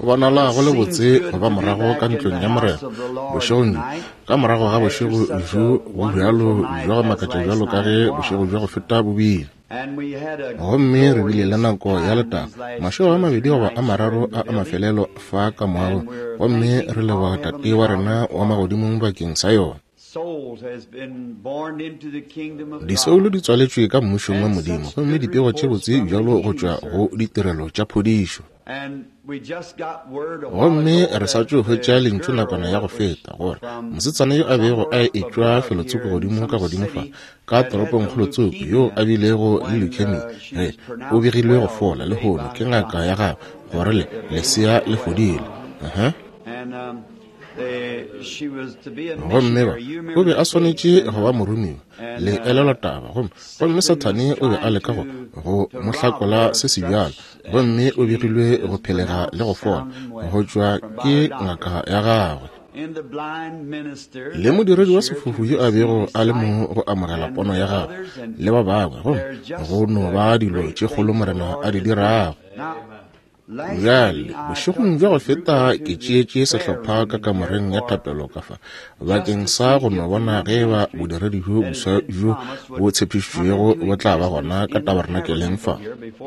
Go bonala go le botse go ba morago ka ntlong ya Morena bošegong bjo, ka morago ga bošego bjo bo bjalo bja go makatša bjalo ka ge bošego bja go feta bo bile. Gomme re bile le nako ya letago, mašego a mabedi goba a mararo a a mafelelo fa ka moagong, gomme re leboga Tate wa rena wa Magodimong bakeng sa yona. Disoulo di tswaletšwe ka Mmušong wa Modimo, gomme dipego tše botse bjalo go tšwa go ditirelo tša phodišo. Gomme re sa tšo hwetša lentšu nakwana ya go feta, gore mosetsana yo a bego a etšwa felotsoko godimo ka godimo fa, ka toropongkgolo tsoko, yo a bilego le leukemia, ge, o begilwe go fola lehono ke ngaka ya gagwe, gore le, lesea le fodile. Uh-huh. Gomme ba, o be a swanetše go ba moromiwa, le elelwa taba, gomme, gomme Sathane o be a leka go, go mo hlakola se sebjalo, gomme o begilwe go phelega le go fola, go tšwa ke ngaka ya gagwe. Le modiredi wa sefofu yo a bego a le mo go amogela pono ya gagwe, le ba bangwe, gomme go no ba dilo tše kgolo Morena a di dirago. Bjale, bošegong bja go feta ke tšeetše sehlopha ka kamoreng ya thapelo ka fa, bakeng sa go no bona ge eba bodiredi bjo boswa bjo bo tshepišitšwego bo tla ba gona ka tabernakeleng fa.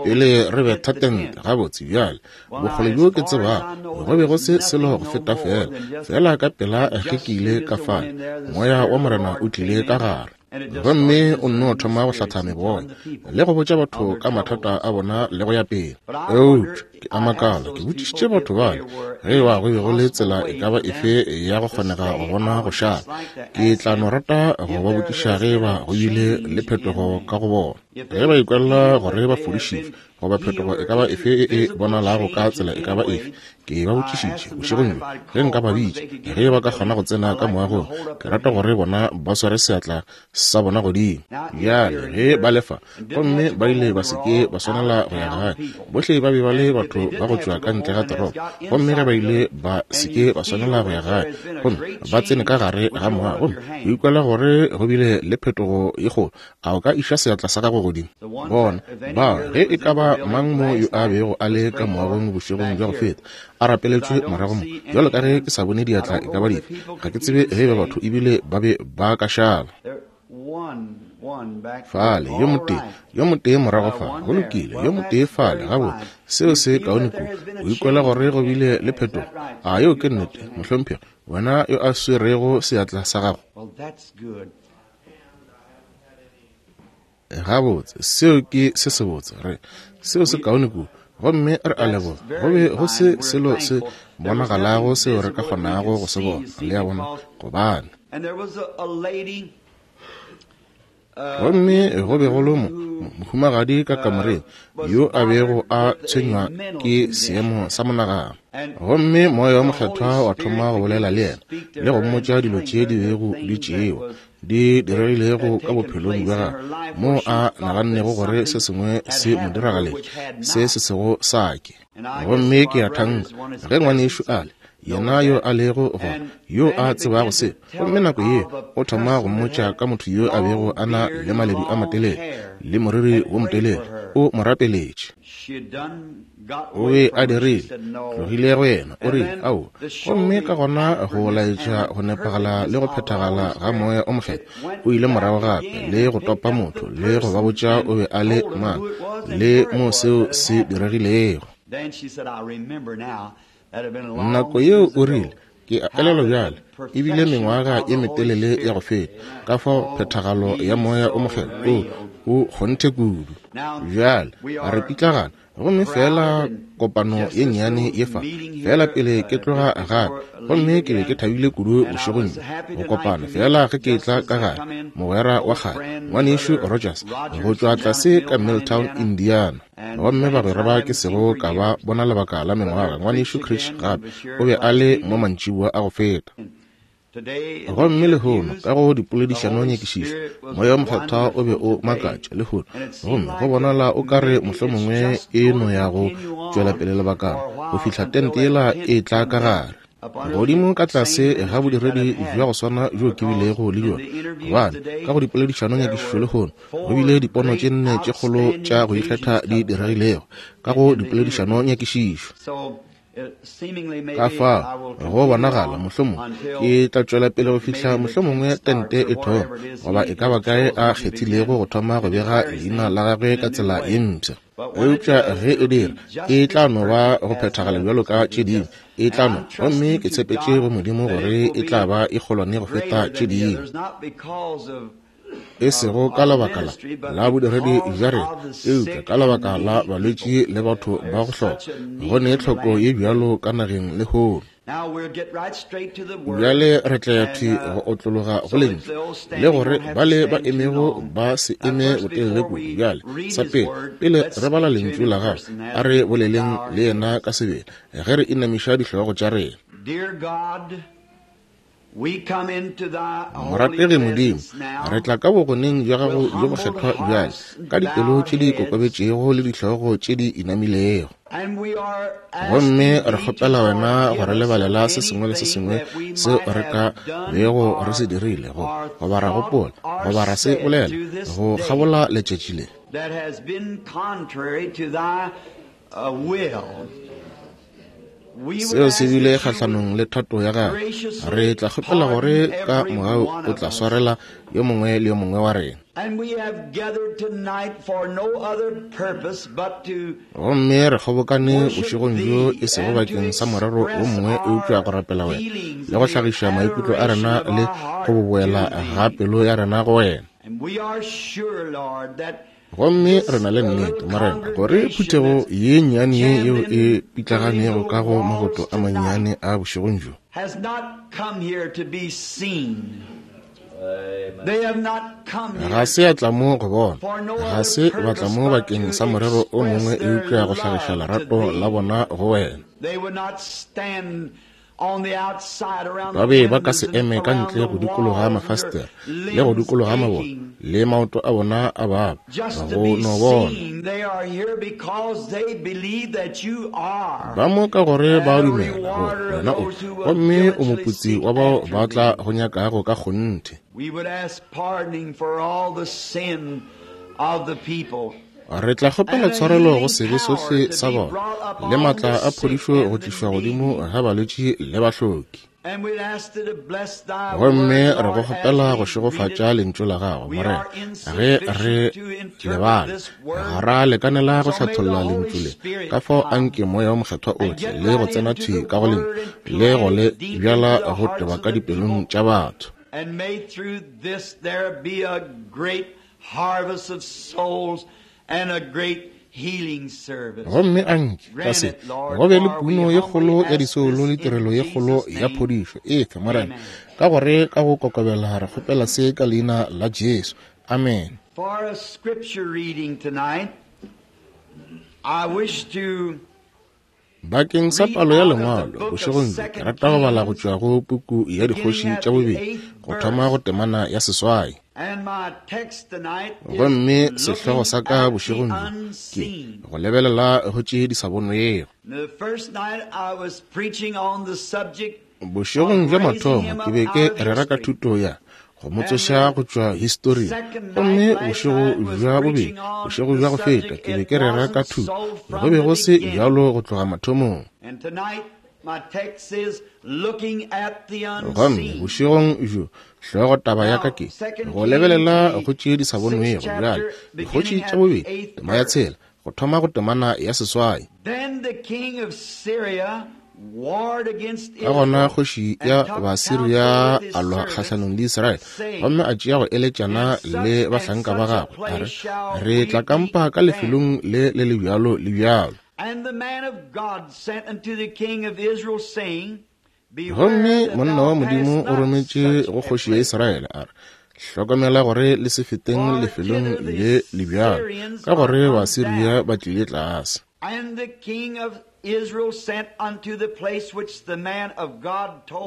Pele re betha tente, gabotse bjale, bokgole bjo ke tsebago, go be go se selo go feta feela, feela ka pela ge ke ile ka fale, Moya wa Morena o tlile ka gare. Gomme o nno thoma go hlatha meboya le go botša batho ka mathata a bona le go ya pele. Eupša ke a makala, ke botšišitše batho bale ge eba go be go le tsela e ka ba efe ya go kgonega go bona go šala. Ke tla no rata go ba botšiša ge eba go bile le phetogo ka go bona, ge ba ikwela gore ba fodišitšwe, goba phetogo e ka ba efe e e bonalago ka tsela e ka ba efe. Ke ba botšišitše bošegong bjo ge nka ba bitša, ge ba ka kgona go tsena ka moagong, ke rata gore bona ba sware seatla sa bona godimo. Bjale ge ba le fa, gomme ba ile ba se ke ba swanela go ya gae, bohle ba be ba le batho ba go tšwa ka ntle ga toropo, gomme ge ba ile ba se ke ba swanela go ya gae, gomme ba tsene ka gare ga moago, gomme o ikwela gore go bile le phetogo ye kgolo, A o ka iša seatla sa gago godimo? Bona, bao, ge e ka ba mang mo yo a bego a le ka moagong bošegong bja go feta, a rapeletšwe morago mo, bjalo ka ge ke sa bone diatla e ka ba dife, ga ke tsebe ge eba batho ebile ba be ba ka šala. Fale, yo motee, yo motee morago fa, go lokile, yo motee fale, gabotse, seo se kaone kudu. O ikwela gore go bile le phetogo? A yeo ke nnete, mohlomphegi, wena yo a swerego seatla sa gago? Gabotse, seo ke se sebotse. Re, seo se kaone kudu. Gomme re a leboga. Go be go se selo se bonagalago seo re ka kgonago go se bona, le a bona, gobane. Gomme go be go le mo, mohumagadi ka kamoreng yo a bego a tshwenywa ke seemo sa monagano. Gomme Moya wo Mokgethwa wa thoma go bolela le yena le go mmotša dilo tše di bego di tšewa di diregilego ka bophelong bja gagwe, moo a nagannego gore se sengwe se mo diragaletše se se sego sa ke. Gomme ke a thanka ge ngwanešu ale, yena yo a lego gona, yo a tsebago se, gomme nako ye o thoma go mmotša ka motho yo a bego a na le maledu a matelele le moriri wo motelele, o mo rapeletše. O be a dirile, tlogile go yena, o rile, Ao. Gomme ka gona go laetša go nepagala le go phethagala ga Moya o Mokgethwa, o ile morago gape le go topa motho le go ba botša o be a le mang le mo seo se diregilego. Nako yeo o rile, Ke a elelwa bjale, e bile mengwaga ye metelele ya go feta, ka fao phethagalo ya Moya o Mokgethwa o, o kgonthe kudu. Bjale re pitlagana, gomme feela kopano ye nnyane ye fa, feela pele ke tloga gape, gomme ke be ke thabile kudu bošegong bjo go kopana, feela ge ke etla ka gare, mogwera wa kgale, Ngwanešu Rogers, go tšwa tlase ka Milltown, Indiana. Gomme bagwera ba ke sego ka ba bona lebaka la mengwaga, Ngwanešu Creech gape o be a le mo mantšiboa a go feta. Gomme lehono, ka go dipoledišano nyakišišo, Moya wo Mokgethwa o be o makatša lehono. Gomme go bonala o ka re mohlomongwe e no ya go tšwela pele lebakana, go fihla tente yela e tla ka gare. Godimo ka tlase ga bodiredi bja go swana bjo ke bilego le bjona, gobane ka go dipoledišano nyakišišo lehono, go bile dipono tše nne tše kgolo tša go ikgetha di diregilego ka go dipoledišano nyakišišo. Ka fao go bonagala mohlomongwe ke tla tšwela pele go fihla mohlomongwe tente e thoma, goba e ka ba kae a kgethilego go thoma go bega leina la gagwe ka tsela ye mpsha. Eupša ge e dira, e tla no ba go phethagala bjalo ka tše dingwe, e tla no, gomme ke tshepetše go Modimo gore e tla ba e kgolwane go feta tše dingwe. E sego ka lebaka la la bodiredi bja rena, eupša ka lebaka la balwetši le batho ba go hloka. Go ne tlhoko ye bjalo ka nageng lehono. Bjale re tla ya thwi go otlologa go lentšu, le gore bale ba emego ba se eme botelele kudu. Bjale, sa pele, pele re bala lentšu la gagwe, a re boleleng le yena ka sebele, ge re inamiša dihlogo tša rena. Morategi Modimo, re tla ka bogoneng bja gago bjo bokgethwa bjale, ka dipelo tše di kokobetšego le dihlogo tše di inamilego. Gomme re kgopela wena go re lebalela se sengwe le se sengwe seo re ka bego re se dirile, go goba ra gopola, goba ra se bolela, go kgabola letšatši le. Seo se bile kgahlanong le thato ya gagwe. Re tla kgopela gore ka mogau o tla swarela yo mongwe le yo mongwe wa rena. Gomme re kgobokane bošegong bjo e sego bakeng sa morero wo mongwe eupša go rapela wena le go hlagiša maikutlo a rena le go boboela ga pelo ya rena go wena. Gomme re na le nnete, Morena, gore phuthego ye nnyane ye yeo e pitlaganego ka go maboto a mannyane a bošegong bjo, ga se ya tla mo go bona, ga se ba tla mo bakeng sa morero o mongwe eupša go hlagiša lerato la bona go wena. Ba be ba ka se eme ka ntle go dikologa mafastere le go dikologa mabone le maoto a bona a baba go no bona. Ba mo ka gore ba dumela gore wena o, gomme o moputsi wa bao ba tla go nyakago ka kgonthe. Re tla kgopela tshwarelo go sebe sohle sa bona, le maatla a phodišo go tlišwa godimo ga balwetši le bahloki. Gomme re go kgopela go šegofatša lentšu la gago, Morena, ge re lebala. Ga ra lekanela go hlatholla lentšu le, ka fao anke Moya wo Mokgethwa o tle le go tsena thwi ka go lentšu, le go le bjala go teba ka dipelong tša batho. And may through this there be a great harvest of souls and a great healing service. Gomme anke ka se go be le puno ye kgolo ya disoulo le tirelo ye kgolo ya phodišo. Efe, Morena, ka gore ka go kokobela re kgopela se ka leina la Jesu. Amen. For a scripture reading tonight, I wish to Bakeng sa palo ya lengwalo bošegong bjo, ke rata go bala go tšwa go puku ya Dikgoši tša Bobedi, go thoma go temana ya 8. Gomme sehlogo sa ka bošegong bjo ke go lebelela go tše di sa bonwego. Bošegong bja mathomo ke be ke rera ka thuto ya go mo tsoša go tšwa historing, gomme bošego bja bobedi, bošego bja go feta, ke be ke rera ka thuto go be go se bjalo go tloga mathomong. Gomme bošegong bjo hlogo taba ya ka ke go lebelela go tše di sa bonwego. Bjale Dikgoši tša Bobedi, tema ya 6, go thoma go temana ya 8. Ka gona kgoši ya Basiria a lwa kgahlanong le Israele, gomme a tšea go eletšana le bahlanka ba gagwe, a re, Re tla kampa ka lefelong le le le bjalo le bjalo. Gomme monna wa Modimo o rometše go kgoši ya Israele, a re, Hlokomela gore le se feteng lefelong le le bjalo, ka gore Basiria ba tlile tlase.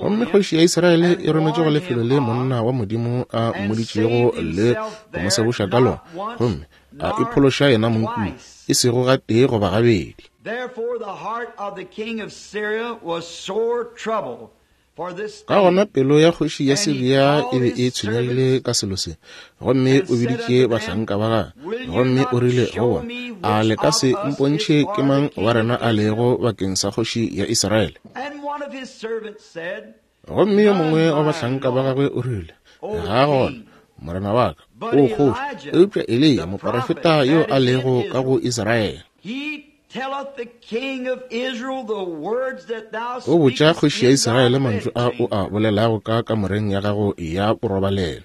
Gomme kgoši ya Israele e rometše go lefelo le monna wa Modimo a mmoditšego le go mo seboša ka lona, gomme a iphološa yena mong kua, e sego gatee goba gabedi. Ka gona pelo ya kgoši ya Siria e be e tshwenyegile ka selo se, gomme o biditše bahlanka ba gagwe, gomme o rile go bona, A le ka se mpontšhe ke mang wa rena a lego bakeng sa kgoši ya Israele? Gomme yo mongwe wa bahlanka ba gagwe o rile, Ga gona, morena wa ka, o kgoši, eupša Eliya moporofeta yo a lego ka go Israele. O botša kgoši ya Israele mantšu a o a bolelago ka kamoreng ya gago ya borobalelo.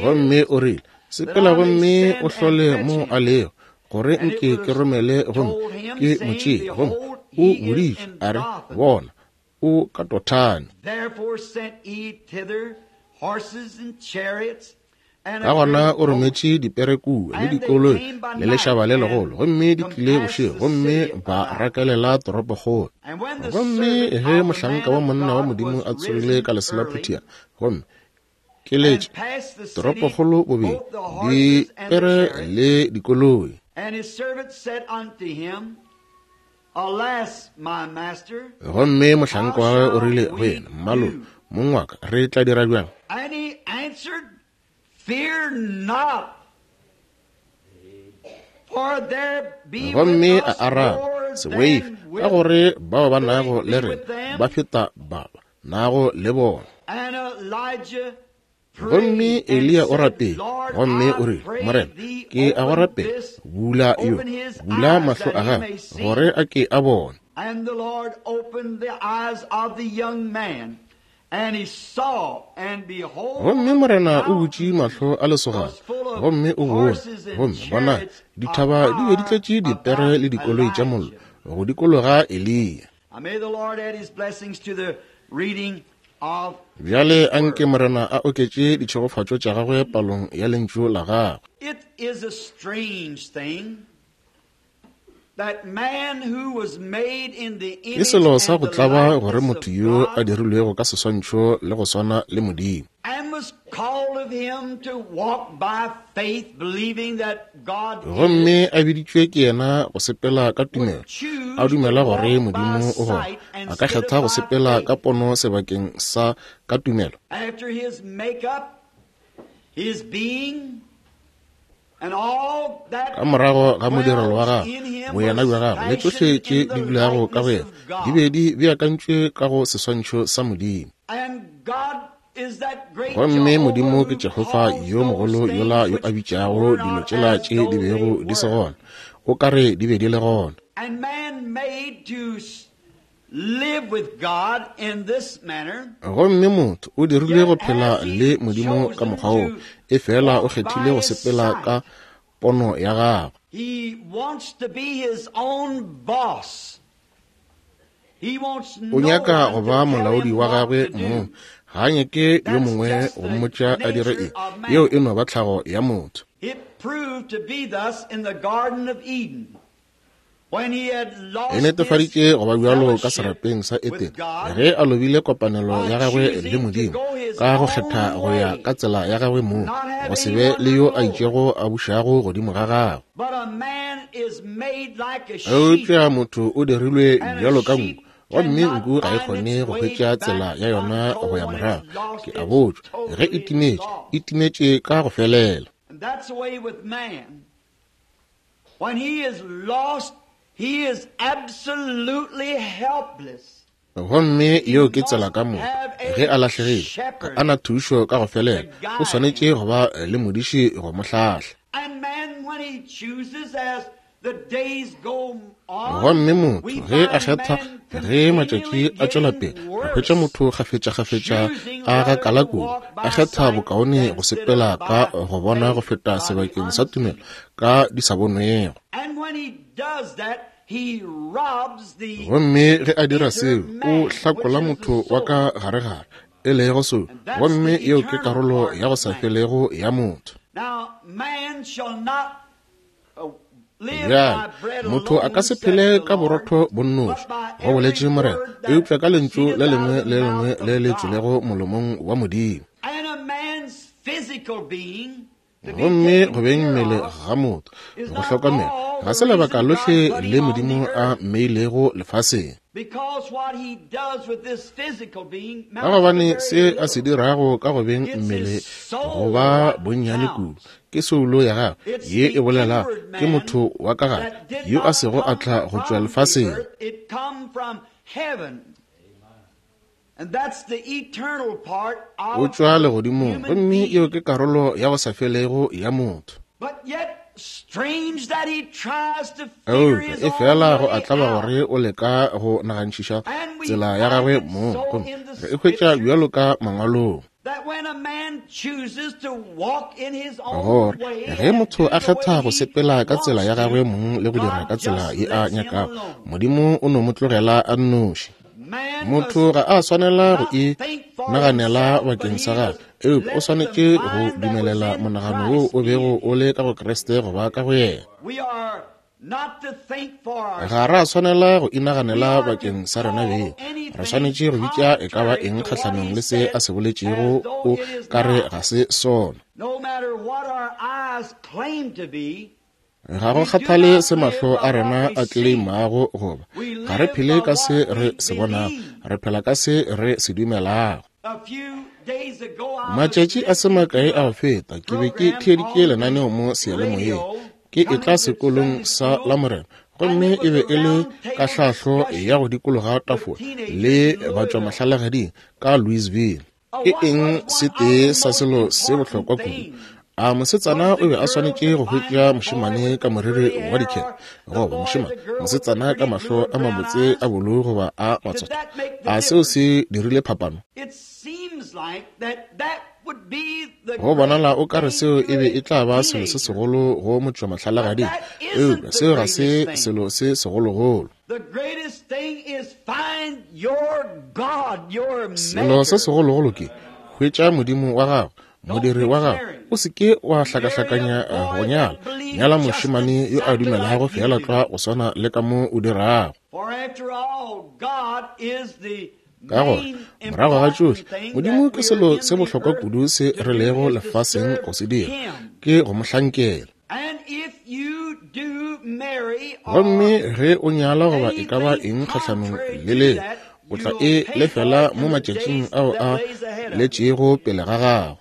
Gomme o rile, Sepela gomme o hlole mo a lego, gore nke ke romele gomme ke mo tšee. Gomme o boditšwe, a re, Bona, o ka Dothane. Ka gona o rometše dipere kua, le dikoloi, le lešaba le legolo, gomme di tlile bošego, gomme ba rakelela toropokgolo. Gomme ge mohlanka wa monna wa Modimo a tsogile ka leselaphutiana, gomme ke letše toropokgolo bobedi, dipere le dikoloi. Gomme mohlanka wa gagwe o rile go yena, Mmalo, mong wa ka, re tla dira bjang? Gomme a araba, Se boife, ka gore bao ba nago le rena ba feta ba ba nago le bona. Gomme Eliya o rapetše, gomme o rile, Morena, ke a go rapela, bula yo, bula mahlo a gagwe, gore a ke a bone. Gomme Morena o butše mahlo a lesogana, gomme o bone, gomme bonang, dithaba di be di tletše dipere le dikoloi tša mollo go dikologa Eliya. Bjale a nke Morena a oketše ditšhegofatšo tša gagwe palong ya Lentšu la gagwe. Ke selo sa go tlaba gore motho yo a dirilwego ka seswantšho le go swana le Modimo, gomme a biditšwe ke yena go sepela ka tumelo, a dumela gore Modimo o gona, a ka kgetha go sepela ka pono sebakeng sa ka tumelo. Ka morago ga modirelo wa gagwe, boyena bja gagwe le tšohle tše di dulago ka go yena di be di beakantšwe ka go seswantšho sa Modimo. Gomme Modimo ke Jehofa yo mogolo yola yo a bitšago dilo tšela tše di bego di se gona, o ka re di be di le gona. Gomme motho o dirilwe go phela le Modimo ka mokgwa wo, efela o kgethile go sepela ka pono ya gagwe. O nyaka go ba molaodi wa gagwe mong, ga a nyake yo mongwe go mmotša a dire eng. Yeo e no ba tlhago ya motho. E netefaditše go ba bjalo ka serapeng sa Edene ge a lobile kopanelo ya gagwe le Modimo ka go kgetha go ya ka tsela ya gagwe mong, go se be le yo a itšego a bušago godimo ga gagwe. Eupša motho o dirilwe bjalo ka nku, gomme nku ga e kgone go hwetša tsela ya yona go ya morago. Ke a botšwa, ge e timetše, e timetše ka go felela. When he is lost, he is absolutely helpless. Gomme yeo ke tsela ka moka. Ge a lahlegile, ga a na thušo ka go felela. O swanetše go ba le modiši go mo hlahla. Gomme motho ge a kgetha, ge matšatši a tšwela pele, re hwetša motho kgafetšakgafetša a gakala kudu, a kgetha bokaone go sepela ka go bona go feta sebakeng sa tumelo ka di sa bonwego. Gomme ge a dira seo, o hlakola motho wa ka garegare, e lego seo, gomme yeo ke karolo ya go sa felego ya motho. Bjale, motho a ka se phele ka borotho bo nnoši, go boletše Morena, eupša ka lentšu le lengwe le lengwe le le tšwelego molomong wa Modimo. Gomme go beng mmele ga motho, go hlokomela, ga se lebaka lohle le Modimo a mmeilego lefaseng. Ka gobane se a se dirago ka go beng mmele go ba bonnyane kudu, ke soulo ya gagwe ye e bolelago, ke motho wa ka gare yo a sego a tla go tšwa lefaseng. O tšwa legodimong, gomme yeo ke karolo ya go sa felego ya motho. Eupša e fela go a tlaba gore o leka go nagantšhiša tsela ya gagwe mong, gomme re e hwetša bjalo ka mangwalong, gore ge motho a kgetha go sepela ka tsela ya gagwe mong le go dira ka tsela ye a nyakago, Modimo o no mo tlogela a nnoši. Motho ga a swanela go e naganela bakeng sa gagwe, eupša o swanetše go dumelela monagano wo o bego o le ka go Kriste go ba ka go yena. Ga ra swanela go inaganela bakeng sa rena beng. Re swanetše go bitša e ka ba eng kgahlanong le se a se boletšego o ka re ga se sona. Ga go kgathale se mahlo a rena a tleleimago goba, ga re phele ka se re se bonago, re phela ka se re se dumelago. Matšatši a se makae a go feta, ke be ke theeditše lenaneo mo seyalemoyeng, ke etla sekolong sa Lamorena, gomme e be e le kahlahlo ya go dikologa tafola le batšwamahlalagading ka Louisville. Ke eng se tee sa selo se bohlokwa kudu? A mosetsana o be a swanetše go hwetša mošemane ka moriri wa dikhele, goba mošemane mosetsana ka mahlo a mabotse a bolu goba a matsotho? A seo se dirile phapano? Go bonala o ka re seo e be e tla ba selo se segolo go motšwamahlalagading, eupša seo ga se selo se segologolo. Selo se segologolo ke hwetša Modimo wa gago, modiri wa gago. O se ke wa hlakahlakanya go nyala. Nyala mošemane yo a dumelago feela tlwa go swana le ka mo o dirago. Ka gore morago ga tšohle, Modimo ke selo se bohlokwa kudu se re lego lefaseng go se dira, ke go mo hlankela. Gomme ge o nyala goba e ka ba eng kgahlanong le leo, o tla e lefela mo matšatšing ao a letšego pele ga gago.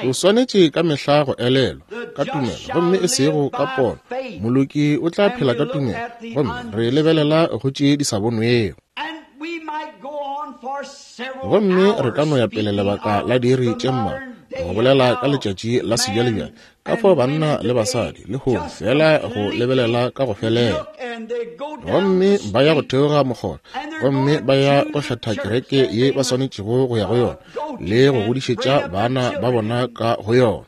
O swanetše ka mehla go elelwa ka tumelo gomme e sego ka pono. Moloki o tla phela ka tumelo, gomme re lebelela go tše di sa bonwego. Gomme re ka no ya pele lebaka la diiri tše mmalwa go bolela ka letšatši la sebjalebjale, ka fao banna le basadi lehono fela go lebelela ka go felela, gomme ba ya go theoga mokgora, gomme ba ya go kgetha kereke ye ba swanetšego go ya go yona le go godišetša bana ba bona ka go yona.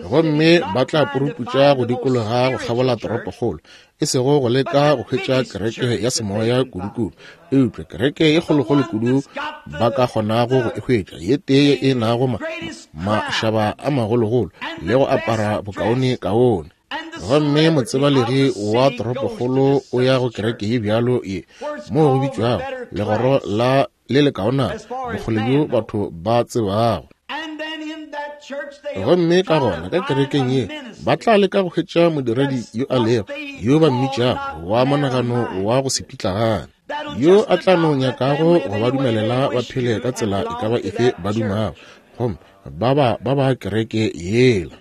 Gomme ba tla puruputša go dikologa go kgabola toropokgolo, e sego go leka go hwetša kereke ya semoya kudukudu, eupša kereke ye kgolokgolo kudu ba ka kgonago go e hwetša, ye tee ye e nago mašaba a magologolo le go apara bokaonekaone. Gomme motsebalegi wa toropokgolo o ya go kereke ye bjalo ye, moo go bitšwago legoro la le lekaonana, bokgole bjo batho ba tsebago. Gomme ka gona ka kerekeng ye ba tla leka go hwetša modiredi yo a lego, yo ba mmitšago wa monagano wa go se pitlagane, yo a tla no nyakago go ba dumelela ba phele ka tsela e ka ba efe ba dumago, gomme ba ba ba ba kereke yela.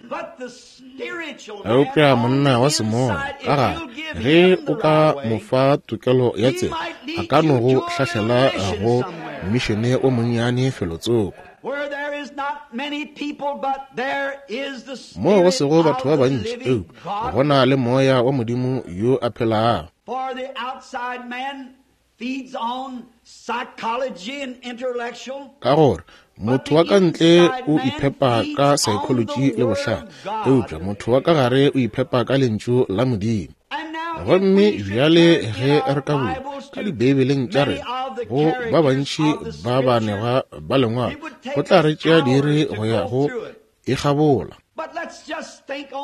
Eupša monna wa semoya ka gare, ge o ka mo fa tokelo ya tsela, a ka no go hlahlela go mmišene o monnyane felotsoko, moo go sego batho ba bantši, eupša go na le moya wa Modimo yo a phelago. Ka gore motho wa ka ntle o iphepa ka saekholoji le bohlale, eupša motho wa ka gare o iphepa ka lentšu la Modimo. Gomme bjale ge re ka bula ka Dibeibeleng tša rena go ba bantši ba baanegwa ba lengwalo, go tla re tšea diiri go ya go e kgabola.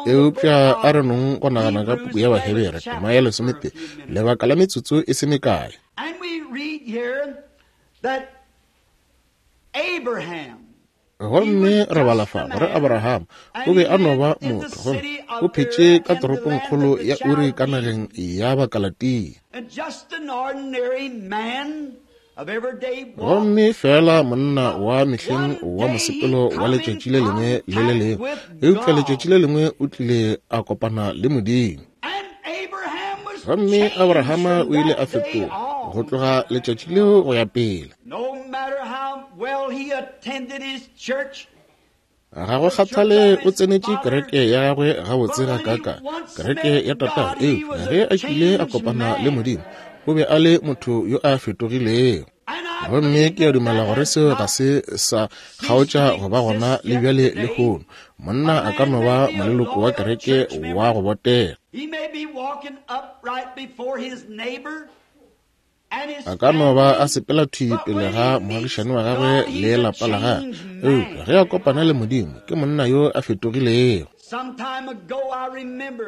Eupša a re nong go nagana ka puku ya Bahebere tema ya 12 lebaka la metsotso e se mekae. Gomme re bala fa gore Abraham o be a no ba motho, gomme o phetše ka toropongkgolo ya Uri ka nageng ya Bakalatia. Gomme feela monna wa mehleng wa mosepelo wa letšatši le lengwe le le lengwe, eupša letšatši le lengwe o tlile a kopana le Modimo. Gomme Abrahama o ile a fetoga go tloga letšatši leo go ya pele. Ga go kgathale o tsenetše kereke ya gagwe gabotse gakaakang, kereke ya tatagwe, eupša ge a kile a kopana le Modimo, o be a le motho yo a fetogilego. Gomme ke a dumela gore seo ga se sa kgaotša go ba gona le bjale lehono. Monna a ka no ba moleloko wa kereke wa go botega. A ka no ba a sepela thwi pele ga moagišani wa gagwe le lapa la gagwe, eupša ge a kopana le Modimo, ke monna yo a fetogilego.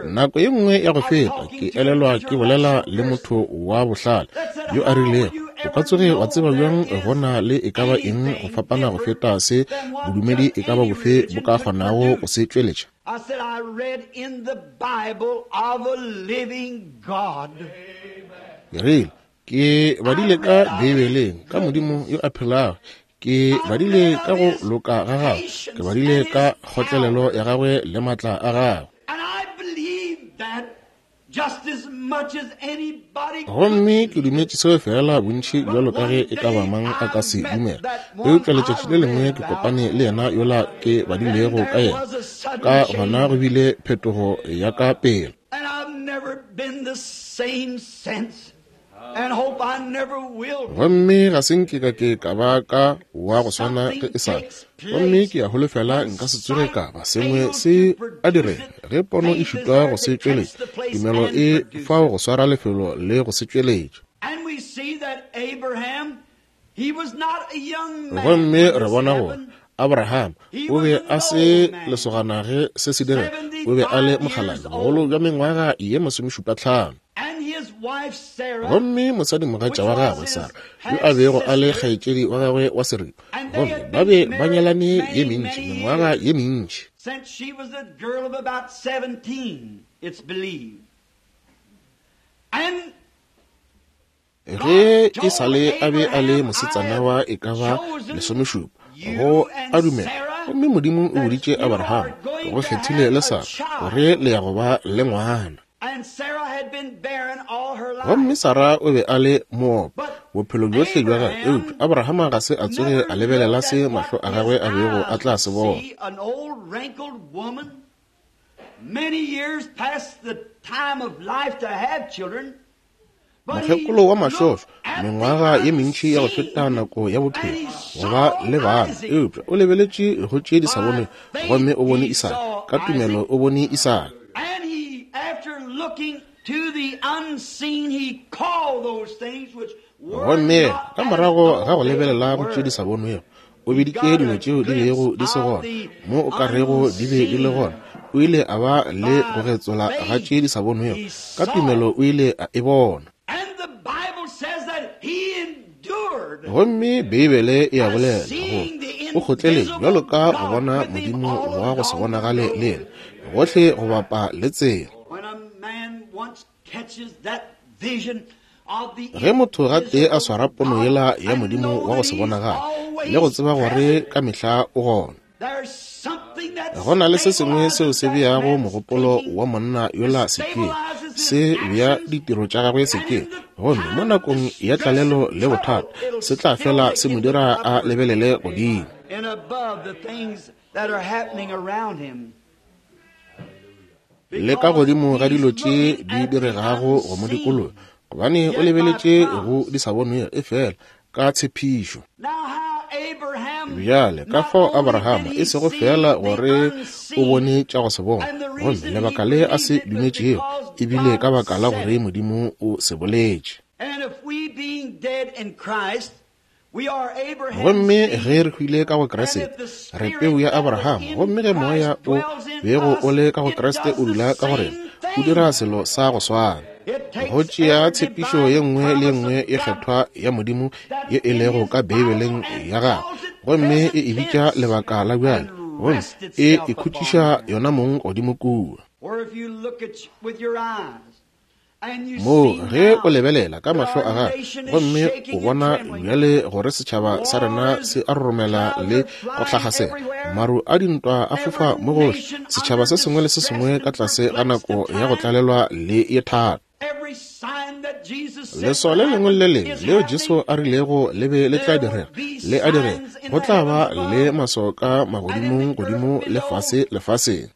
Nako ye nngwe ya go feta ke elelwa ke bolela le motho wa bohlale yo a rilego, o ka tsoge wa tseba bjang go na le e ka ba eng go fapana go feta se bodumedi e ka ba bofe bo ka kgonago go se tšweletša? Ke rile, ke badile ka Beibeleng ka Modimo yo a phelago, ke badile ka go loka ga gagwe, ke badile ka kgotlelelo ya gagwe le matla a gagwe. Gomme ke dumetše seo feela bontši bjalo ka ge e ka ba mang a ka se dumela. Eupša letšatši le lengwe ke kopane le yena yola ke badilego ka yena, ka gona go bile phetogo ya ka pele. Gomme ga se nke ka ke ka ba ka wa go swana ge e sa le. Gomme ke a holofela nka se tsoge ka ba sengwe se a direga ge pono e šitwa go se tšweletša, tumelo e fao go swara lefelo le go se tšweletša. Gomme re bona gore Abraham o be a se lesogana ge se se direga, o be a le mokgalabje, bogolo bja mengwaga ye 75. Gomme mosadimogatša wa gagwe Sara, yo a bego a le kgaetšedi wa gagwe wa seripa, gomme ba be ba nyalane ye mentši, mengwaga ye mentši. Ge e sa le a be a le mosetsana wa e ka ba 17, go a dumela, gomme Modimo o boditše Abraham, ke go kgethile le Sara, gore le ya go ba le ngwana. Gomme Sara o be a le moopa bophelo bjohle bja gagwe, eupša Abrahama ga se a tsoge a lebelela se mahlo a gagwe a bego a tla se bona. Mokgekolo wa mašošo, mengwaga ye mentši ya go feta nako ya bophelo go ba le bana, eupša o lebeletše go tše di sa bonwego, gomme o bone Isaka. Ka tumelo o bone Isaka. Gomme ka morago ga go lebelela go tše di sa bonwego, o biditše dilo tšeo di bego di se gona mo o ka rego di be di le gona. O ile a ba le go getsola ga tše di sa bonwego, ka tumelo o ile a e bona. Gomme Beibele e a bolela gore o kgotleletše bjalo ka go bona Modimo wa go se bonagale le yena gohle go bapa le tsela. Ge motho gatee a swara pono yela ya Modimo wa go se bonagale le go tseba gore ka mehla o gona, go na le se sengwe seo se beago mogopolo wa monna yola sekeng, se bea ditiro tša gagwe sekeng, gomme mo nakong ya tlalelo le bothata se tla fela se mo dira a lebelele godimo. Le ka godimo ga dilo tše di diregago go mo dikologa, gobane o lebeletše go di sa bonwego efela ka tshepišo. Bjale ka fao Abrahama e sego feela gore o bone tša go se bona, gomme lebaka le a se dumetšego e bile ka baka la gore Modimo o se boletše. Gomme ge re hwile ka go Kriste, re peu ya Abraham. Gomme ge Moya o bego o le ka go Kriste o dula ka go rena, o dira selo sa go swana. Go tšea tshepišo ye nngwe le ye nngwe e kgethwa ya Modimo ye e lego ka Beibeleng ya gagwe, Gomme e e bitša lebaka la bjale, gomme e ikhutšiša yona mong godimo kua. Moo ge o lebelela ka mahlo a gago gomme o bona bjale gore setšhaba sa rena se a roromela le go hlagasela, maru a dintwa a fofa mo gohle, setšhaba se sengwe le se sengwe ka tlase ga nako ya go tlalelwa le ye thata. Leswao le lengwe le le lengwe leo Jesu a rilego le be le tla direga, le a direga. Go tla ba le maswao ka magodimong godimo le fase lefaseng.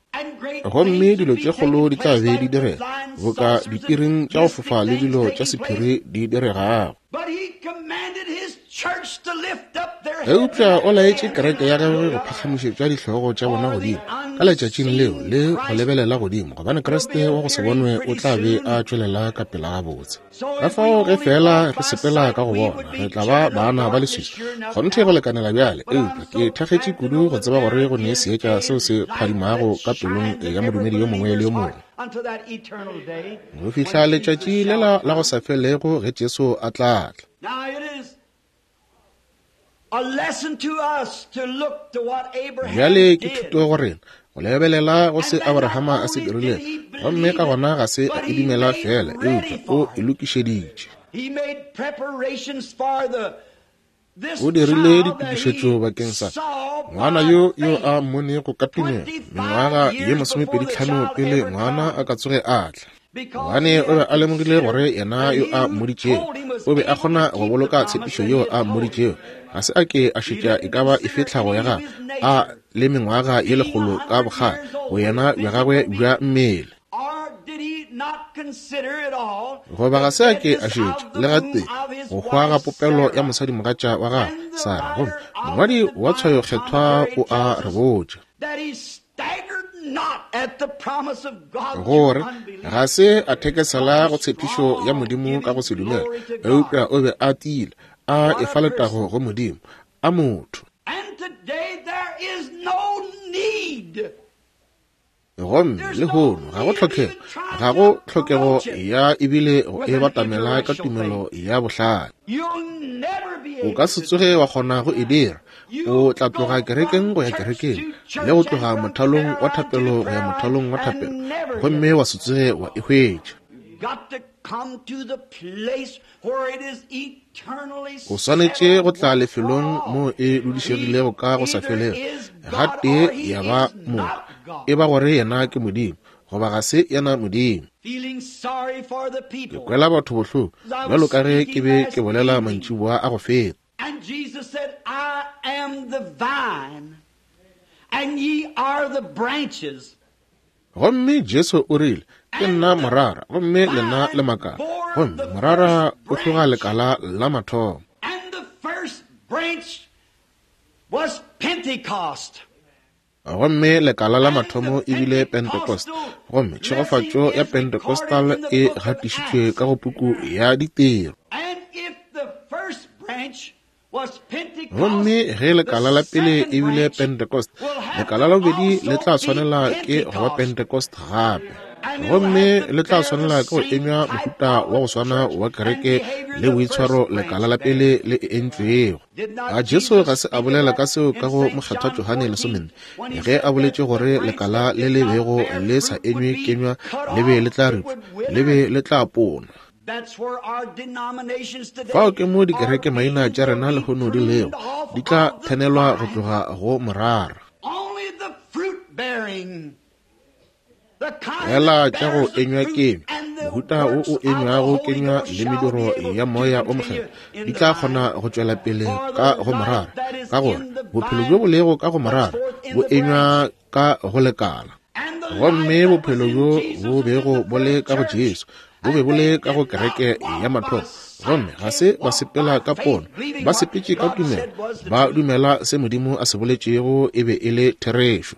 Gomme dilo tše kgolo di tla be di direga, boka dipiring tša go fofa le dilo tša sephiri di diregago. Eupša o laetše kereke ya gagwe go phagamišetša dihlogo tša bona godimo ka letšatšing leo le go lebelela godimo, gobane Kriste wa go se bonwe o tla be a tšwelela ka pela gabotse. Ka fao ge feela re sepela ka go bona, re tla ba baana ba leswiswi kgonthe go lekanela bjale. Eupša ke thakgetše kudu go tseba gore go ne seetša seo se phadimago ka pelong ya modumedi yo mongwe le yo mongwe go fihla letšatši lela la go sa felego ge Jesu a tla tla. Bjale ke thuto go rena go lebelela go se Abrahama a se dirilego, gomme ka gona ga se a e dumela fela, eupša o e lokišeditše. O dirile ditokišetšo bakeng sa ngwana yo yo a mmonego ka tumelo mengwaga ye 25 pele ngwana a ka tsoge a tla, gobane o be a lemogile gore yena yo a mmoditšego o be a kgona go boloka tshepišo yeo a mmoditšego. Ga se a ke a šetša e ka ba efe tlhago ya gagwe, a le mengwaga ye 100 ka bokgale go yena bja gagwe bja mmele. Goba ga se a ke a šetša le gatee go hwa ga popelo ya mosadimogatša wa gagwe Sara. Gomme mongwadi wa tshwayokgethwa o a re botša gore ga se a thekesela go tshepišo ya Modimo ka go se dumela, eupša o be a tiile a efa letago go Modimo a motho. Gomme lehono ga go tlhokego, ga go tlhokego ya ebile go e batamela ka tumelo ya bohlale. O ka se tsoge wa kgona go e dira. O tla tloga kerekeng go ya kerekeng, le go tloga mothalong wa thapelo go ya mothalong wa thapelo, gomme wa se tsoge wa e hwetša. O swanetše go tla lefelong moo e dudišegilego ka go sa felego, gatee ya ba moka, e ba gore yena ke Modimo goba ga se yena Modimo. Ke kwela batho bohloko bjalo ka ge ke be ke bolela mantšiboa a go feta. And Jesus said, I am the vine, and ye are the branches. Gomme Jesu o rile, Ke nna morara, gomme lena le makala. Gomme morara o hloga lekala la mathomo. And the first branch was Pentecost. Gomme lekala la mathomo e bile Pentecost. Gomme tšhegofatšo ya Pentecostal e gatišitšwe ka go puku ya Ditiro. And if the first branch Gomme ge lekala la pele e bile Pentecost, lekala la bobedi le tla swanela ke go ba Pentecost gape. Gomme le tla swanela ke go enywa mohuta wa go swana wa kereke le boitshwaro lekala la pele le e entšwego. A Jesu ga se a bolela ka seo ka go Mokgethwa Johane 14, ge a boletše gore lekala le le bego le sa enywe kenywa le be le tla ripša, le be le tla ponwa? Fao ke mo dikereke maina tša rena lehono di lego, di tla thenelwa go tloga go morara. Fela tša go enywa kenywa, mohuta wo o enywago kenywa le mediro ya Moya o Mokgethwa di tla kgona go tšwela pele ka go morara, ka gore bophelo bjo bo lego ka go morara bo enywa ka go lekala. Gomme bophelo bjo bo bego bo le ka go Jesu bo be bo le ka go kereke ya mathomo, gomme ga se ba sepela ka pono, ba sepetše ka tumelo, ba dumela se Modimo a se boletšego e be e le therešo.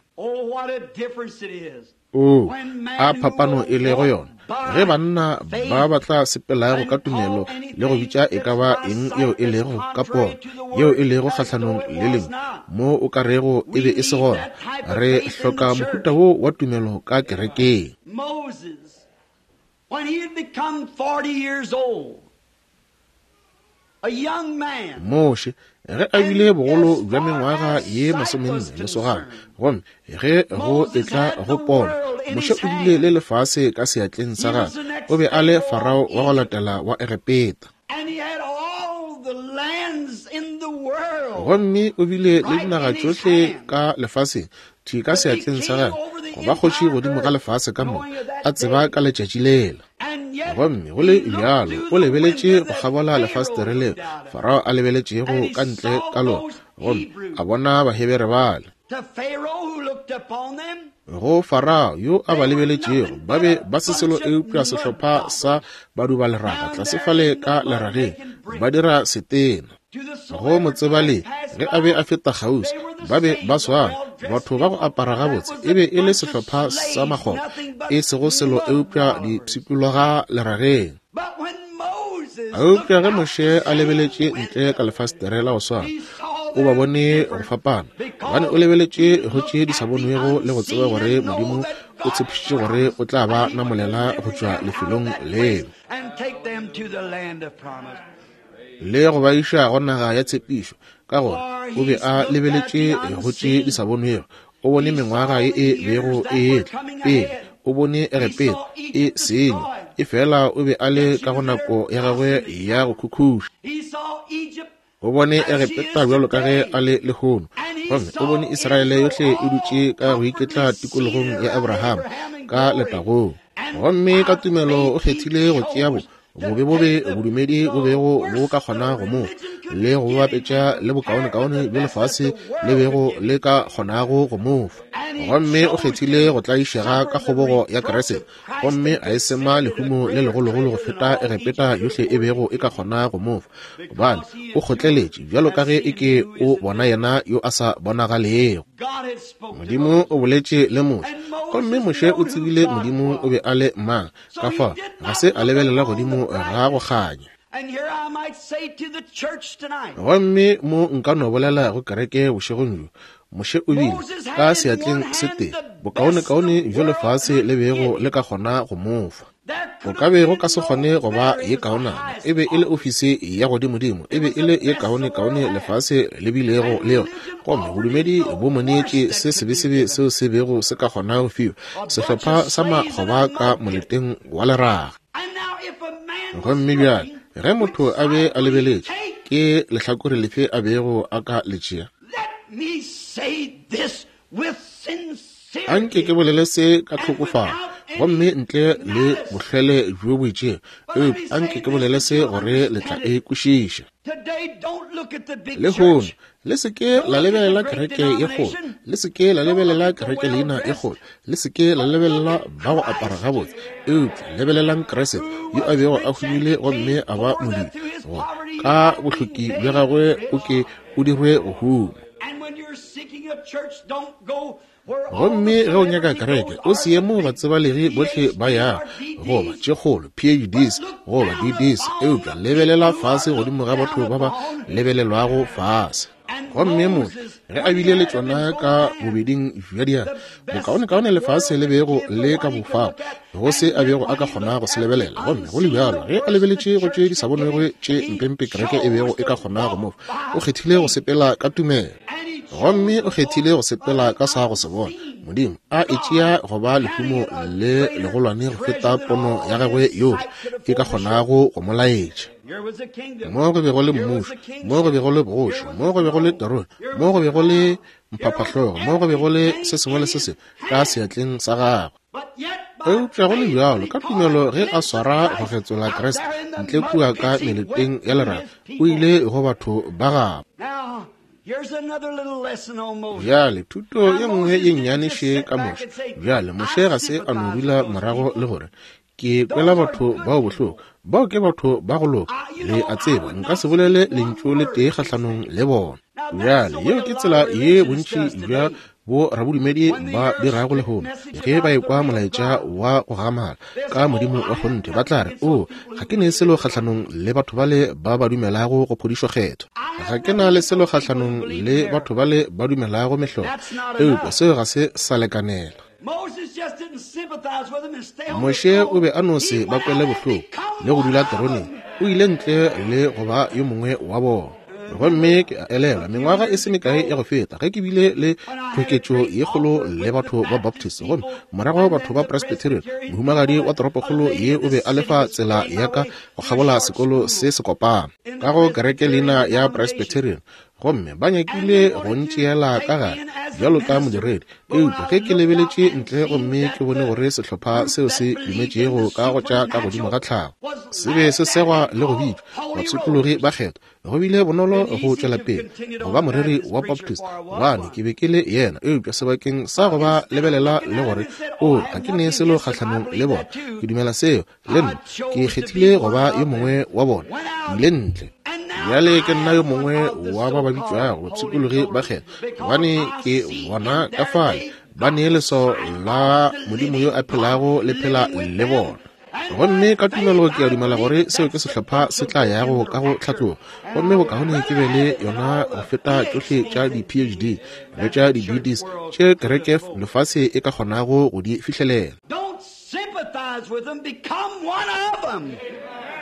Oo, a phapano e lego yona ge banna ba ba tla sepelago ka tumelo le go bitša e ka ba eng yeo e lego ka pono, yeo e lego kgahlanong le lengwe, mo o ka rego e be e se gona. Re hloka mohuta wo wa tumelo ka kerekeng. Moses, when he had become 40 years old, a young man, Moshe, Ge a bile bogolo bja mengwaga ye 40 lesogana, gomme ge go etla go pono, Moshe o bile le lefase ka seatleng sa gagwe. O be a le Farao wa go latela wa Egepeta. Gomme o bile le dinaga tšohle ka lefaseng thwi ka seatleng sa gagwe, go ba kgoši godimo ga lefase ka moka, a tseba ka letšatši lela. Gomme go le bjalo o lebeletše go kgabola lefastere leo Farao a lebeletšego ka ntle ka lona, gomme a bona Bahebere bale. Go Farao yo a ba lebeletšego, ba be ba se selo eupša sehlopha sa badubaleraga tlase fale ka lerageng, ba dira setena. Go motsebale ge a be a feta kgauswi, ba be ba swana, batho ba go apara gabotse, e be e le sehlopha sa makgoba, e sego selo eupša dipshikologa lerageng. Eupša ge Moshe a lebeletše ntle ka lefastere la go swana, o ba bone go fapana, gobane o lebeletše go tše di sa bonwego le go tseba gore Modimo o tshepišitše gore o tla ba namolela go tšwa lefelong leo le go ba iša go naga ya tshepišo. Ka gore o be a lebeletše go tše di sa bonwego, o bone mengwaga ye e bego e etla pele, o bone Egepeta e senywa, efela o be a le ka go nako ya gagwe ya go khukhuša. O bone Egepeta bjalo ka ge a le lehono, gomme o bone Israele yohle e dutše ka go iketla tikologong ya Abraham ka letagong. Gomme ka tumelo o kgethile go tšea bo bobebobe bodumedi bo bego bo ka kgona go mo le go bapetša le bokaonekaone bjo lefase le bego le ka kgonago go mo fa. Gomme o kgethile go tlaišega ka kgobogo ya Kriste, gomme a e sema lehumo le legologolo go feta Egepeta yohle e bego e ka kgona go mo fa, gobane o kgotleletše bjalo ka ge e ke o bona yena yo a sa bonagalego. Modimo o boletše le Moshe, gomme Moshe o tsebile Modimo o be a le mang. Ka fao ga se a lebelela godimo ga go kganya. Gomme mo nka no bolela go kereke bošegong bjo, Moshe o bile ka seatleng se tee bokaonekaone bjo lefase le bego le ka kgona go mo fa. Go ka be go ka se kgone go ba ye kaonana. E be e le ofisi ya godimodimo, e be e le ye kaonekaone lefase le bilego le yona. Gomme bodumedi bo mo neetše se sebesebe seo se bego se ka kgona go fiwa, sehlopha sa makgoba ka moleteng wa leraga. Gomme bjale ge motho a be a lebeletše, ke lehlakore lefe a bego a ka le tšea? Anke ke bolele se ka tlhokofalo, gomme ntle le bohlwele bjo bo itšego, eupša anke ke bolele se gore le tla e kwešiša. Lehono, le se ke la lebelela kereke ye kgolo, le se ke la lebelela kereke leina ye kgolo, le se ke la lebelela ba go apara gabotse, eupša lebelelang Kriste yo a bego a humile gomme a ba modimo, gore ka bohloki bja gagwe o ke o dirwe go huma. Gomme ge o nyaka kereke, o se ye moo batsebalegi bohle ba yago, goba tše kgolo PhDs goba DDs, eupša lebelela fase godimo ga batho ba ba lebelelwago fase. Gomme motho ge a bile le tšona ka bobeding bja diatla, bokaonekaone lefase le bego le ka bofago, go se a bego a ka kgona go se lebelela. Gomme go le bjalo, ge a lebeletše go tše di sa bonwego tše mpempe kereke e bego e ka kgona go mo fa, o kgethile go sepela ka tumelo. Gomme o kgethile go sepela ka sa go se bona Modimo a e tšea go ba lehumo le legolwane go feta pono ya gagwe yohle e ka kgonago go mo laetša. Mo go bego le mmušo, mo go bego le bogoši, mo go bego le terone, mo go bego le mphaphahlogo, mo go bego le se sengwe le se sengwe ka seatleng sa gagwe. Eupša go le bjalo, ka tumelo ge a swara go getsola Kriste ntle kua ka meleteng ya leraga, o ile go batho ba gabo. Bjale, thuto ye nngwe ye nnyane še ka Moshe. Bjale, Moshe ga se a no dula morago le gore, Ke kwela batho bao bohloko. Bao ke batho ba go loka. Le a tseba, nka se bolele lentšu le tee kgahlanong le bona. Bjale, yeo ke tsela ye bontši bja bo rabodumedi ba dirago lehono. Ge ba ekwa molaetša wa go gamala ka Modimo wa kgonthe, ba tla re, O, ga ke ne selo kgahlanong le batho bale ba ba dumelago go phodišo kgethwa. Ga ke na le selo kgahlanong le batho bale ba dumelago mehlolo. Eupša seo ga se sa lekanela. Moshe o be a no se ba kwele bohloko le go dula teroneng. O ile ntle le go ba yo mongwe wa bona. Gomme ke a elelwa mengwaga e se mekae ya go feta ge ke bile le tlhoketšo ye kgolo le batho ba Baptist, gomme morago batho ba Presbyterian. Mohumagadi wa toropokgolo ye o be a lefa tsela ya ka go kgabola sekolo se se kopana ka go kereke leina ya Presbyterian, gomme ba nyakile go ntšeela ka gare bjalo ka modiredi. Eupša ge ke lebeletše ntle gomme ke bone gore sehlopha seo se dumetšego ka go tša ka godimo ga tlhago se be se segwa le go bitšwa bapshikologi ba kgethwa, go bile bonolo go tšwela pele go ba moreri wa Baptist, gobane ke be ke le yena. Eupša sebakeng sa go ba lebelela le gore, o, ga ke ne selo kgahlanong le bona, ke dumela seo le nna, ke kgethile go ba yo mongwe wa bona, ke ile ntle. Bjale ke nna yo mongwe wa ba ba bitšwago bapshikologi ba kgethwa, gobane ke bona ka fale ba nee leswao la Modimo yo a phelago le phela le bona. Gomme ka tumelo ke a dumela gore seo ke sehlopha se tla yago ka go tlhatlogo, gomme bokaone ke be le yona go feta tšohle tša di-PhD le tša di-BDs tše kereke lefase e ka kgonago go di fihlelela.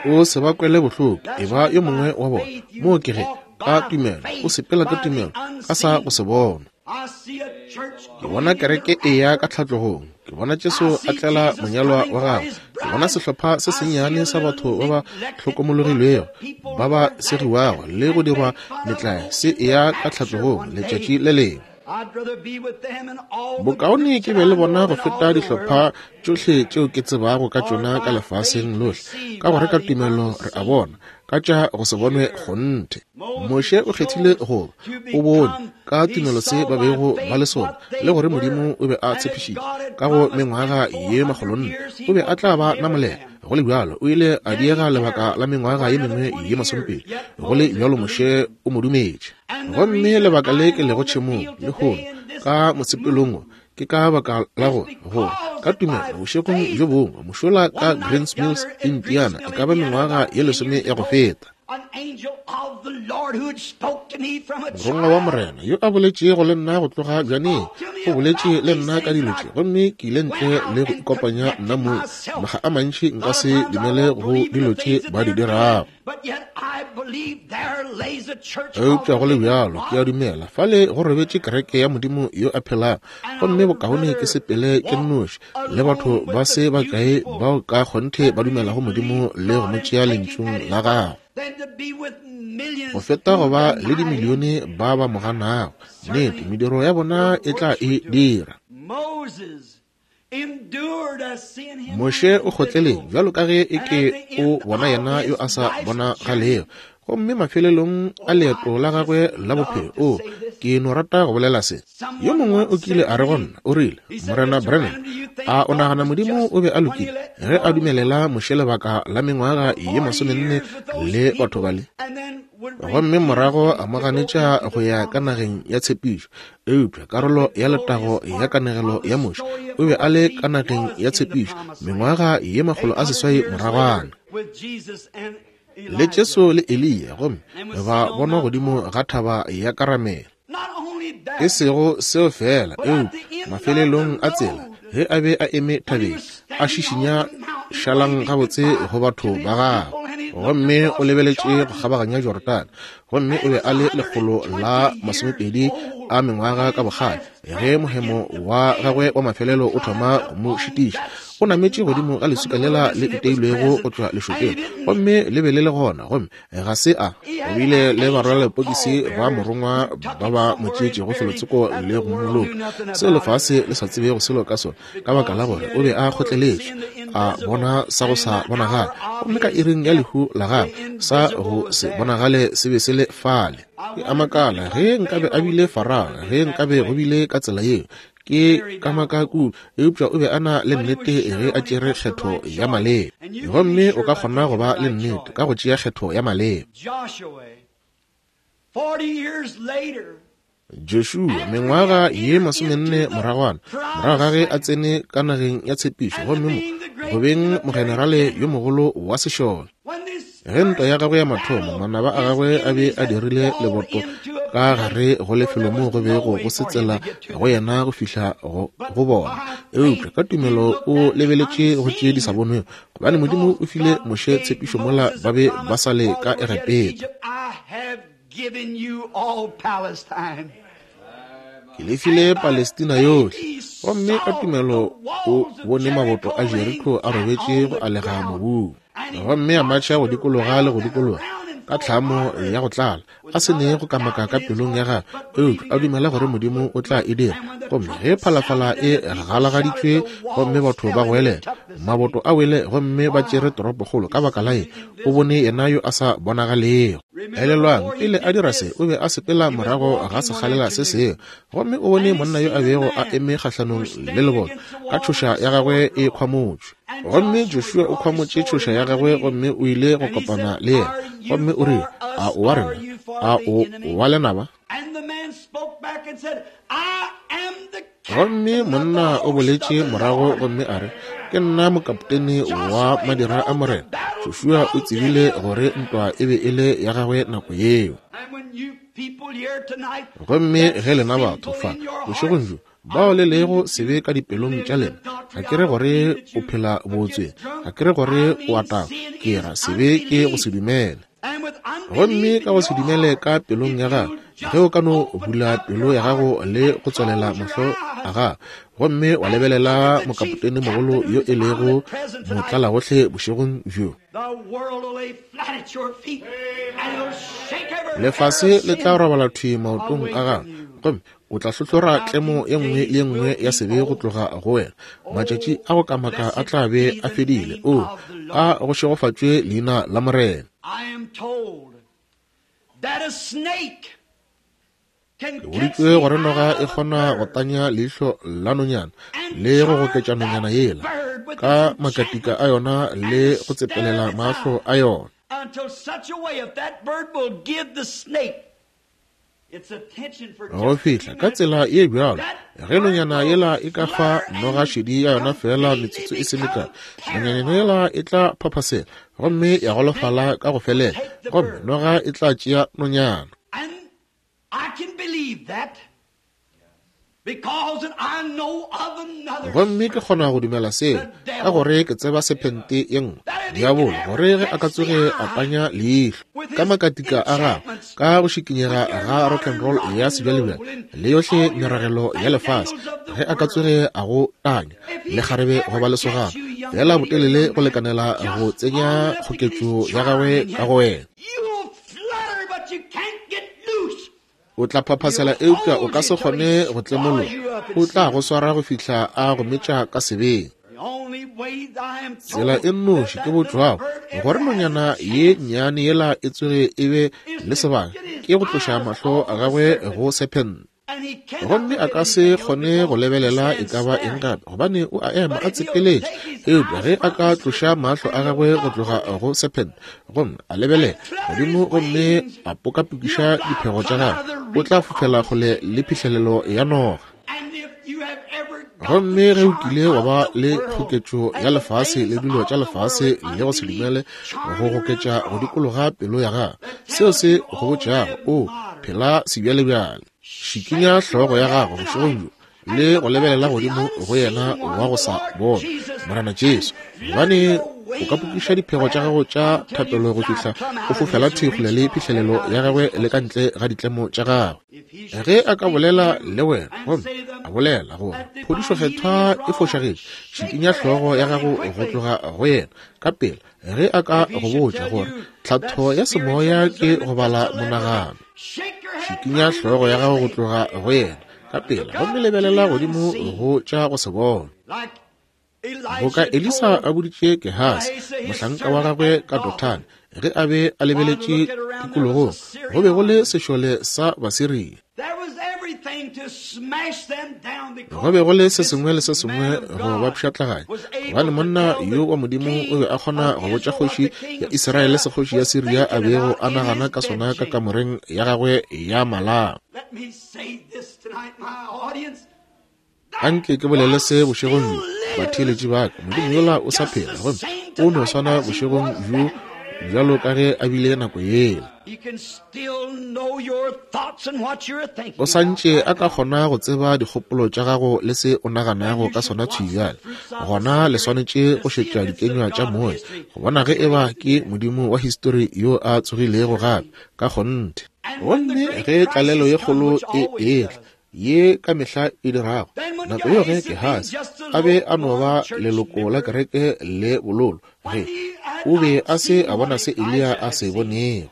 O se ba kwele bohloko, e ba yo mongwe wa bona. Moo ke ge, ka tumelo, o sepela ka tumelo, ka sa go se bona. Ke bona kereke e ya ka tlhatlogong. Ke bona Jesu a tlela monyalwa wa gagwe. Ke bona sehlopha se sennyane sa batho ba ba hlokomologilwego, ba ba segiwago le go dirwa metlae, se eya ka tlhatlogong letšatši le lengwe. Bokaone ke be le bona go feta dihlopha tšohle tšeo ke tsebago ka tšona ka lefaseng lohle, ka gore ka tumelo re a bona ka tša go se bonwe kgonthe. Moshe o kgethile go ba, o bone ka tumelo se ba bego ba le sona, le gore Modimo o be a tshepišitše ka go mengwaga ye makgolonne o be a tla ba namolela. Go le bjalo o ile a diega lebaka la mengwaga ye mengwe ye masomepedi. Go le bjalo Moshe o mo dumetše. Gomme lebaka le ke lego tšhemong lehono ka mosepelong wo, ke ka baka la gore gore ka tumelo bošegong bjo bongwe mošola ka Greens Mills, Indiana, e ka ba mengwaga ye lesome ya go feta, Morongwa wa Morena yo a boletšego le nna go tloga bjaneng o boletše le nna ka dilo tše, gomme ke ile ntle le go ikopanya nna mong. Makga a mantši nka se dumele go dilo tše ba di dirago. Eupša go le bjalo ke a dumela fale go robetše kereke ya Modimo yo a phelago, gomme bokaone ke sepele ke nnoši le batho ba se bakae bao ka kgonthe ba dumelago Modimo le go mo tšea lentšung la gagwe, go feta go ba le dimilione ba ba mo ganago. Nnete, mediro ya bona e tla e dira. Moshe o kgotleleng bjalo ka ge e ke o bona yena yo a sa bonagalego, gomme mafelelong a leeto la gagwe la bophelo, o, ke no rata go bolela se. Yo mongwe o kile a re go nna, o rile, Morena Branham, a o nagana Modimo o be a lokile ge a dumelela Moshe lebaka la mengwaga ye masomenne le batho bale, gomme morago a mo ganetša go ya ka nageng ya tshepišo? Eupša karolo ya letago ya kanegelo ya Moshe, o be a le ka nageng ya tshepišo mengwaga ye 800 moragwana, le Jesu le Eliya, gomme ba bonwa godimo ga thaba ya Karamele. E sego seo feela, eupša mafelelong a tsela, ge a be a eme thabeng, a šišinya šalang gabotse go batho ba gagwe, gomme o lebeletše go kgabaganya Jorodane, gomme o be a le 120 a mengwaga ka bokgale ge mohemo wa gagwe wa mafelelo o thoma go mo šitiša. O nametše godimo ga leswika lela le iteilwego go tšwa lešokeng, gomme le be le le gona, gomme ga se a. O bile le barwalepokisi ba morongwa ba ba mo tšeetšego felotsoko le go mmoloka, seo lefase le sa tsebego selo ka sona, ka baka la gore o be a kgotleletše, a bona sa go sa bonagale, gomme ka iring ya lehu la gagwe sa go se bonagale se be se le fale. Ke a makala ge nkabe a bile Farao, ge nkabe go bile ka tsela yeo. Ke kamaka kudu, eupša o be a na le nnete ge a tšere kgetho ya maleba. Gomme o ka kgona go ba le nnete ka go tšea kgetho ya maleba. Joshua, mengwaga ye masomenne moragwana, morago ga ge a tsene ka nageng ya tshepišo, gomme mo go beng mogenerale yo mogolo wa sešole, ge ntwa ya gagwe ya mathomo, manaba a gagwe a be a dirile leboto ka gare go lefelo moo go bego go se tsela go yena go fihla go bona, eupša ka tumelo o lebeletše go tše di sa bonwego, gobane Modimo o file Moshe tshepišo mola ba be ba sa le ka Egepeta. given you all Palestine. Ke le file Palestina yohle. Gomme ka tumelo o bone maboto a Jeriko a robetše go alega mobung. Gomme a matšha go dikologa le go dikologa ka tlhamo ya go tlala, a se ne go kamaka ka pelong ya gagwe, eupša a dumela gore Modimo o tla e dira. Gomme ge phalafala e galagaditšwe gomme batho ba goelela, maboto a wele gomme ba tšere toropokgolo, ka baka la eng, o bone yena yo a sa bonagalego. Elelwang, pele a dira se, o be a sepela morago ga sekgalela se sengwe, gomme o bone monna yo a bego a eme kgahlanong le leboto ka tšhoša ya gagwe e khwamotšwe. Gomme Joshua o khwamotše tšhoša ya gagwe gomme o ile go kopana le yena, gomme o rile, A o wa rena? A o wa lenaba? Gomme monna o boletše morago gomme a re, Ke nna mokapotene wa madira a Morena. Joshua o tsebile gore ntwa e be e le ya gagwe nako yeo. Gomme ge lena batho fa bošegong bjo bao le lego sebe ka dipelong tša lena, ga ke re gore o phela bootsweng, ga ke re gore o a tagwa, ke ra sebe ke go se dumele. Gomme ka go se dumele ka pelong ya gago, ge o ka no bula pelo ya gago le go tswalela mahlo a gago, gomme wa lebelela mokapotene mogolo yo e lego motlalagohle bošegong bjo, lefase le tla robala thwi maotong a gago, gomme o tla hlohlora tlemo ye nngwe le ye nngwe ya sebe go tloga go wena. Matšatši a go kamaka a tla be a fedile. O a go šegofatšwe leina la Morena. Ke boditšwe gore noga e kgona go tanya leihlo la nonyana le go goketša nonyana yela ka makatika a yona le go tsepelela mahlo a yona. Go fihla ka tsela ye bjalo, ge nonyana yela e ka fa noga šedi ya yona feela metsotso e se mekae, nonyana yela e tla phaphasela gomme ya golofala ka go felela, gomme noga e tla tšea nonyana. Gomme ke kgona go dumela seo, ka gore ke tseba sephente ye nngwe, diabolo, gore ge a ka tsoge a tanya leihlo ka makatika a gagwe, ka go šikinyega ga rock and roll ya sebjalebjale le yohle meragelo ya lefase, ge a ka tsoge a go tanya le kgarebe goba lesogana, feela botelele go lekanela go tsenya kgoketšo ya gagwe ka go wena. O tla phaphasela eupša o ka se kgone go tlemologa. O tla go swara go fihla a go metša ka sebeng. Tsela e nnoši ke botšwago gore nonyana ye nnyane yela e tsoge e be le sebaka ke go tloša mahlo a gagwe go sephente. Gomme a ka se kgone go lebelela e ka ba eng gape, gobane o a ema a tsepeletše. Eupša ge a ka tloša mahlo a gagwe go tloga go sephente gomme a lebelela godimo gomme a pokapokiša diphego tša gagwe, o tla fofela kgole le phihlelelo ya noga. Gomme ge o kile wa ba le kgoketšo ya lefase le dilo tša lefase le go se dumele go goketša go dikologa pelo ya gago, seo se go botšago, o phela sebjalebjale. Šikinya hlogo ya gago bošegong bjo le go lebelela godimo go yena wa go sa bona, Morena Jesu, gobane o ka pokiša diphego tša gago tša thapelo go fihla o fofela thwi kgole le phihlelelo ya gagwe le ka ntle ga ditlemo tša gagwe. Ge a ka bolela le wena gomme a bolela gore phodišo kgethwa e fošagetše, šikinya hlogo ya gago go tloga go yena ka pela. Ge a ka go botša gore tlhatho ya semoya ke go bala monagano, šikinya hlogo ya gago go tloga go yena ka pela gomme lebelela godimo go tša go se bona. Boka Elisa a boditše Gehasi, mohlanka wa gagwe ka Dothane, ge a be a lebeletše tikologong, go be go le sešole sa Basiria. Go be go le se sengwe le se sengwe go ba pšhatlaganya, gobane monna yo wa Modimo o be a kgona go botša kgoši ya Israele se kgoši ya Siria a bego a nagana ka sona ka kamoreng ya gagwe ya malao. Anke ke bolele se bošegong bjo, batheeletši ba ka. Modimo yola o sa phela, gomme o no swana bošegong bjo bjalo ka ge a bile nako yela. O sa ntše a ka kgona go tseba dikgopolo tša gago le se o naganago ka sona thwi bjale. Gona le swanetše go šetša dikenywa tša moya go bona ge eba ke Modimo wa histori yo a tsogilego gape ka kgonthe. Gomme ge tlalelo ye kgolo e etla, ye ka mehla e dirago, nako yeo ge Gehasi a be a no ba leloko la kereke le bololo, ge o be a se a bona se Eliya a se bonego.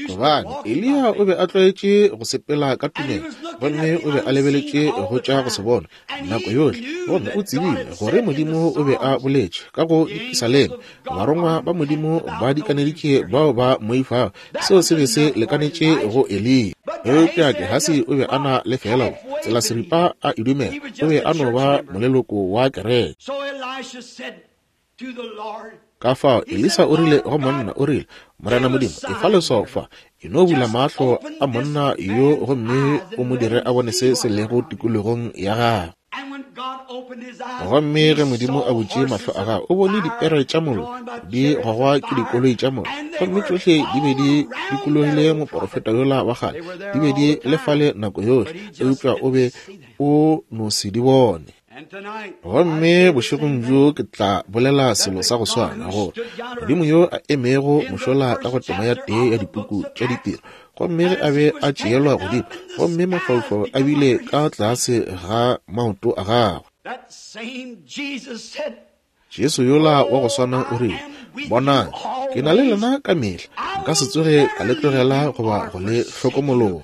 Gobane Eliya o be a tlwaetše go sepela ka tumelo, gomme o be a lebeletše go tša go se bona nako yohle, gomme o tsebile gore Modimo o be a boletše ka go Dipisaleme, Barongwa ba Modimo ba dikaneditše bao ba mmoifago. Seo se be se lekanetše go Eliya. Eupša Gehasi o be a na le feela tsela seripa a e dumela, o be a no ba moleloko wa kereke. Ka fao Elisa o rile go monna, o rile, Morena Modimo, efa leswao fa, e no bula mahlo a monna yo gomme o mo dire a bone se se lego tikologong ya gagwe. Gomme ge Modimo a butše mahlo a gagwe, o bone dipere tša mollo di gogwa ke dikoloi tša mollo, gomme tšohle di be di dikologile moporofeta yola wa kgale, di be di le fale nako yohle, eupša o be o no se di bone. Gomme bošegong bjo ke tla bolela selo sa go swana, gore Modimo yo a emego mošola ka go tema ya tee ya dipuku tša ditiro, gomme ge a be a tšeelwa godimo, gomme mafaufau a bile ka tlase ga maoto a gagwe. Jesu yola wa go swana o rile, Bonang, ke na le lena ka mehla, nka se tsoge ka le tlogela goba go le hlokomologa.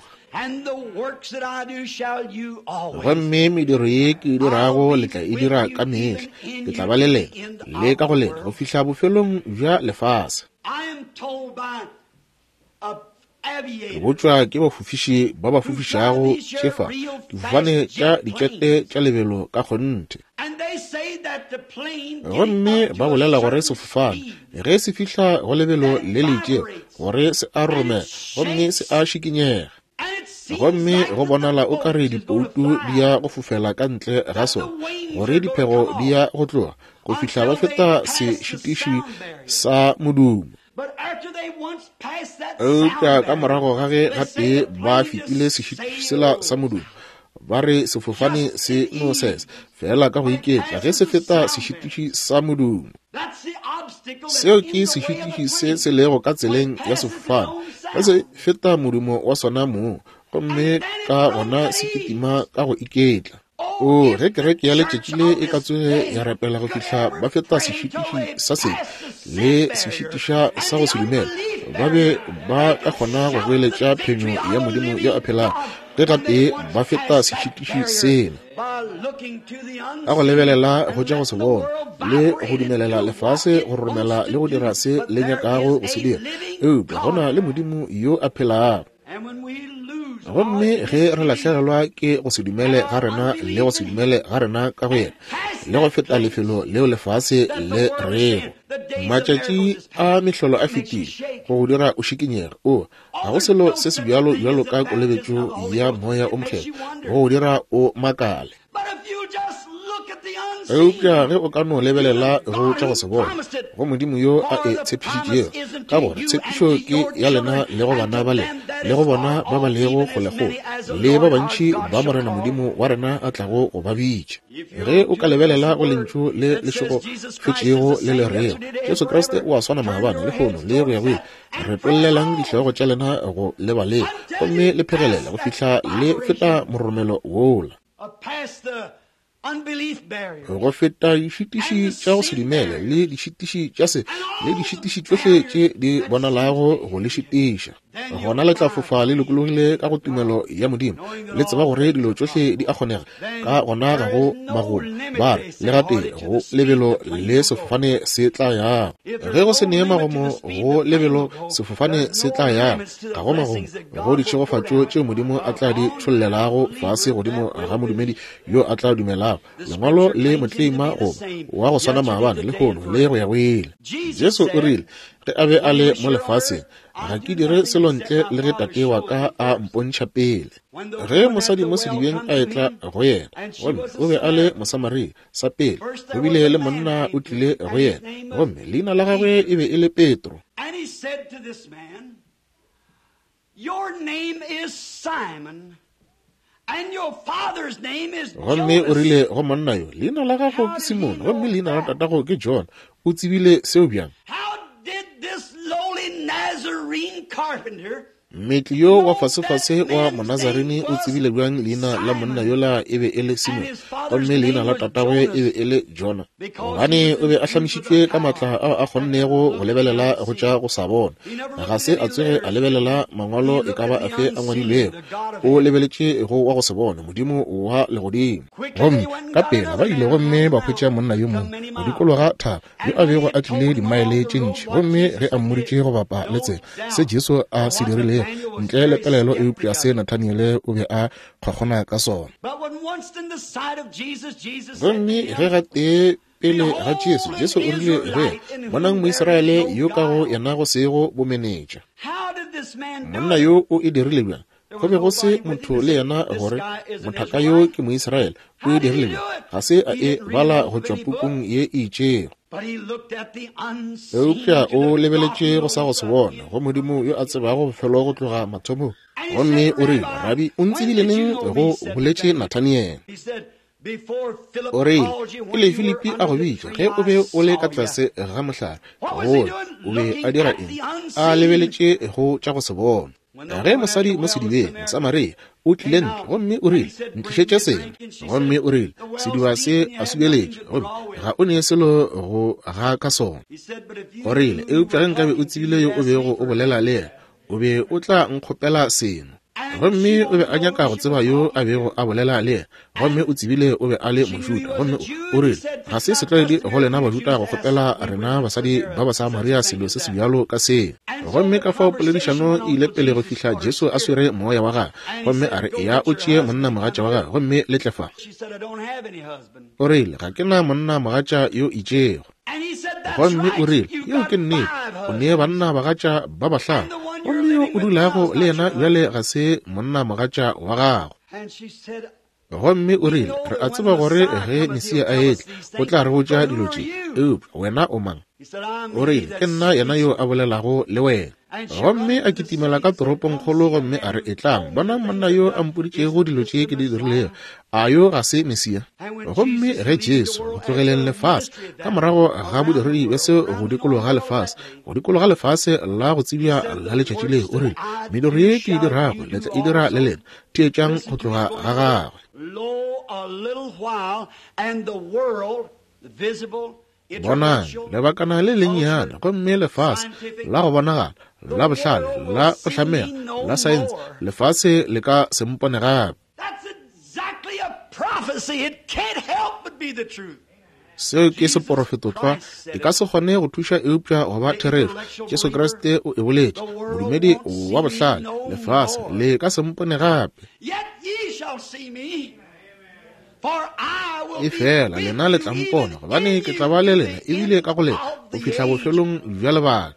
Gomme mediro ye ke e dirago le tla e dira ka mehla, ke tla ba le lena le ka go lena go fihla bofelong bja lefase. Ke botšwa ke bafofiši ba ba fofišago tšefa difofane tša dikete tša lebelo ka kgonthe. Gomme ba bolela gore sefofane ge se fihla go lebelo le le itšego gore se a roromela gomme se a šikinyega. Gomme go bonala o ka re dipoutu di ya go fofela ka ntle ga sona, gore diphego di ya go tloga go fihla ba feta sešitiši sa modumo. Eupša ka morago ga ge gatee ba fetile sešitiši sela sa modumo, ba re sefofane se no sesa fela ka go iketla ge se feta sešitiši sa modumo. Seo ke sešitiši se se lego ka tseleng ya sefofane. Ge se feta modumo wa sona mong, gomme ka gona se kitima ka go iketla. O, ge kereke ya letšatši le e ka tsoge ya rapela go fihla ba feta sešitiši sa sebe le sešitiša sa go se dumele, ba be ba ka kgona go goeletša phenyo ya Modimo yo a phelago ge gatee ba feta sešitiši sela. Ka go lebelela go tša go se bona le go dumelela lefase go romela le go dira se le nyakago go se dira, eupša go na le Modimo yo a phelago. Gomme ge re lahlegelwa ke go se dumele ga rena le go se dumele ga rena ka go yena, le go feta lefelo leo lefase le rego matšatši a mehlolo a fetile, go go dira o šikinyege, o ga go selo se se bjalo bjalo ka kolobetšo ya Moya o Mokgethwa, go go dira o makale. Eupša ge o ka no lebelela go tša go se bona, go Modimo yo a e tshepišitšego, ka gore tshepišo ke ya lena le go bana ba lena, le go bona ba ba lego kgolekgole, le ba bantši ba Morena Modimo wa rena a tlago go ba bitša. Ge o ka lebelela go Lentšu le le šegofetšego le le rego, Jesu Kriste o a swana maabane, lehono, le go ya go ile, retollelang dihlogo tša lena go leba leo, gomme le phegelele go fihla le feta mororomelo wola. Go feta dišitiši tša go se dumele le dišitiši tša se le dišitiši tšohle tše di bonalago go le šitiša. Gona le tla fofa le lokologile ka go tumelo ya Modimo, le tseba gore dilo tšohle di a kgonega. Ka gona ga go magomo, ba re, le gatee go lebelo le sefofane se tla yago. Ge go se nee magomo go lebelo sefofane se tla yago, ga go magomo go ditšhegofatšo tšeo Modimo a tla di tšhollelago fase godimo ga modumedi yo a tla dumelago Lengwalo le motleima goba wa go swana maabane, lehono le go ya go ile. Jesu o rile ge a be a le mo lefaseng, Ga ke dire selo ntle le ge Tate wa ka a mpontšha pele. Ge mosadi mo sedibeng a etla go yena, gomme o be a le Mosamaria, sa pele go bile le monna o tlile go yena, gomme leina la gagwe e be e le Petro. Your name is Simon, and your father's name is Gomme o Jonas. rile go monna yo, Leina la gago ke Simone, gomme leina la tatago ke John. O tsebile seo bjang? How did this lowly Nazarene carpenter? Mmetli yo wa fasefase wa Monazarene o tsebile bjang leina la monna yola e be e le Simone, gomme leina la tatagwe e be e le Jona? Gobane o be a hlamišitšwe ka maatla ao a kgonnego go lebelela go tša go sa bona. Ga se a tsoge a lebelela mangwalo e ka ba afe a ngwadilwego. O lebeletše go wa go se bone, Modimo wa legodimo. Gomme ka pela ba ile gomme ba hwetša monna yo mongwe go dikologa thaba, yo a bego a tlile dimaele tše ntši, gomme ge a mmoditše go bapa le tsela se Jesu a se dirilego, ntle le pelaelo eupša se Nathaniele o be a kgokgona ka sona. Gomme ge gatee pele ga Jesu, Jesu o rile go yena, Bonang Moisraele yo ka go yena go sego bomenetša. Monna yo o e dirile bjang? Go be go se motho le yena gore mothaka yo ke Moisraele. O e dirile bjang? Ga se a e bala go tšwa pukung ye e itšego. Eupša o lebeletše go sa go se bona, go Modimo yo a tsebago bofelo go tloga mathomong. Gomme o rile, Rabi, o ntsebile neng? Go boletše Nathaniele. O rile, Pele Filipi a go bitša, ge o be o le ka tlase ga mohlare, gola. O be a dira eng? A lebeletše go tša go se bona. Ge mosadi mo sedibeng, Mosamaria, o tlile ntle, gomme o rile, Ntlišetše seno. Gomme o rile, Sediba se a subeletše, gomme ga o ne selo go ga ka sona. O rile, Eupša ge nkabe o tsebile yo o bego o bolela le yena, o be o tla nkgopela seno. Gomme o be a nyaka go tseba yo a bego a bolela le yena, gomme o tsebile o be a le Mojuda. Gomme o rile, Ga se setlwaedi go lena Bajuda go kgopela rena basadi ba Basamaria selo se sebjalo ka seo. Gomme ka fao poledišano e ile pele go fihla Jesu a swere moya wa gagwe, gomme a re, Eya o tšee monnamogatša wa gago gomme le tle fa. O rile, Ga ke na monnamogatša yo itšego. Gomme o rile, Yeo ke nnete, o ne banna bagatša ba bahlano, gomme yo o dulago le yena bjale ga se monna mogatša wa gago. Gomme o rile, Re a tseba gore ge Mesia a etla, o tla re botša dilo tše, eupša wena o mang? O rile, Ke nna yena yo a bolelago le wena. Gomme a kitimela ka toropongkgolo gomme a re, Etlang, bonang monna yo a mpoditšego dilo tše ke di dirilego. A yo ga se Mesia? Gomme ge Jesu, go tlogeleng lefase, ka morago ga bodiredi bja se go dikologa lefase, go dikologa lefase la go tsebja la letšatši leo, o rile, Mediro ye ke e dirago, le tla e dira le lena. Theetšang go tloga ga gagwe. Lo, a little while, and the world, visible, Bonang, lebakana le lennyane, gomme lefase la go bonagala, la bohlale, la go hlamega, la saense, lefase le ka se mpone gape. Seo ke seporofetotlwa, e ka se kgone go thuša eupša go ba therešo. Jesu Kriste o e boletše, modumedi wa bohlale, lefase le ka se mpone gape. Efela lena le tla mpona, gobane ke tla ba le lena ebile ka go lena go fihla bofelong bja lebaka.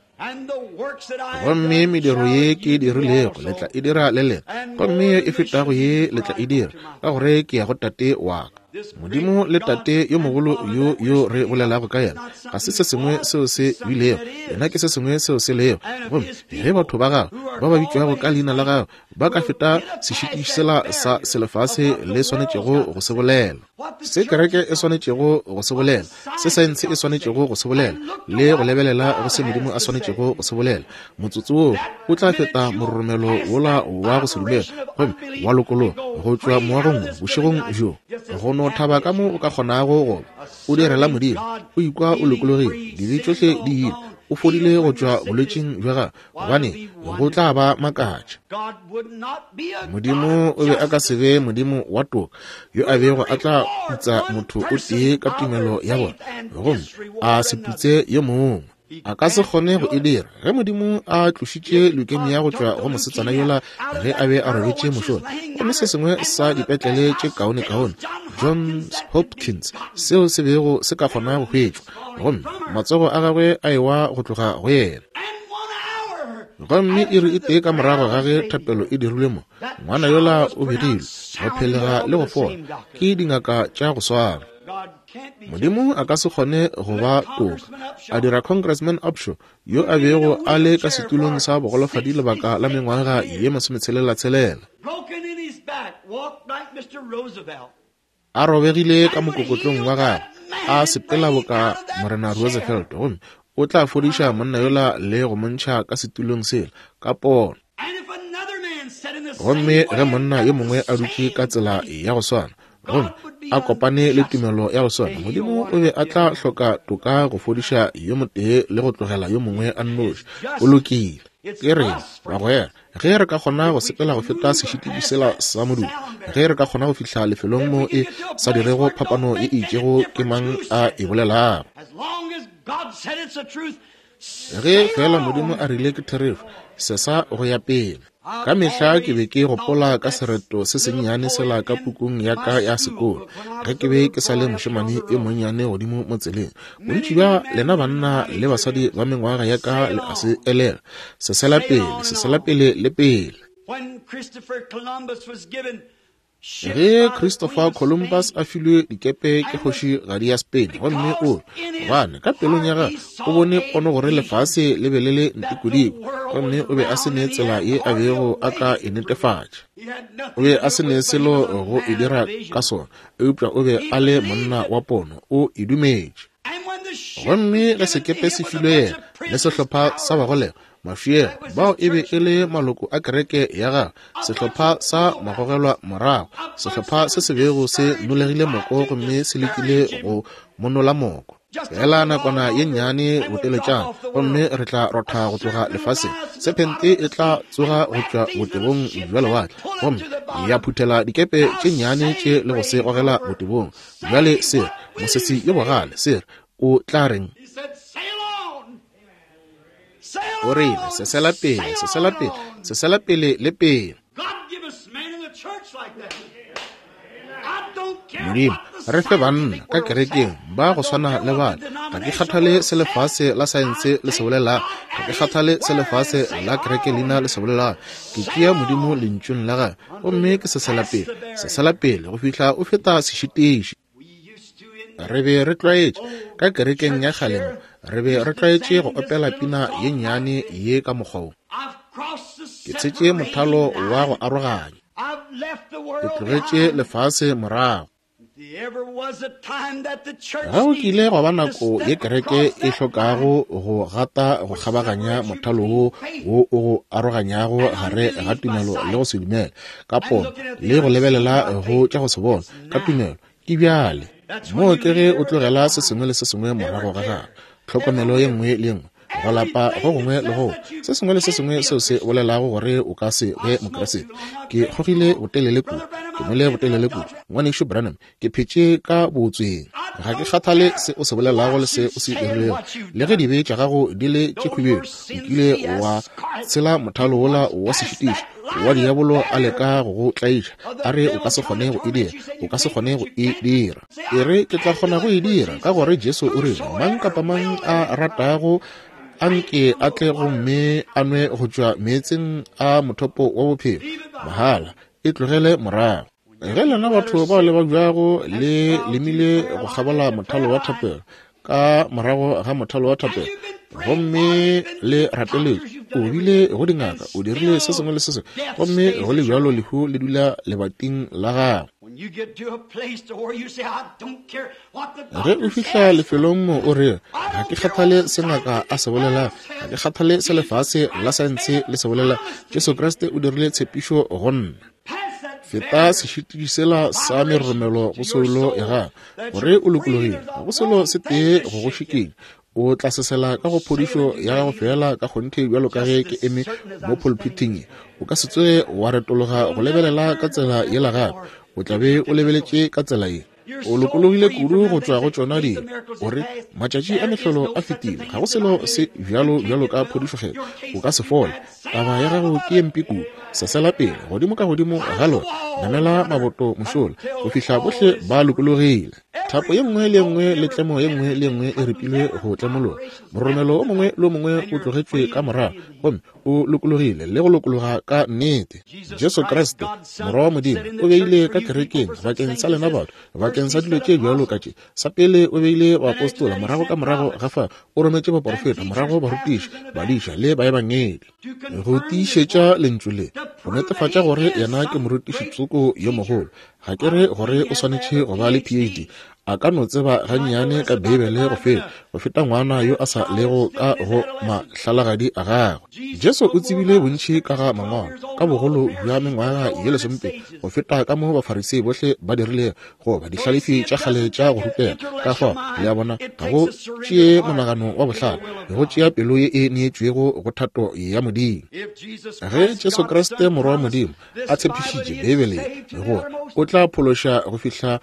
Gomme mediro ye ke e dirilego le tla e dira le lena, gomme ye e fetago ye le tla e dira, ka gore ke ya go Tate wa ka. Modimo le Tate yo mogolo yo yo re bolelago ka yena ga se se sengwe seo se bilego, yena ke se sengwe seo se lego. Gomme ge batho ba gagwe ba ba bitšwago ka leina la gagwe ba ka feta sešitiši sela sa selefase le swanetšego go se bolela, se kereke e swanetšego go se bolela, se saense e swanetšego go se bolela, le go lebelela go se Modimo a swanetšego go se bolela, motsotso woo o tla feta mororomelo wola wa go se dumele gomme wa lokologa go tšwa moagong wo bošegong bjo, go no thaba ka mo o ka kgonago go ba o direla Modimo, o ikwa o lokologile, dibe tšohle di ile, o fodile go tšwa bolwetšing bja gago, gobane go tla ba makatša. Modimo o be a ka se be Modimo wa toka yo a bego a tla putsa motho o tee ka tumelo ya bona gomme a se putse yo mongwe. A ka se kgone go e dira. Ge Modimo a tlošitše leukemia go tšwa go mosetsana yola ge a be a robetše mošola, gomme se sengwe sa dipetlele tše kaonekaone, Johns Hopkins, seo se bego se ka kgona go hwetšwa, gomme matsogo a gagwe a ewa go tloga go yena. Gomme iri e tee ka morago ga ge thapelo e dirilwe mo, ngwana yola o begilwe go phelega le go fola ke dingaka tša go swana. Modimo a ka se kgone go ba toka, a dira Congressman Upshaw yo a bego a le ka setulong sa bogolofadi lebaka la mengwaga ye masometshelelatshela, a robegile ka mokokotlong wa gagwe, a sepela boka Morena Roosevelt, gomme o tla fodiša monna yola le go mo ntšha ka setulong sela ka pono. Gomme ge monna yo mongwe a dutše ka tsela ya go swana, gomme a kopane le tumelo ya go swana, Modimo o be a tla hloka toka go fodiša yo motee le go tlogela yo mongwe a nnoši. O lokile. Ke rena, bagwera, ge re ka kgona go sepela go feta sešitiši sela sa modumo, ge re ka kgona go fihla lefelong mo e sa dirego phapano ye e itšego ke mang a e bolelago. Ge feela Modimo a rile ke therešo, sesa go ya pele. Ka mehla ke be ke gopola ka sereto se sennyane sela ka pukung ya ka ya sekolo, ge ke be ke sa le mošemane yo monnyane godimo mo tseleng. Bontši bja lena banna le basadi ba mengwaga ya ka le a se elelwa. Sesela pele, sesela pele le pele. Ge Christopher Columbus a filwe dikepe ke kgošigadi ya Spain, gomme o gobane ka pelong ya gagwe o bone pono gore lefase le be le le ntikodiko, gomme o be a se ne tsela ye a bego a ka e netefatša. O be a se ne selo go e dira ka sona, eupša o be a le monna wa pono, o e dumetše. Gomme ge sekepe se filwe yena le sehlopha sa bagolegwa, Mafiela, bao e be e le maloko a kereke ya gagwe, sehlopha sa magogelwa morago, sehlopha se se bego se nolegile moko gomme se lekile go monola moko. Feela nakwana ye nnyane boteletšana, gomme re tla rotha go tloga lefaseng. Sephente e tla tsoga go tšwa botebong bja lewatle gomme ya phuthela dikepe tše nnyane tše le go se gogela botebong. Bjale se re, mosesi yo bogale, se re, o tla reng? O rile, Sesela pele, sesela pele, sesela pele le pele. Modimo, re fe banna ka kerekeng ba go swana le bale. Ga ke kgathale se lefase la saense le se bolelago. Ga ke kgathale se lefase la kereke leina le se bolelago. Ke tšea Modimo Lentšung la Gagwe, gomme ke sesela pele, sesela pele go fihla o feta sešitiši. Re be re tlwaetše, ka kerekeng ya kgale mo, re be re tlwaetše go opela pina ye nnyane ye ka mokgwa wo. Ke tshetše mothalo wa go aroganya. Ke tlogetše lefase morago. Ga go kile gwa ba nako ye kereke e hlokago go gata go kgabaganya mothalo wo wo o go aroganyago gare ga tumelo le go se dumele, ka pono le go lebelela go tša go se bone, ka tumelo. Ke bjale moo ke ge o tlogela se sengwe le se sengwe morago ga gago, tlhokomelo ye nngwe le ye nngwe, go lapa go gongwe le go se sengwe le se sengwe seo se bolelago gore o ka se be Mokriste. Ke kgogile botelele kudu, ke nwele botelele kudu, Ngwanešu Branham, ke phetše ka bootsweng. Ga ke kgathale se o se bolelago le se o se dirilego, le ge dibe tša gago di le tše khubedu, o kile wa tshela mothalo wola wa sešitiši wa diabolo a leka go go tlaiša, a re o ka se kgone go e dira, o ka se kgone go e dira. E re, ke tla kgona go e dira, ka gore Jesu o rile, mang kapa mang a ratago a nke a tle gomme a nwe go tšwa meetseng a mothopo wa bophelo, mahala, e tlogele morago. Ge lena batho bao le babjago le lemile go kgabola mothalo wa thapelo, ka morago ga mothalo wa thapelo, gomme le rapeletše, o bile go dingaka, o dirile se sengwe le se sengwe, gomme go le bjalo lehu le dula lebating la gago. Ge o fihla lefelong mo o re, ga ke kgathale se ngaka a se bolelago, ga ke kgathale se lefase la saense le se bolela, Jesu Kriste o dirile tshepišo go nna. Feta sešitiši sela sa meroromelo go soulo ya gago, gore o lokologile, ga go selo se tee go go šikinya. O tla sesela ka go phodišo ya gago feela ka kgonthe bjalo ka ge ke eme mo pulpithing ye. O ka se tsoge wa retologa go lebelela ka tsela yela gape, o tla be o lebeletše ka tsela ye. O lokologile kudu go tšwa go tšona dilo. O re, Matšatši a mehlolo a fetile. Ga go selo se bjalo bjalo ka phodišo-kgethwa. O ka se fole. Taba ya gago ke ye mpe kudu. Sesela pele, godimo ka godimo ga lona. Namela maboto mošola, go fihla bohle ba lokologile. Thapo ye nngwe le ye nngwe le tlemo ye nngwe le ye nngwe e ripilwe go tlemologa. Mororomelo o mongwe le o mongwe o tlogetšwe ka morago, gomme o lokologile le go lokologa ka nnete. Jesu Kriste, Morwa wa Modimo, o beile ka kerekeng bakeng sa lena batho, bakeng sa dilo tše bjalo ka tše. Sa pele o beile baapostola, morago ka morago ga fa o rometše baporofeta, morago barutiši, badiša le baebangedi, go tiišetša lentšu le, go netefatša gore yena ke morutiši tsoko yo mogolo. Ga ke re gore o swanetše go ba le PhD. A ka no tseba gannyane ka Beibele go feta, go feta ngwana yo a sa lego ka go mahlalagadi a gagwe. Jesu o tsebile bontši ka ga Mangwalo, ka bogolo bja mengwaga ye lesomepedi, go feta ka mo Bafarisei bohle ba dirilego, goba dihlalefi tša kgale tša go rutega. Ka fao, le a bona, ga go tšee monagano wa bohlale, go tšea pelo ye e neetšwego go thato ya Modimo. Ge Jesu Kriste, Morwa wa Modimo, a tshepišitše Beibele ye gore o tla phološa go fihla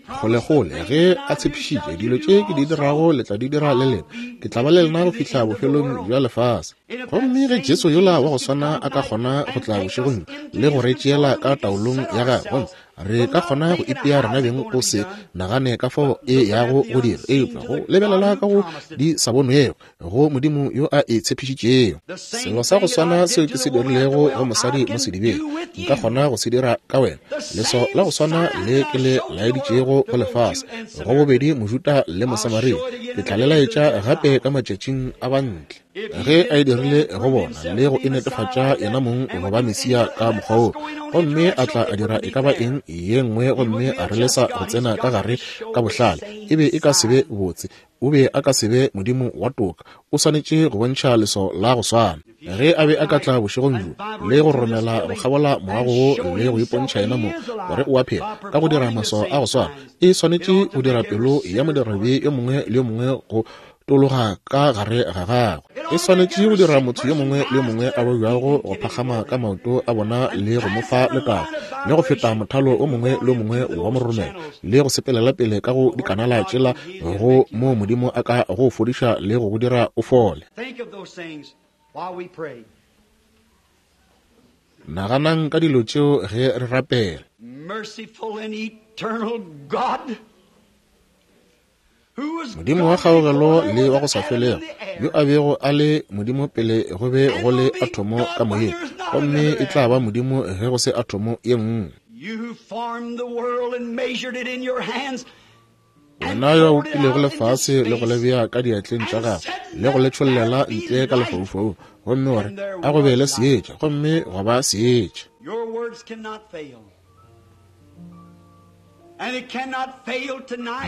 kgolekgole, ge a tshepišitše dilo tše ke di dirago le tla di dira le lena, ke tla ba le lena go fihla bofelong bja lefase. Gomme ge Jesu yola wa go swana a ka kgona go tla bošegong bjo le go re tšeela ka taolong ya gagwe, gomme re ka kgona go ipea rena beng go se nagane ka fao e yago go dira, eupša go lebelela ka go di sa bonwego go Modimo yo a e tshepišitšego. Selo sa go swana seo ke se dirilego go mosadi mo sedibeng, nka kgona go se dira ka wena. Leswao la go swana le ke le laeditšego go lefase, go bobedi Mojuda le Mosamaria, ke tla le laetša gape ka matšatšing a bantle. Ge a e dirile go bona le go e netefatša yena mong go ba Mesia ka mokgwa wo, gomme a tla a dira e ka ba eng ye nngwe gomme a re lesa go tsena ka gare ka bohlale, e be e ka se be botse. O be a ka se be Modimo wa toka. O swanetše go bontšha leswao la go swana. Ge a be a ka tla bošegong bjo le go romela go kgabola moago wo le go ipontšha yena mong gore o a phela ka go dira maswao a go swana, e swanetše go dira pelo ya modirabe yo mongwe le yo mongwe go tologa ka gare ga gagwe. E swanetše go dira motho yo mongwe le yo mongwe a babjago go phagama ka maoto a bona le go mo fa letago, le go feta mothalo o mongwe le o mongwe wa mororomelo, le go sepelela pele ka go dikanala tšela go moo Modimo a ka go fodiša le go go dira o fole. Naganang ka dilo tšeo ge re rapela. Modimo wa kgaogelo le wa go sa felego, yo a bego a le Modimo pele go be go le athomo ka moyeng, gomme e tla ba Modimo ge go se athomo ye nngwe. Wena yo a bopilego lefase le go le bea ka diatleng tša gago le go le tšhollela ntle ka lefaufaung, gomme wa re, A go be le seetša, gomme gwa ba seetša.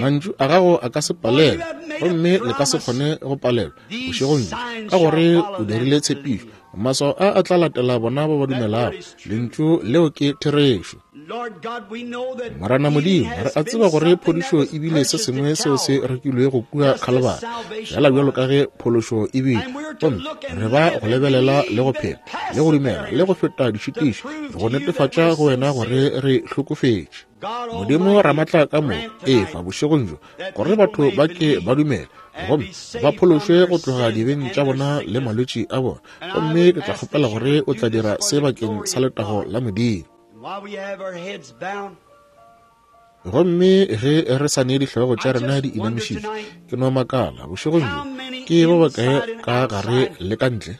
Mantšu a gago a ka se palelwe, gomme le ka se kgone go palelwa bošegong bjo, ka gore o dirile tshepišo. Maswao a a tla latela bona ba ba dumelago. Lentšu leo ke therešo. Morena Modimo, re a tseba gore phodišo e bile se sengwe seo se rekilwego kua Khalibari, fela bjalo ka ge phološo e bile. Gomme re ba go lebelela le go phela le go dumela le go feta dišitišo, go netefatša go wena gore re hlokofetše. Modimo Ramatla ka moka, efa bošegong bjo gore batho ba ke ba dumele gomme ba phološwe go tloga dibeng tša bona le malwetši a bona. Gomme ke tla kgopela gore o tla dira se bakeng sa letago la Modimo. Gomme ge re sa ne dihlogo tša rena di inamišitšwe, ke no makala bošegong bjo, ke ba bakae ka gare le ka ntle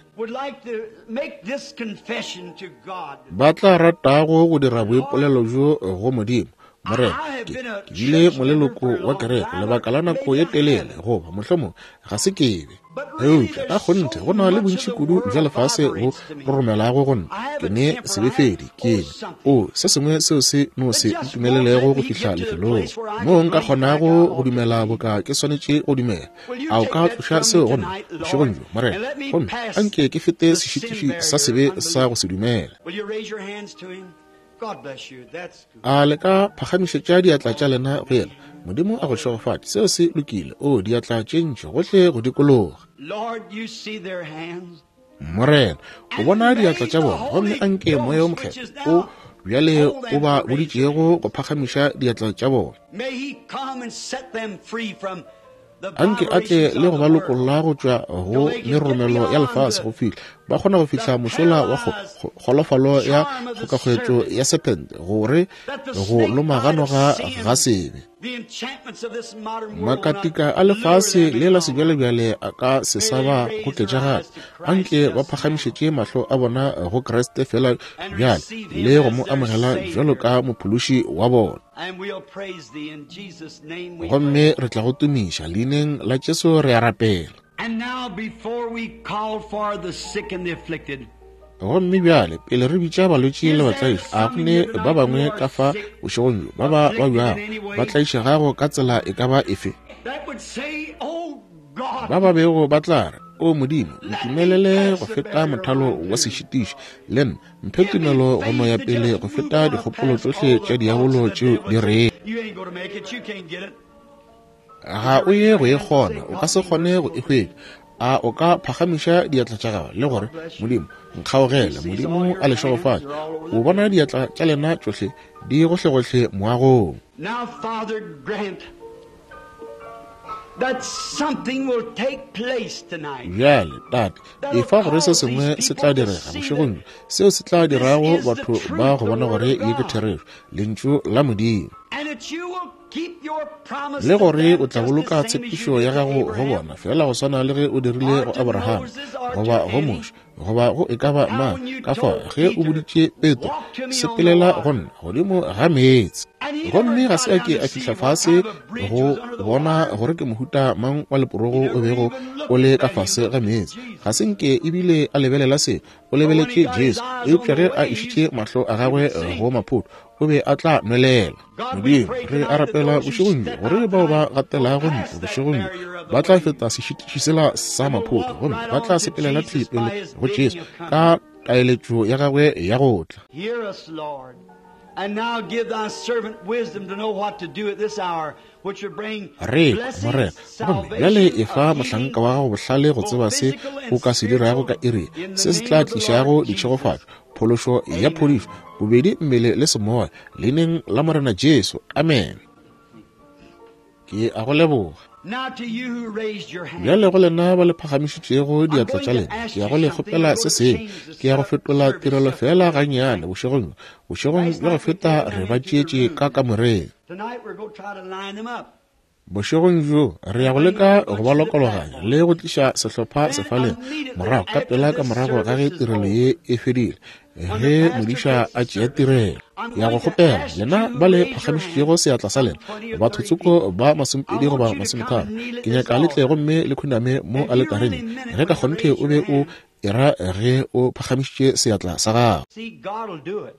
ba tla ratago go dira boipolelo bjo go Modimo? Morena, ke bile moleloko wa kereke lebaka la nako ye telele, goba mohlomong ga se ke be. Eupša ka kgonthe go na le bontši kudu bja lefase bo roromelago go nna. Ke ne sebefedi, ke ne o se sengwe seo se no se ntumelelego go fihla lefelong moo nka kgonago go dumela boka ke swanetše go dumela. A o ka tloša seo go nna bošegong bjo, Morena, gomme a nke ke fete sešitiši sa sebe sa go se dumele. A le ka phagamišetša diatla tša lena go yena? Modimo a go šegofatše. Seo se lokile. O, diatla tše ntši gohle go dikologa. Morena, o bona diatla tša bona, gomme a nke Moya wo Mokgethwa o bjale o ba boditšego go phagamiša diatla tša bona. Anke a tle le go ba lokolla go tšwa go meroromelo ya lefase go fihla ba kgona go fihla mošola wa kgolofalo ya kgokakgwetšo ya sephente, gore go loma ga noga ga sebe. Makatika a lefase le la sebjalebjale a ka se sa ba goketša gape. Anke ba phagamišetše mahlo a bona go Kriste feela bjale le go mo amogela bjalo ka Mophološi wa bona. Gomme re tla go tumiša leineng la Jesu re a rapela. And now before we call for the sick and the afflicted, Gomme bjale, pele re bitša balwetši le batlaiši, a go ne ba bangwe ka fa bošegong bjo ba ba babjago, ba tlaišegago ka tsela e ka ba efe, ba ba bego ba tla re, O Modimo, ntumelele go feta mothalo wa sešitiši, le nna, mphe tumelo go no ya pele go feta dikgopolo tšohle tša diabolo tšeo di rego ga o ye go e kgona, o ka se kgone go e hwetša. A o ka phagamiša diatla tša gago le gore, Modimo, nkgaogele? Modimo a le šegofatše. O bona diatla tša lena tšohle di gohlegohle moagong. Now, Father, grant that something will take place tonight. Bjale, Tate, efa gore se sengwe se tla direga bošegong bjo, seo se tla dirago batho ba go bona gore ye ke therešo, Lentšu la Modimo. And that you will keep your promise Le to gore them o tla just the boloka same as you tshepišo did ya to gago go Abraham, bona, feela go swana le ge o dirile or go to Abraham, Moses, or goba to go any. Moshe, goba go e ka ba How mang. when you Ka fao, told ge o Peter, boditše Petro, Walk to me on the sepelela go water. nna godimo ga meetse. And he never Gomme ga got se a down ke to a see fihla what fase kind of a bridge go was under the bona water. gore ke mohuta mang wa leporogo He o never bego even o looked le at ka that. He fase looked ga at meetse. Jesus. Ga se nke ebile a lebelela se, o But when he lebeletše got his Jesu. eyes on Eupša the ge a waves, išitše mahlo a he gagwe would sink. go maphoto, o be a tla nwelela. God, we Modimo, pray re a tonight that rapela those who bošegong bjo step gore out bao ba tonight will gatelago pass ntlo that bošegong bjo barrier of the ba tla waves feta sešitiši sela sa and will maphoto, walk gomme right ba tla on to sepelela thwi Jesus by pele his go Jesu bidding of ka coming. taeletšo ya gagwe ya go tla. Hear us, Lord, and now give thy servant wisdom to know what to do at this hour, which will bring Re kwa, Morena, blessings, gomme bjale salvation, efa a mohlanka healing, wa gago bohlale go both tseba se physical o and ka se dirago ka spiritual, iri, in the se se name tla of the Lord tlišago Jesus. ditšhegofatšo, phološo ya Amen. phodišo, bobedi mmele le semoya, leineng la Morena Jesu. Amen. Ke a go leboga. Now to you who raised your hand, Bjale go lena ba le phagamišitšego I'm diatla going tša to lena, ask ke ya you go le something. kgopela We're se going to sengwe. change the Ke ya go fetola service tirelo just a feela little bit gannyane tonight. bošegong bjo. Bošegong Last bja go night we feta took re them ba into the tšeetše ka room. kamoreng. Tonight we're going to try to line them up Bošegong bjo re ya and go bring leka a go bunch ba to the lokologanya platform. le go tliša sehlopha Then sefaleng immediately morago ka after pela ka this morago ga ge service is tirelo over, ye e fedile, when the ge pastor modiša takes a the tšea service, tirelo. I'm Ke ya go going to kgopela ask lena you ba who le raised your phagamišitšego hand, seatla sa some lena, 20 or 30 bathotsoko people, ba I masomepedi want goba you to come masometharo, and kneel at ke this nyaka le tle altar. gomme le khuname mo If you aletareng really meant it ge ka when you kgonthe raised o your be o hand, era ge o phagamišitše seatla sa gago. see, God will do it.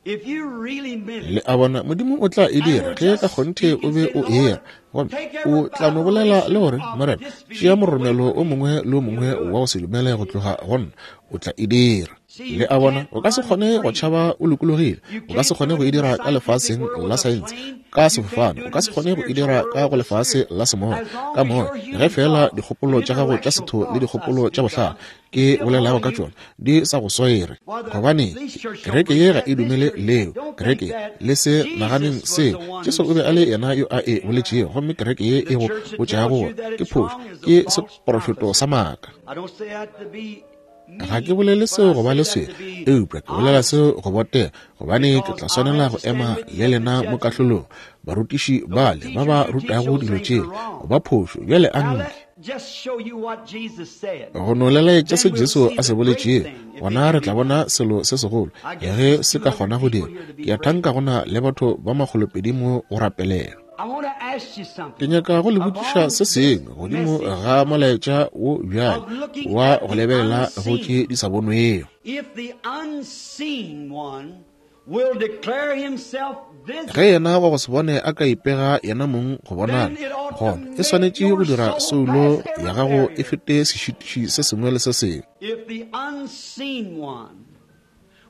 If you really meant Le it, a bona, Modimo o tla e and dira will ge ka just kgonthe speak o and be say, o Lord, era. Gomme take o every tla no bolela le vibration gore, of Morena, tšea disbelief away moromelo from o me. mongwe le o He'll mongwe do wa it. go se dumele go tloga go nna, o tla e dira. See, Le you a bona, can't o ka se run kgone go free. tšhaba o lokologile. You O ka se can't kgone do go it e in the dira ka scientific lefaseng world la with a saense, plane. ka You can't sefofane. do O it ka in se the kgone go e spiritual dira world ka with go the lefase spirit. la semoya, As long ka as moya. your Ge human feela thoughts dikgopolo and tša gago tša intellectual setho le thoughts, I dikgopolo tša speak bohlale of, ke still bolelago hold ka you, tšona di sa go swere. Why, the, Gobane these church don't kereke preach ye ga that. e This dumele church leo. don't think Kereke that. le se naganeng Jesus was seo. the one Jesu who o be a said le it. yena yo a e boletšego, gomme kereke ye The e go church that botšago tells gore you that ke it's phošo wrong is a ke false seprofeto prophecy. sa maaka. I don't say that to be Ga ke mean, bolele but seo I go ba say le that swele, to be eupša ke bolela honest seo go botega, gobane ke because tla I'll swanela have go to stand ema with le you at the lena mo judgment. kahlolong. Barutiši Those bale ba teachers ba who teach rutago those dilo things tše are wrong. ba phošo, bjale a Now nke. let just show you what Jesus said. Go no lelaetša se Then we'll Jesu see a se the great boletšego, thing if it gona can re be tla done. bona selo se segolo I guess ge there's se ka 200 kgona go people dira. here to be Ke a prayed thanka for. go na le batho ba makgolopedi mo go rapelela. I want to ask you Ke something. nyaka go le botšiša Upon se this sengwe godimo message ga molaetša wo bjale of looking wa at go the lebelela go tše unseen, di sa bonwego. if the unseen one will declare himself Ge visible, yena wa go se bone a ka ipega yena mong go bonala, then it ought to gona e make swanetše go your dira soul soulo pass every ya gago e barrier. fete sešitiši se sengwe le se sengwe. If the unseen one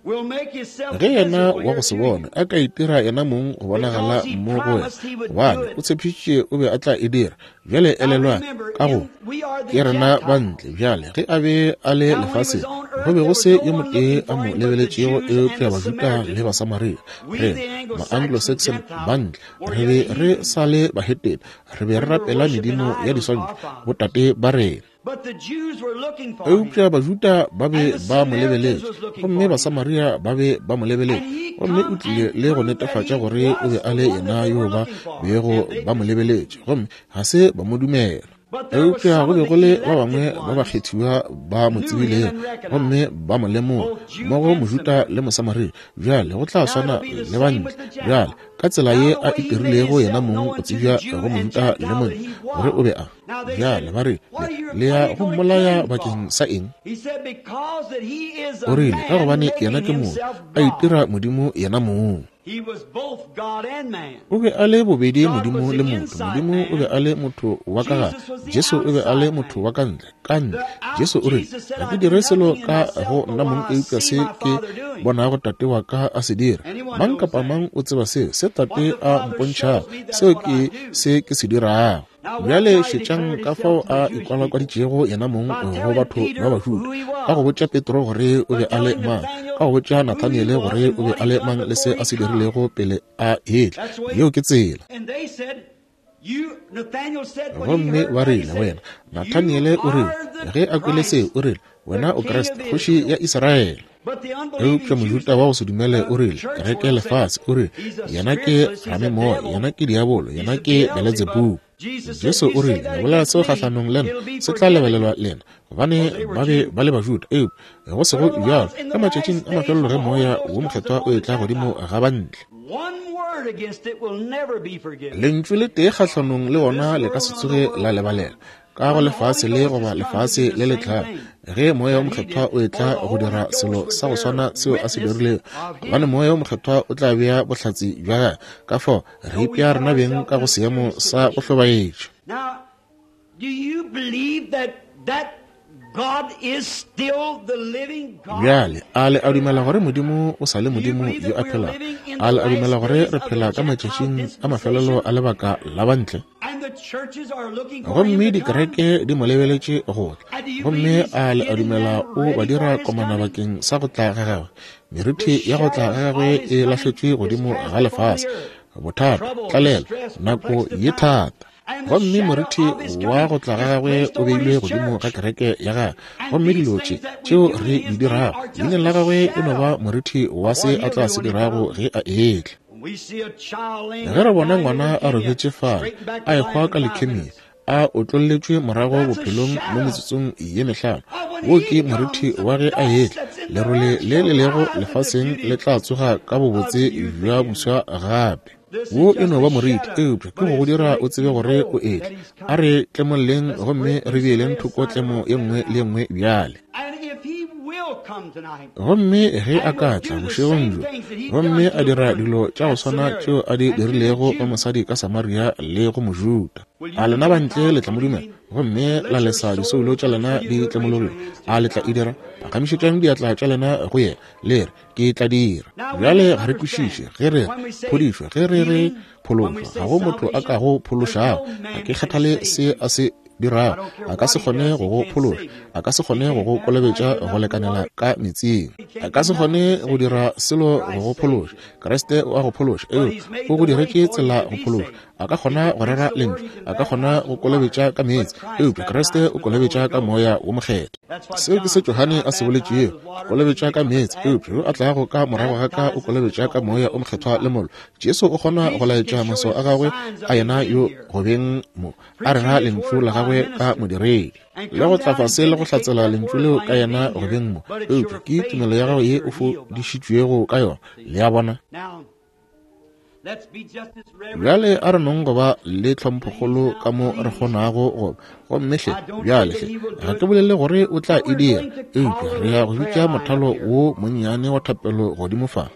will make himself Ge yena visible wa here go se to bone you, a ka itira yena mong go bonagala because he mo go wena, promised he would do gobane it. o tshepišitše o be a tla e dira. Bjale Now elelwang remember, ka go in we are the ke rena ba Gentiles. ntle. Bjale ge a be a le Now when he was lefaseng, on go earth, be there go was se no yo one motee looking a for mo him but the lebeletšego Jews and eupša the Bajuda le Samaritans. Basamaria. We, Rena the Anglo-Saxon ma-Anglo-Saxon ba Gentiles, ntle, were re yet be re heathen. sa le bahetene, re be re We were rapela worshiping medimo ya idols, our diswantšho, fathers. botate ba rena. But the Jews were looking for him, Eupša Bajuda ba be and the ba mo Samaritans lebeletše, was looking gomme for him. Basamaria ba be ba mo lebeletše, And he gomme o come tlile and le go proved that netefatša he gore o be was a the le one yena that they yo were ba looking for, bego and they ba mo didn't lebeletše, believe. gomme ga se ba mo dumela. Eupša go be go le ba bangwe ba bakgethiwa ba mo tsebilego gomme ba mo lemoga, mmogo Mojuda le Mosamaria. Bjale go tla swana le bantle. Bjale ka tsela ye a itirilego yena mong go tsebja go Mojuda le Montle, gore o be a. Bjale ba re, Le ya go mmolaya bakeng sa eng? O rile, Ka gobane yena ke motho, a itira Modimo yena mong. O be a le bobedi Modimo le motho. Modimo o be a le motho wa ka gare, Jesu o be a le motho wa ka ntle. Ka ntle. Jesu o rile, Ga ke dire selo ka go nna mong eupša se ke bonago Tate wa ka a se dira. Mang kapa mang o tseba seo, se Tate a mpontšhago, seo ke se ke se dirago. Bjale šetšang ka fao a ikwalakwaditšego yena mong go batho ba Bajuda, ka go botša Petro gore o be a le mang, ka go botša Nathaniele gore o be a le mang le se a se dirilego pele a etla. Yeo ke tsela. Gomme ba rile, Wena, Nathaniele o rile, ge a kwele seo, o rile, Wena o Kriste, Kgoši ya Israele. Eupša Mojuda wa go se dumele o rile, kereke lefase, o rile, Yena ke ramemoya, yena ke diabolo, yena ke Beletsebubu. Jesu o rile, Le bolela seo kgahlanong le nna, se tla lebelelwa lena, gobane ba be ba le Bajuda. Eupša go sego bjalo, ka matšatšing a mafelelo ge Moya wo Mokgethwa o etla godimo ga bantle, lentšu le tee kgahlanong le wona le ka se tsoge la lebalelwa. Ka go lefase le goba lefase le le tlago, ge Moya wo Mokgethwa o etla go dira selo sa go swana seo a se dirilego, gobane Moya wo Mokgethwa o tla bea bohlatse bja gagwe. Ka fao re ipea rena beng ka go seemo sa go hlobaetša. Bjale, a le a dumela gore Modimo o sa le Modimo yo a phelago? A le a dumela gore re phela ka matšatšing a mafelelo a lebaka la bantle? Gomme dikereke di mo lebeletše go tla. Gomme a le a dumela o ba dira komana bakeng sa go tla ga gagwe? Merithi ya go tla ga gagwe e lahletšwe godimo ga lefase. Bothata, tlalelo, nako ye thata. Gomme morithi wa go tla ga gagwe o beilwe godimo ga kereke ya gagwe. Gomme dilo tše tšeo re di dirago leineng la gagwe e no ba morithi wa se a tla se dirago ge a etla. Ge re bona ngwana a robetše fale, a ehwa ka leukemia, a otlolletšwe morago bophelong mo metsotsong ye mehlano, wo ke morithi wa ge a etla. Lerole le le lego lefaseng le tla tsoga ka bobotse bja buswa gape. Wo e no ba moriti, eupša ke go go dira o tsebe gore o etla. A re tlemolleng gomme re beeleng thoko tlemo ye nngwe le ye nngwe bjale. Gomme ge a ka tla bošegong bjo gomme a dira dilo tša go swana tšeo a di dirilego go mosadi ka Samaria le go Mojuda, a lena bantle le tla mo dumela gomme la lesa disoulo tša lena di tlemologile? A le tla e dira? Phagamišetšang diatla tša lena go yena, le re, Ke tla dira. Bjale ga re kwešiše ge re re phodišo, ge re re phološo. Ga go motho a kago phološago. Ga ke kgathale se a se dirago, a ka se kgone go go phološa, a ka se kgone go go kolobetša go lekanela ka meetseng, a ka se kgone go dira selo go go phološa. Kriste o a go phološa, eupša o go diretše tsela go phološa. A ka kgona go rera lentšu, a ka kgona go kolobetša ka meetse, eupša Kriste o kolobetša ka Moya wo Mokgethwa. Seo ke se Johane a se boletšego, Ke kolobetša ka meetse, eupša yo a tlago ka morago ga ka o kolobetša ka Moya o Mokgethwa le mollo. Jesu o kgona go laetša maswao a gagwe a yena yo go beng mo a rera lentšu la gagwe ka modiredi, le go tla fase le go hlatsela lentšu leo ka yena go beng mo, eupša ke tumelo ya gago ye o fodišitšwego ka yona. Le a bona? Bjale a re nong go ba le tlhomphokgolo ka mo re kgonago go ba. Gomme hle, bjale hle, ga ke bolele gore o tla e dira, eupša re ya go bitša mothalo wo monnyane wa thapelo godimo fa.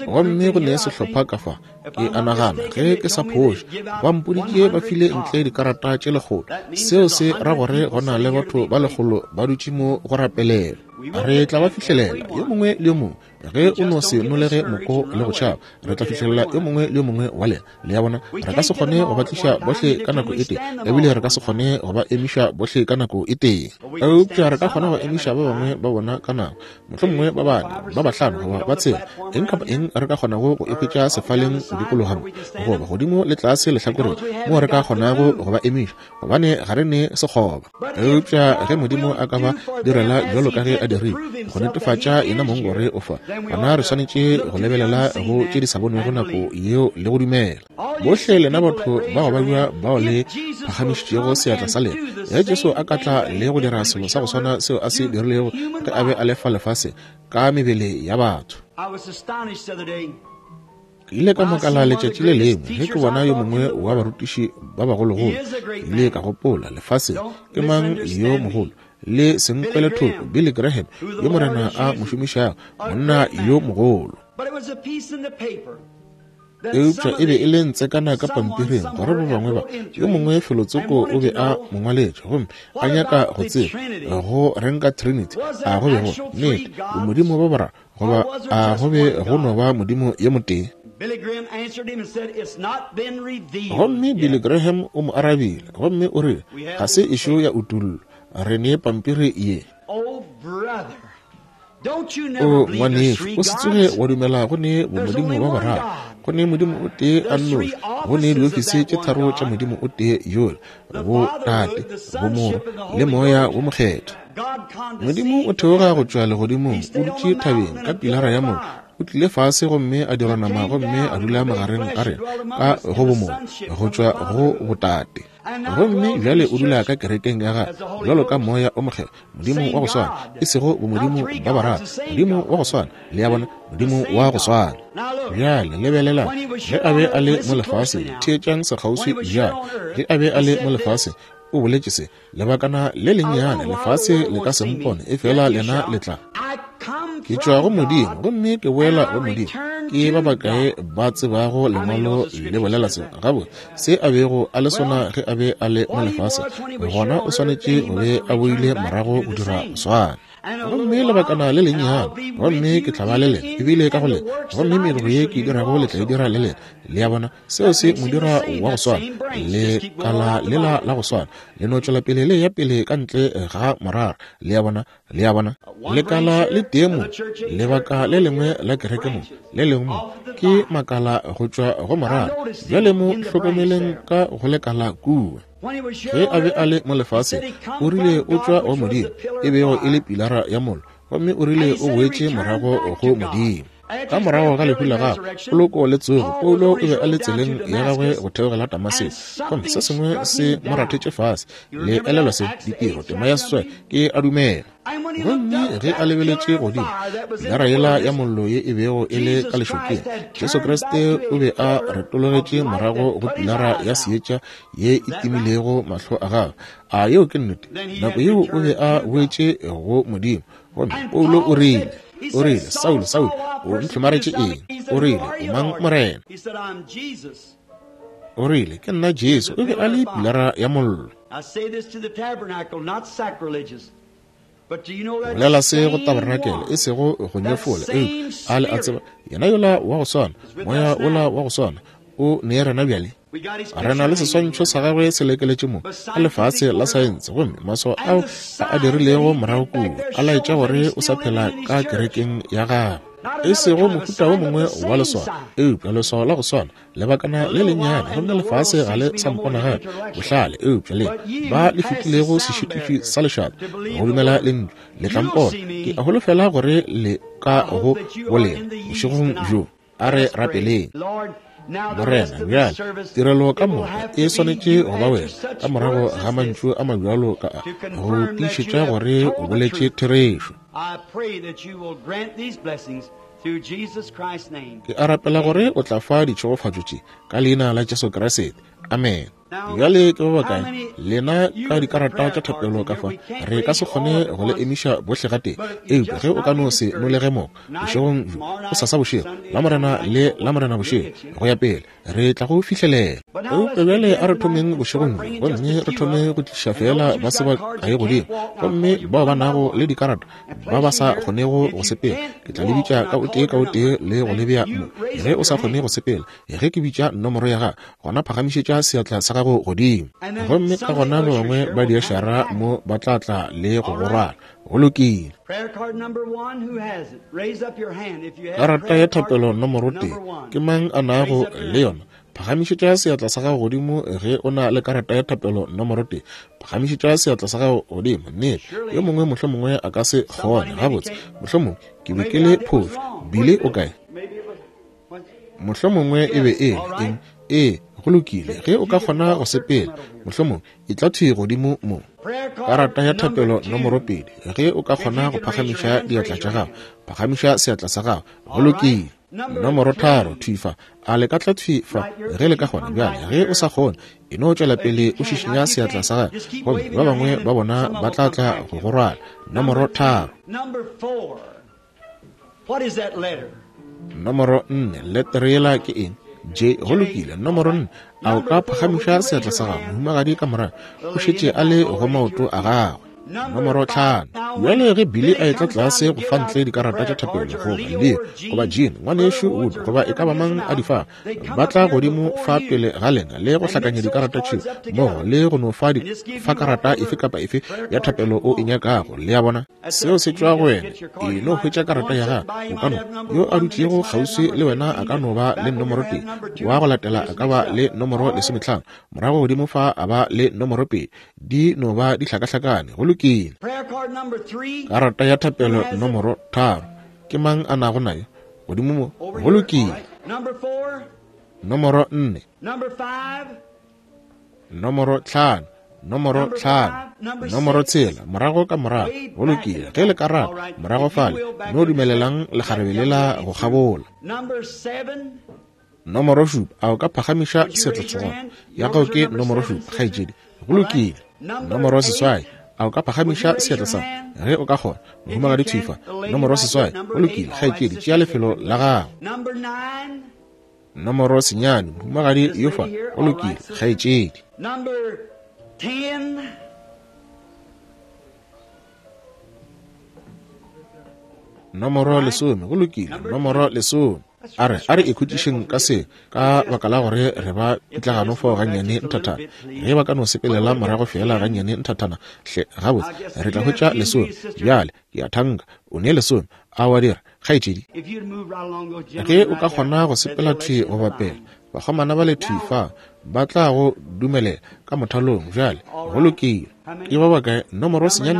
Gomme go ne sehlopha ka fa, ke a nagana, ge ke sa phoše, ba mpoditše ba file ntle dikarata tše 100. Seo se ra gore go na le batho ba 100 ba dutše mo go rapelela. Re tla ba fihlelela, yo mongwe le yo mongwe. Ge o no se nolege moko le go tšhaba, re tla fihlelela yo mongwe le yo mongwe wa lena. Le a bona? Re ka se kgone go ba tliša bohle ka nako e tee, ebile re ka se kgone go ba emiša bohle ka nako e tee. Eupša re ka kgona go emiša ba bangwe ba bona ka nako, mohlomongwe ba bane, ba bahlano, goba ba tshela, eng kapa eng re ka kgonago go e hwetša sefaleng go dikologa mo, goba godimo le tlase lehlakoreng, moo re ka kgonago go ba emiša, gobane ga re ne sekgoba. Eupša ge Modimo a ka ba direla bjalo ka ge a dirile, go netefatša yena mong gore o fa, gona re swanetše go lebelela go tše di sa bonwego nako yeo le go dumela. Bohle lena batho ba go babja bao le phagamišitšego seatla sa lena, ge Jesu a ka tla le go dira selo sa go swana seo a se dirilego ge a be a le fa lefaseng, ka mebele ya batho. Ke ile ka makala letšatši le lengwe ge ke bona yo mongwe wa barutiši ba bagologolo. Ke ile ka gopola, lefaseng, ke mang yo mogolo? Le se nkwele thoko, Billy Graham, yo Morena a mo šomišago, monna yo mogolo. Eupša e be e le ntsekana ka pampiring gore ba bangwe ba, yo mongwe felotsoko o be a mo ngwaletše gomme a nyaka go tseba go reng ka Trinity, a go be go, nnete, bomodimo ba boraro, goba a go be go no ba Modimo yo motee. Gomme Billy Graham o mo arabile gomme o rile, Ga se ešo ya utollwa. Re ne pampiri ye. O ngwanešu, o se tsoge wa dumela go ne bomodimo ba boraro. Go ne Modimo o tee a nnoši. Go ne diofisi tše tharo tša Modimo o tee yola, bo Tate, bo Morwa, le Moya wo Mokgethwa. Modimo o theoga go tšwa legodimong, o dutše thabeng ka pilara ya mollo, o tlile fase gomme a dirwa nama gomme a dula magareng ga rena ka go bomorwa, go tšwa go botate. Gomme bjale o dula ka kerekeng ya gagwe bjalo ka Moya o Mokgethwa, Modimo wa go swana, e sego bomodimo ba bararo, Modimo wa go swana, le a bona, Modimo wa go swana. Bjale lebelelang, ge a be a le mo lefaseng, theetšang sekgauswi bjale, ge a be a le mo lefaseng, o boletše se, Lebakana le lennyane lefase le ka se mpone, efela lena le tla. Ke tšwa go Modimo, gomme ke boela go Modimo. Ke ba bakae ba tsebago Lengwalo le bolela seo? Gabotse, se a bego a le sona ge a be a le mo lefaseng, gona o swanetše go be a boile morago go dira go swana. Gomme lebakana le lennyane, gomme ke tla ba le lena, ebile ka go lena, gomme mediro ye ke e dirago le tla e dira le lena. Le a bona? Seo se mo dira wa go swana, lekala lela la go swana, le no tšwela pele le ya pele ka ntle ga morara. Le a bona? Le a bona? Lekala le tee mo, lebaka le lengwe la kereke mo, le lengwe mo, ke makala go tšwa go morara. Bjale mo hlokomeleng ka go lekala kua. Ge a be a le mo lefaseng, o rile o tšwa go Modimo, e bego e le pilara ya mollo, gomme o rile o boetše morago go Modimo. Ka morago ga lehu la gagwe, poloko le tsogo, Paulo o be a le tseleng ya gagwe go theogela Damaseko, gomme se sengwe se mo rathetše fase. Le elelwa se, Ditiro, tema ya seswai, ke a dumela. Gomme ge a lebeletše godimo, pilara yela ya mollo ye e bego e le ka lešokeng, Jesu Kriste o be a retologetše morago go pilara ya seetša ye e timilego mahlo a gagwe. A yeo ke nnete? Nako yeo o be a boetše go Modimo. Gomme Paulo o rile, o rile, Saulo, Saulo, o ntlhomaretše eng? O rile, O mang, Morena? O rile, Ke nna Jesu. O be a le pilara ya mollo. Bolela se go tabarenakele, e sego go nyefola, eupša a le a tseba, yena yola wa go swana, moya wola wa go swana, o ne rena bjale. Re na le seswantšho sa gagwe se lekeletše mo ka lefase la saense, gomme maswao ao a a dirilego morago kua a laetša gore o sa phela ka kerekeng ya gagwe. E sego mohuta wo mongwe wa leswao, eupša leswao la go swana, lebakana le lennyane, gomme lefase ga le sa mpona gape. Bohlale, eupša le ba le fetilego sešitiši sa lešata go dumela lentšu, le tla mpona. Ke a holofela gore le ka go bolena bošegong bjo. A re rapeleng. Morena, bjale tirelo ka moka e swanetše go ba wena, ka morago ga mantšu a mabjalo ka a, go tiišetša gore o boletše therešo. Ke a rapela gore o tla fa ditšhegofatšo tše ka leina la Jesu Kriste. Amen. Bjale ke ba bakae lena ka dikarata tša thapelo ka fa? Re ka se kgone go le emiša bohle gatee, eupša ge o ka no se nolege moko bošegong bjo, gosasa bošego, Lamorena le Lamorena bošego, go ya pele, re tla go fihlelela. Eupša bjale a re thomeng bošegong bjo, gomme re thome go tliša feela ba se ba kae godimo, gomme bao ba nago le dikarata ba ba sa kgonego go sepela, ke tla le bitša ka o tee ka o tee le go le bea mo. Ge o sa kgone go sepela, ge ke bitša nomoro ya gago, gona phagamišetša seatla sa gago godimo. Gomme ka gona ba bangwe ba diašara mo ba tla tla le go go rwala. Go lokile. Karata ya thapelo nomoro tee, ke mang a nago le yona? Phagamišetša seatla sa gago godimo ge o na le karata ya thapelo nomoro tee. Phagamišetša seatla sa gago godimo. Nnete, yo mongwe mohlomongwe a ka se kgone. Gabotse, mohlomongwe ke be ke le phošo. Billy o kae? Mohlomongwe e be e le eng? Ee, Go lokile, ge o ka kgona go sepela, mohlomong e tla thwi godimo mo. Karata ya thapelo nomoro 2, ge o ka kgona go phagamiša diatla tša gago, phagamiša seatla sa gago. Go lokile. Nomoro 3, thwi fa. A le ka tla thwi fa ge le ka kgona? Bjale, ge o sa kgone, e no tšwela pele o šišinya seatla sa gago, gomme ba bangwe ba bona ba tla tla go go rwala. Nomoro 3. Nomoro 4, letere yela ke eng? J. Go lokile. Nomoro 4, a o ka phagamiša seatla sa gago? Mohumagadi ka morago o šetše a le go maoto a gagwe. Nomoro 5. Bjale ge Billy a etla tlase go fa ntle dikarata tša thapelo, goba Leo, goba Jean, ngwanešu Wood, goba e ka ba mang a di fa, ba tla godimo fa pele ga lena le go hlakanya dikarata tšeo mmogo le go no fa fa karata efe kapa efe ya thapelo o e nyakago. Le a bona? Seo se tšwa go wena. E no hwetša karata ya gago. O ka no, yo a dutšego kgauswi le wena a ka no ba le nomoro 1, wa go latela a ka ba le nomoro 15, morago godimo fa a ba le nomoro 2. Di no ba di hlakahlakane. Go lokile. Karata ya thapelo nomoro 3, ke mang a nago nayo? Godimo mo. Go lokile. Nomoro 4. Nomoro 5. Nomoro 5. Nomoro 6, morago ka morago. Go lokile. Ge le ka rata, morago fale, no dumelelang lekgarebe lela go kgabola. Nomoro 7, a o ka phagamiša seatla sa gago? Ya gago ke nomoro 7, kgaetšedi. Go lokile. Nomoro 8, a o ka phagamiša seatla sa gago? Ge o ka kgona. Mohumagadi thwi fa. Nomoro 8, go lokile, kgaetšedi, tšea lefelo la gago. Nomoro 9, mohumagadi yo fa. Go lokile, kgaetšedi. Nomoro 10, go lokile, nomoro 10. A re ikhutšišeng ka se, ka baka la gore re ba pitlagano fao gannyane nthathana. Ge ba ka no sepelela morago feela gannyane nthathana, hle, gabotse, re tla hwetša 10. Bjale, ke a thanka, o ne 10. A wa dira, kgaetšedi? Ge o ka kgona go sepela thwi go bapela, bakgomana ba le thwi fa, ba tla go dumelela ka mothalong. Bjale, go lokile. Ke ba bakae? Nomoro 9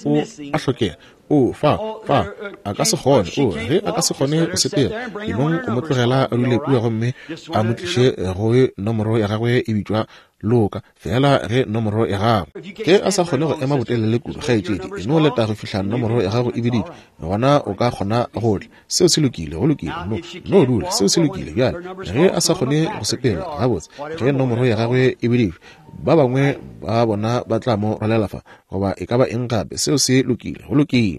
o a hlokega. O fa, fa, a ka se kgone. O, ge a ka se kgone go sepela, e mong o mo tlogela a dule kua gomme a mo tliše go nomoro ya gagwe e bitšwa Loka, feela ge nomoro ya gago. Ge a sa kgone go ema botelele kudu, kgaetšedi, e no leta go fihla nomoro ya gago e biditšwe, gona o ka kgona go tla. Seo se lokile, go lokile. No dula, seo se lokile. Bjale, ge a sa kgone go sepela, gabotse, ge nomoro ya gagwe e biditšwe, ba bangwe ba bona ba tla mo rwalela fa, goba e ka ba eng gape. Seo se lokile, go lokile.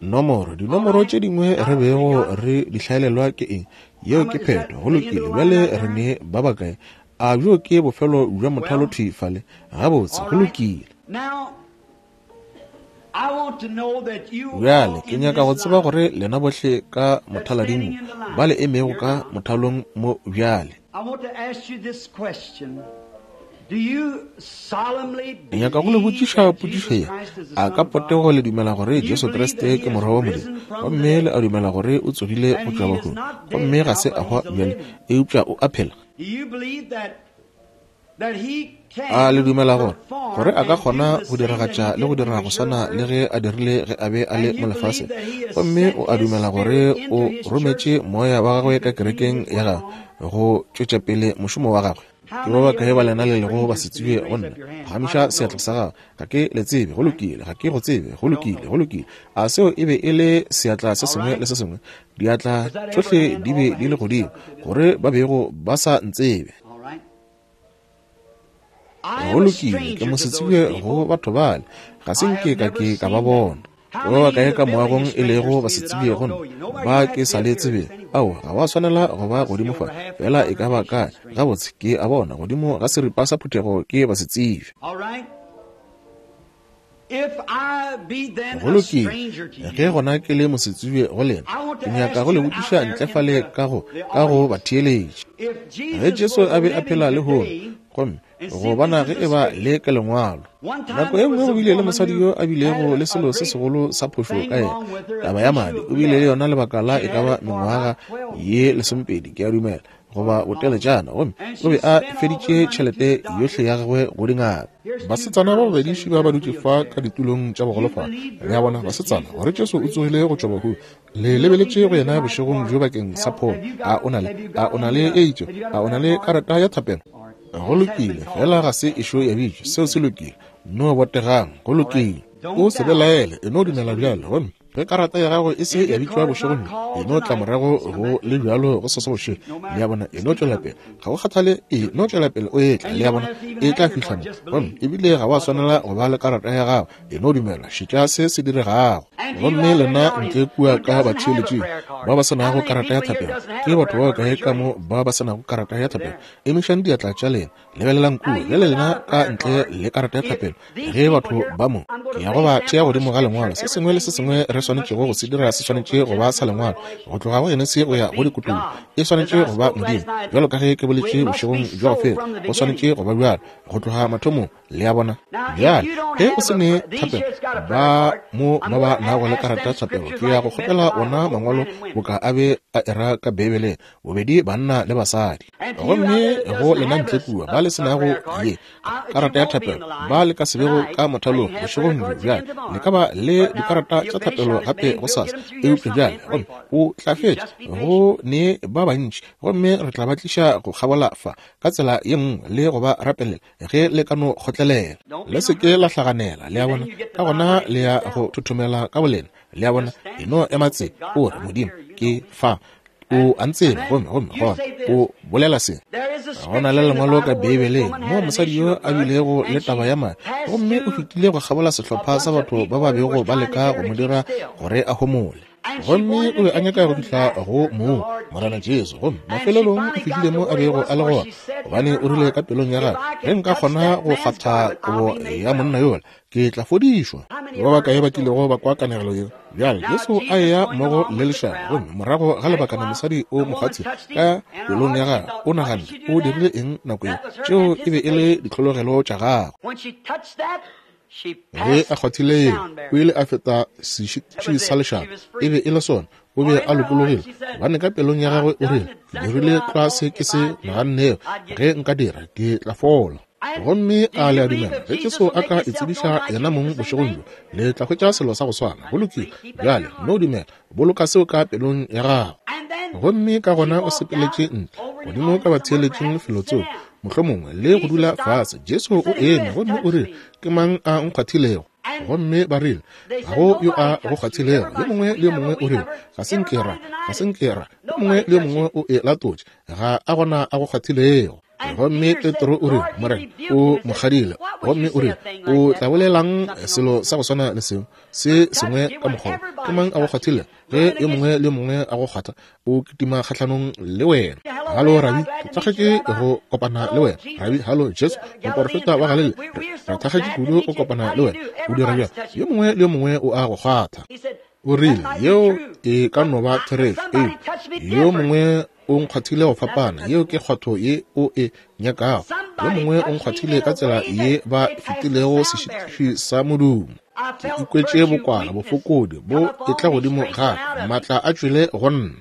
Nomoro, dinomoro tše dingwe re bego re di hlaelelwa ke eng? Yeo ke phetho. Go lokile. Bjale re ne ba bakae? A bjo ke bofelo bja mothalo thwi fale? Gabotse, go lokile. Bjale ke nyaka go tseba gore lena bohle ka mothalading mo, ba le emego ka mothalong mo bjale. Ke nyaka go le botšiša potšišo ye. A ka potego le dumela gore Jesu Kriste ke Morwa wa Modimo, gomme le a dumela gore o tsogile go tšwa bahung, gomme ga se a hwa bjale, eupša o a phela? A le dumela gore a ka kgona go diragatša le go dira go swana le ge a dirile ge a be a le mo lefaseng, gomme o a dumela gore o rometše moya wa gagwe ka kerekeng ya gagwe go tšwetša pele mošomo wa gagwe? Ke ba bakae ba lena le lego ba se tsebe go nna? Phagamiša seatla sa gago. Ga ke le tsebe. Go lokile. Ga ke go tsebe. Go lokile. Go lokile. A seo e be e le seatla se sengwe le se sengwe? Diatla tšohle di be di le godimo, gore ba bego ba sa ntsebe. Go lokile, ke mosetsebje go batho bale, ga se nke ka ke ka ba bona. Ke ba bakae ka moagong e lego basetsebje go nna, ba ke sa le tsebego? Aowa, ga wa swanela go ba godimo fa, fela e ka ba kae. Gabotse, ke a bona, godimo ga seripa sa phuthego ke basetsebje. Go lokile, ge gona ke le mosetsebje go lena, ke nyaka go le botšiša ntle fale ka go, ka go batheeletši. Ge Jesu a be a phela lehono, gomme go bona ge e ba le ka lengwalo. Nako e nngwe go bile le mosadi yo a bilego le selo se segolo sa phošo ka yena, taba ya madi. O bile le yona lebaka la e ka ba mengwaga ye 12, ke a dumela. goba boteletšana, gomme o be a feditše tšhelete yohle ya gagwe go dingaka. Basetsana ba babedi ba ba dutše fa ka ditulong tša bogolofadi. Le a bona, basetsana, gore Jesu o tsogile go tšwa bahung. Le lebeletše go yena bošegong bjo bakeng sa pholo. A o na le, a o na le e itšego? A o na le karata ya thapelo? Go lokile, fela ga se ešo ya bitšwa. Seo se lokile. No botegang. Go lokile. O se belaele, e no dumela bjalo. Gomme ge karata ya gago e se ya bitšwa bošegong bjo, e no tla morago go le bjalo go sasa bošego. Le a bona, e no tšwela pele. Ga go kgathale, e no tšwela pele o etla. Le a bona, e tla fihla mo. Gomme ebile ga wa swanela go ba le karata ya gago. E no dumela, šetša se se diregago. Gomme lena ntle kua ka batheeletšing ba ba se nago karata ya thapelo, ke batho ba bakae ka mo ba ba se nago karata ya thapelo? Emišang diatla tša lena. Lebelelang kua bjale lena ka ntle le karata ya thapelo, ge batho ba mo, ke ya go ba tšea godimo ga Lengwalo. Se sengwe le se sengwe re swanetšego go se dira se swanetše go ba sa Lengwalo, go tloga go Genesi go ya go Dikutullo. E swanetše go ba Modimo, bjalo ka ge ke boletše bošegong bja go feta, go swanetše go ba bjalo go tloga mathomong. Le a bona? Bjale, ge o se ne thapelo, ba mo ba ba nago le karata ya thapelo, ke ya go kgopela ona mangwalo boka a be a era ka Beibeleng, bobedi banna le basadi. Gomme go lena ntle kua ba le se nago ye karata ya thapelo, ba le ka se bego ka mothalong bošegong bjo, bjale le ka ba le dikarata tša thapelo gape gosasa. Eupša bjale, gomme o tla fetša go ne ba bantši, gomme re tla ba tliša go kgabola fa ka tsela ye nngwe le go ba rapelela, ge le ka no kgotlelela. Le se ke la hlaganela, le a bona, ka gona le ya go thothomela ka bolena. Le a bona, e no ema tse, o re, Modimo, ke fa. O a ntseba, gomme, gomme gona o bolela se. Go na le lengwalo ka Beibeleng moo mosadi yo a bilego le taba ya madi, gomme o fetile go kgabola sehlopha sa batho ba ba bego ba leka go mo dira gore a homole. Gomme o be a nyaka go fihla go moo Morena Jesu, gomme mafelelong o fihlile mo a bego a le gona, gobane o rile ka pelong ya gagwe, ge nka kgona go kgwatha kobo ya monna yola, ke tla fodišwa. Ba bakae ba kilego ba kwa kanegelo yeo? Bjale Jesu a eya mmogo le lešaba, gomme morago ga lebakana mosadi o mo kgwathile. Ka pelong ya gagwe o naganne, o dirile eng nako yeo? Tšeo e be e le ditlhologelo tša gagwe. Ge a kgwathile yeo, o ile a feta sešitiši sa lešaba. E be e le sona. O be a lokologile, gobane ka pelong ya gagwe o rile, Ke dirile tlwa se ke se nagannego. Ge nka dira, ke tla fola. Gomme a le a dumela ge Jesu a ka itsebiša yena mong bošegong bjo, le tla hwetša selo sa go swana? Go lokile. Bjale, no dumela. Boloka seo ka pelong ya gago. Gomme ka gona o sepeletše ntle, godimo ka batheeletšing felotsoko, mohlomongwe, le go dula fase. Jesu o eme gomme o rile, Ke mang a nkgwathilego? Gomme ba rile, Ga go yo a go kgwathilego. Yo mongwe le yo mongwe o rile, Ga se nke ra, ga se nke ra. Yo mongwe le yo mongwe o e latotše, Ga a gona a go kgwathilego. Gomme Petro o rile, Morena, o mo kgadile. Gomme o rile, O tla bolelang selo sa go swana le seo, se sengwe ka mokgwa wo? Ke mang a go kgwathilego? Ge yo mongwe le yo mongwe a go kgwatha, o kitima kgahlanong le wena. Halo, Rabi, ke thakgetše go kopana le wena. Rabi, halo, Jesu, moporofeta wa Galilea, re thakgetše kudu go kopana le wena. O dira bjang? Yo mongwe le yo mongwe o a go kgwatha. O rile, Yeo e ka no ba therešo, eupša yo mongwe o nkgwathile go fapana. Yeo ke kgwatho ye o e nyakago. Yo mongwe o nkgwathile ka tsela ye ba fetilego sešitiši sa modumo. Ke ikwetše bokwala, bofokodi bo etla godimo ga ka, maatla a tšwele go nna.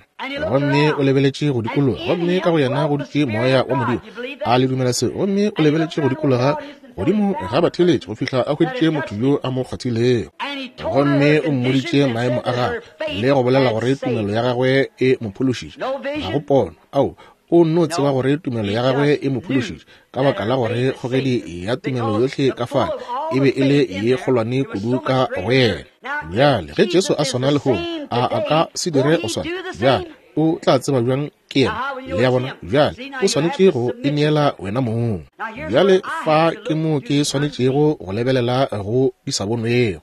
Gomme o lebeletše go dikologa, gomme ka go yena go dutše Moya wa Modimo. A le dumela seo? Gomme o lebeletše go dikologa godimo ga batheeletši go fihla a hweditše motho yo a mo kgwathilego. Gomme o mmoditše maemo a gagwe le go bolela gore tumelo ya gagwe e mo phološitše. Ga go pono. Ao, o nno tseba gore tumelo ya gagwe e mo phološitše, ka baka la gore kgogedi ya tumelo yohle ka fale e be e le ye kgolwane kudu ka go yena. Bjale, ge Jesu a swana lehono, a a ka se dire go swana? Bjale, o tla tseba bjang ke yena? Le a bona? Bjale, o swanetše go ineela wena mong. Bjale, fa ke mo ke swanetšego go lebelela go di sa bonwego.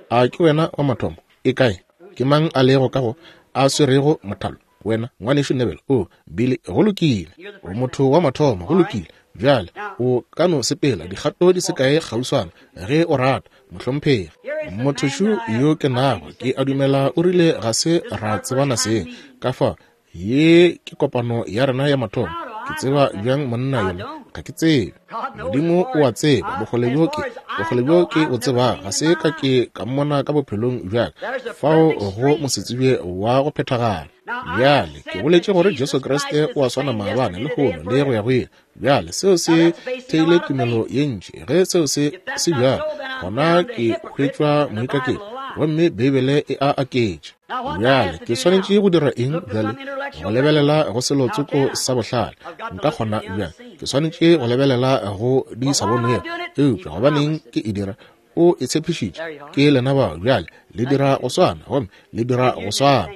A ke wena wa mathomo? E kae? Ke mang a lego ka go a swerego mothalo? Wena, Ngwanešu Neville. O, Billy, go lokile. O motho wa mathomo. Go lokile. Bjale, o ka no sepela dikgato di se kae kgauswana, ge o rata, mohlomphegi. Mothošu yo ke nago, ke a dumela o rile ga se ra tsebana seng. Ka fa, ye ke kopano ya rena ya mathomo. Ke tseba bjang monna yola? Ga ke tsebe. Modimo o a tseba. Bokgole bjo ke, bokgole bjo ke bo tsebago, ga se ka ke ka mmona ka bophelong bja ka. Fao go mosetsebje wa go phethagala. Bjale, ke boletše gore Jesu Kriste o a swana maabane, lehono, le go ya go ile. Bjale, seo se theile tumelo ye ntši. Ge seo se se bjalo, gona ke hwetšwa moikaketši, gomme Beibele e a aketša. Bjale, ke swanetše go dira eng bjale? Go lebelela go selo tsoko sa bohlale. Nka kgona bjang? Ke swanetše go lebelela go di sa bonwego. Eupša gobaneng ke e dira? O e tshepišitše. Ke lena bao. Bjale, le dira go swana, gomme le dira go swana.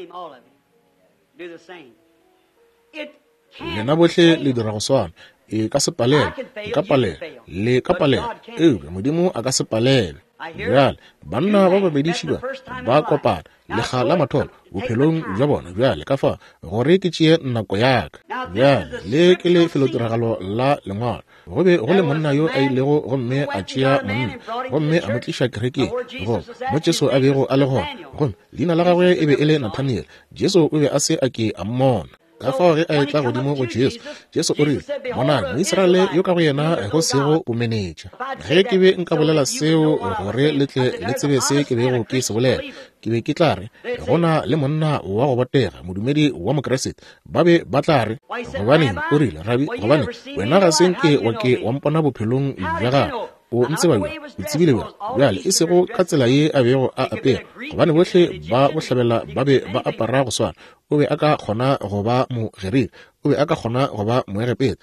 Lena bohle le dira go swana. E ka se palelwe, nka palelwa, le ka palelwa, eupša Modimo a ka se palelwe. Bjale, banna ba babedi šiba ba kopana lekga la mathomo bophelong bja bona. Bjale, ka fa gore ke tšee nako ya ka. Bjale, le ke lefelotiragalo la Lengwalo. Go be go le monna yo a ilego gomme a tšea monna gomme a mo tliša kerekeng, go mo Jesu a bego a le gona, gomme leina la gagwe e be e le Nathaniel. Jesu o be a se a ke a mmona. Ka fao ge a etla godimo go Jesu, Jesu o rile, Bonang, Moisraele yo ka go yena go sego bomenetša. Ge ke be nka bolela seo gore le tle le tsebe se ke bego ke se bolela, ke be ke tla re, go na le monna wa go botega, modumedi wa Mokriste. Ba be ba tla re, gobaneng, o rile, Rabi, gobane wena ga se nke wa ke wa mpona bophelong bja gago. O ntseba bjang? O tsebile bjang? Bjale, e sego ka tsela ye a bego a apere, gobane bohle ba bohlabela ba be ba apara go swana. O be a ka kgona go ba Mogerika, o be a ka kgona go ba Moegepeta,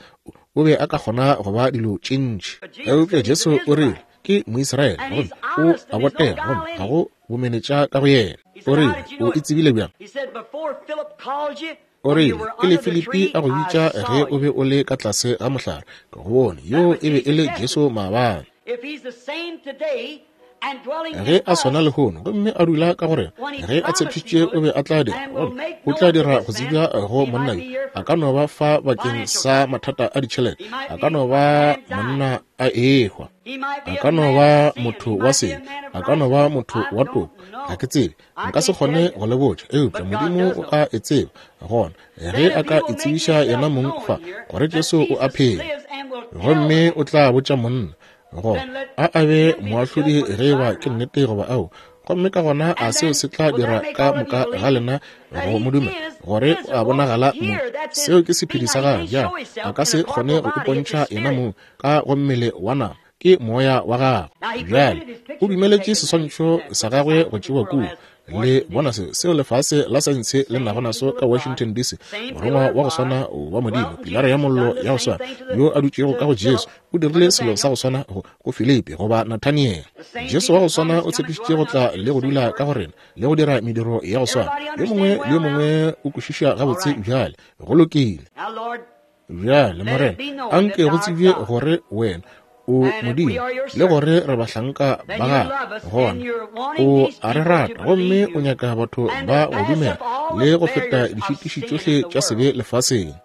o be a ka kgona go ba dilo tše ntši. Eupša Jesu o rile, Ke Moisraele, gomme o a botega, gomme ga go bomenetša ka go yena. O rile, O e tsebile bjang? O rile, Pele Filipi a go bitša ge o be o le ka tlase ga mohlare, ke go bone. Yoo e be e le Jesu maabane. Ge a swana lehono, gomme a dula ka go rena, ge a tshepišitše o be a tla dira, gomme o tla dira go tsebja go monna yo. A ka no ba fa bakeng sa mathata a ditšhelete, a ka no ba monna a ehwa, a ka no ba motho wa sebe, a ka no ba motho wa toko, ga ke tsebe. Nka se kgone go le botša, eupša Modimo o a e tseba. Gona, ge a ka itsebiša yena mong fa, gore Jesu o a phela, gomme o tla botša monna, gona a a be moahlodi ge e ba ke nnete goba ao. Gomme ka gona a seo se tla dira ka moka ga lena go mo dumela, gore o a bonagala mo. Seo ke sephedi sa gagwe. Bjale, a ka se kgone go ipontšha yena mong ka go mmele wa nama. Ke moya wa gagwe. Bjale, o dumeletše seswantšho sa gagwe go tšewa kua. Le bona se, seo lefase la saense le nago naso ka Washington, DC, morongwa wa go swana wa Modimo, pilara ya mollo ya go swana, yo a dutšego ka go Jesu, o dirile selo sa go swana go, go Filipi goba Nathaniel. Jesu wa go swana o tshepišitše go tla le go dula ka go rena, le go dira mediro ya go swana. Yo mongwe le yo mongwe o kwešiša gabotse bjale. Go lokile. Bjale, Morena, a nke go tsebje gore wena o Modimo le gore re bahlanka ba gago. Gona o a re rata gomme o nyaka batho ba go dumela le go feta dišitiši tšohle tša sebe lefaseng,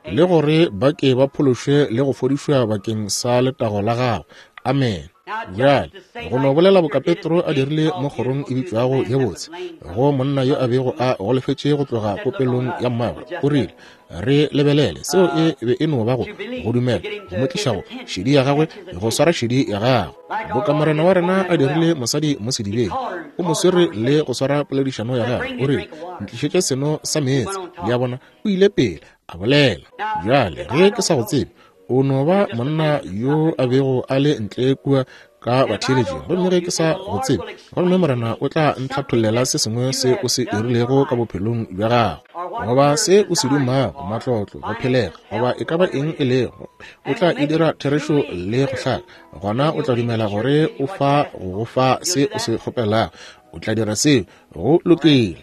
le gore ba ke ba phološwe le go fodišwa bakeng sa letago la gago. Amen. Bjale, go no bolela boka Petro a dirile mo kgorong e bitšwago ye botse, go monna yo a bego a golofetše go tloga popelong ya mmagwe, o rile, Re lebelele. Seo e be e no ba go, go dumela, go mo tliša go šedi ya gagwe, go swara šedi ya gagwe. Boka Morena wa rena a dirile mosadi mo sedibeng, o mo swere le go swara poledišano ya gagwe, o rile, Ntlišetše seno sa meetse. Le a bona, o ile pele a bolela. Bjale, ge ke sa go tsebe, o no ba monna yo a bego a le ntle kua ka batheeletšing, gomme ge ke sa go tsebe, gomme Morena o tla ntlhathollela se sengwe se o se dirilego ka bophelong bja gago, goba se o se dumago, matlotlo, go phelega, goba e ka ba eng e lego, o tla e dira therešo le go hlaka, gona o tla dumela gore o fa go go fa se o se kgopelago. O tla dira seo. Go lokile.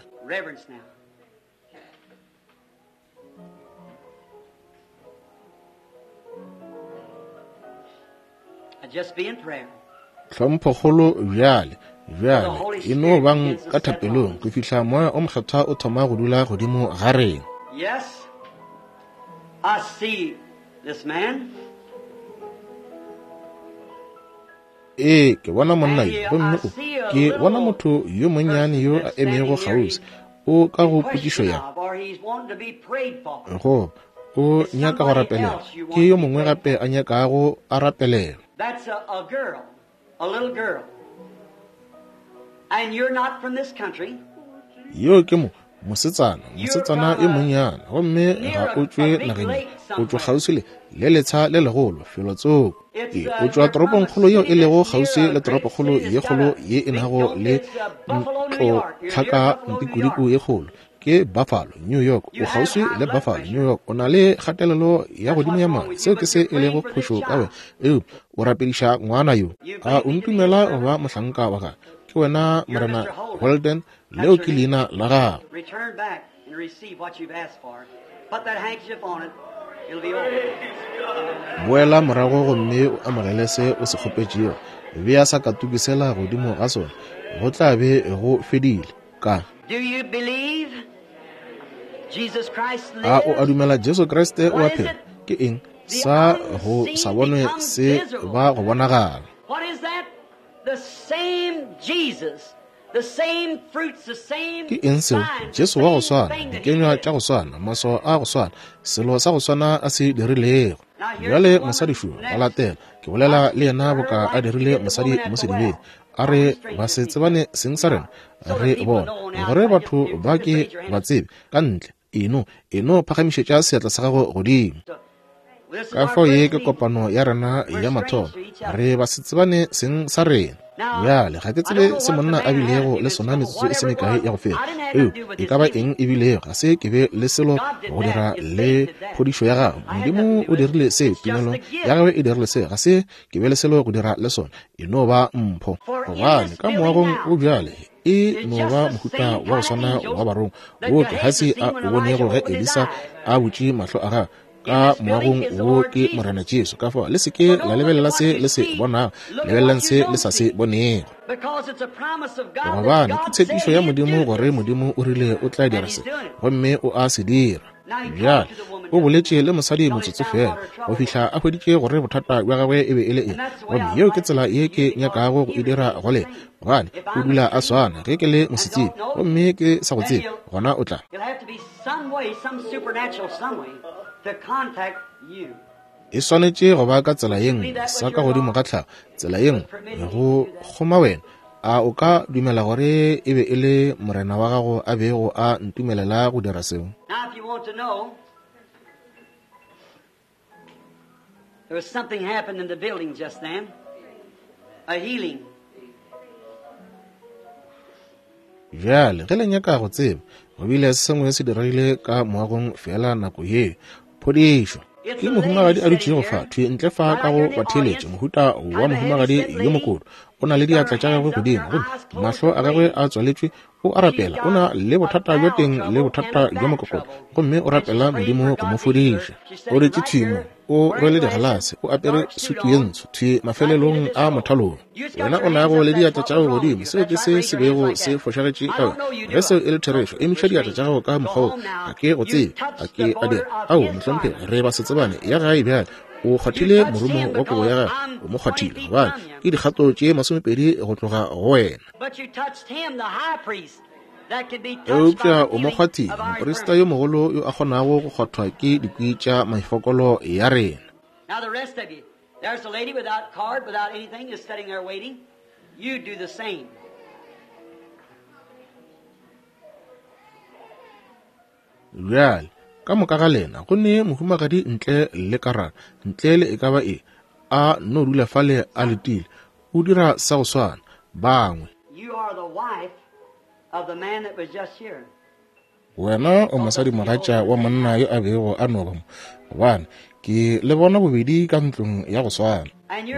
Tlhomphokgolo bjale, bjale e no bang ka thapelong go fihla Moya o Mokgethwa o thoma go dula godimo ga rena. Yes, I see this man. Ee, ke bona monna yo, gomme o, ke bona motho yo monnyane yo a emego kgauswi. O ka go potšišo ya go, o nyaka go rapelelwa. Ke yo mongwe gape a nyakago a rapelelwa. Yo ke mo mosetsana, mosetsana yo monnyane, gomme ga o tšwe nageng ye. O tšwa kgauswi le, le letsha le legolo, felotsoko. Ee, o tšwa toropongkgolo yeo e lego kgauswi le toropokgolo ye kgolo ye e nago le ntlotlhaka mpikudiku ye kgolo. Ke Buffalo, New York. O kgauswi le Buffalo, New York. O na le kgatelelo ya godimo ya madi. Seo ke se e lego phošo ka wena. Eupša o rapediša ngwana yo. A o ntumela go ba mohlanka wa ka? Ke wena Morena Holden. Leo ke leina la gago. Boela morago gomme o amogele se o se kgopetšego. Bea sakatuku sela godimo ga sona. Go tla be go fedile. Ka. A o a dumela Jesu Kriste o a phela? Ke eng sa go sa bonwe se ba go bonagala? Ke eng seo? Jesu wa go swana, dikenywa tša go swana, maswao a go swana, selo sa go swana a se dirilego. Bjale mosadi šo ba latela, ke bolela le yena boka a dirile mosadi mo sedibeng. A re ba se tsebane seng sa rena, re bona gore batho ba ke ba tsebe ka ntle. Eno, eno phagamišetša seatla sa gago godimo. Ka fao ye ke kopano ya rena ya mathomo, re ba se tsebane seng sa rena. Bjale ga ke tsebe se monna a bilego le sona metsotso e se mekae ya go feta, eupša e ka ba eng e bilego, ga se ke be le selo go dira le phodišo ya gagwe. Modimo o dirile se, tumelo ya gagwe e dirile se, ga se ke be le selo go dira le sona, e no ba mpho. Gobane ka moagong o bjale e no ba mohuta wa go swana wa barongwa wo Gehasi a o bonego ge Elisa a butše mahlo a gagwe. Ka moagong wo ke Morena Jesu. Ka fao le se ke la lebelela se le se bonago, lebelelang se le sa se bonego. Gobane ke tshepišo ya Modimo gore Modimo o rile o tla dira se, gomme o a se dira. Bjale o boletše le mosadi motsotso fela go fihla a hweditše gore bothata bja gagwe e be e le eng. Gomme yeo ke tsela ye ke nyakago go e dira go lena, gobane o dula a swana. Ge ke le mosetsebje gomme ke sa go tsebe, gona o tla. E swanetše go ba ka tsela ye nngwe, sa ka godimo ga tlhago, tsela ye nngwe go kgoma wena. A o ka dumela gore e be e le Morena wa gago a bego a ntumelela go dira seo? There was something happened in the building just then, a healing. Bjale, ge le nyaka go tseba, go bile se sengwe se diregile ka moagong feela nako yeo, phodišo. Ke mohumagadi a dutšego fa, thwi ntle fa ka go batheeletše, mohuta wa mohumagadi yo mokoto. O na le diatla tša gagwe godimo, gomme mahlo a gagwe a tswaletšwe, o a rapela. O na le bothata bja teng le bothata bja mokokotlo, gomme o rapela Modimo go mo fodiša. O dutše thwi mo, o rwele digalase, o apere sutu ye ntsho, thwi mafelelong a mothalong. Wena o nago le diatla tša gago godimo, seo ke se se bego se fošagetše ka wena. Ge seo e le therešo, emiša diatla tša gago ka mokgwa wo. Ga ke go tsebe, ga ke a dira. Ao, mohlomphegi, re ba se tsebane. Ya gae bjale. O kgwathile morumo wa kobo ya gagwe, o mo kgwathile, gobane ke dikgato tše 20 go tloga go wena. Eupša o mo kgwathile, moprista yo mogolo yo a kgonago go kgwathwa ke dikwi tša mefokolo ya rena. Now the rest of you, there's a lady without card, without anything, is sitting there waiting. You do the same. Bjale, ka moka ga lena, go ne mohumagadi ntle le karata, ntle le e ka ba eng, a no dula fale a letile. O dira sa go swana. Bangwe. You are the wife of the man that was just here. Wena o mosadimogatša wa monna yo a bego a no ba mo, gobane ke le bona bobedi ka ntlong ya go swana.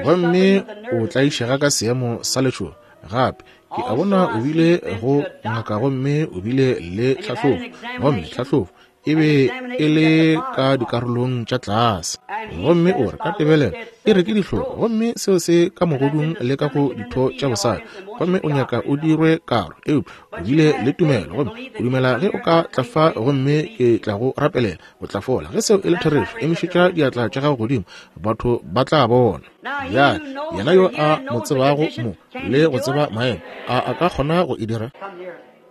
Gomme o tlaišega ka seemo sa letšhogo gape. Ke a bona o bile go ngaka gomme o bile le tlhahlobo, gomme tlhahlobo e be e le ka dikarolong tša tlase. Gomme o re ka tebelelo e re ke dihlong, gomme seo se ka mogodung le ka go ditho tša bosadi, gomme o nyaka o dirwe karo. Eupša o bile le tumelo, gomme o dumela ge o ka tla fa gomme ke tla go rapelela, o tla fola. Ge seo e le therešo, emišetša diatla tša gago godimo, batho ba tla bona. Bjale, yena yo a mo tsebago mo le go tseba maemo, a a ka kgona go e dira?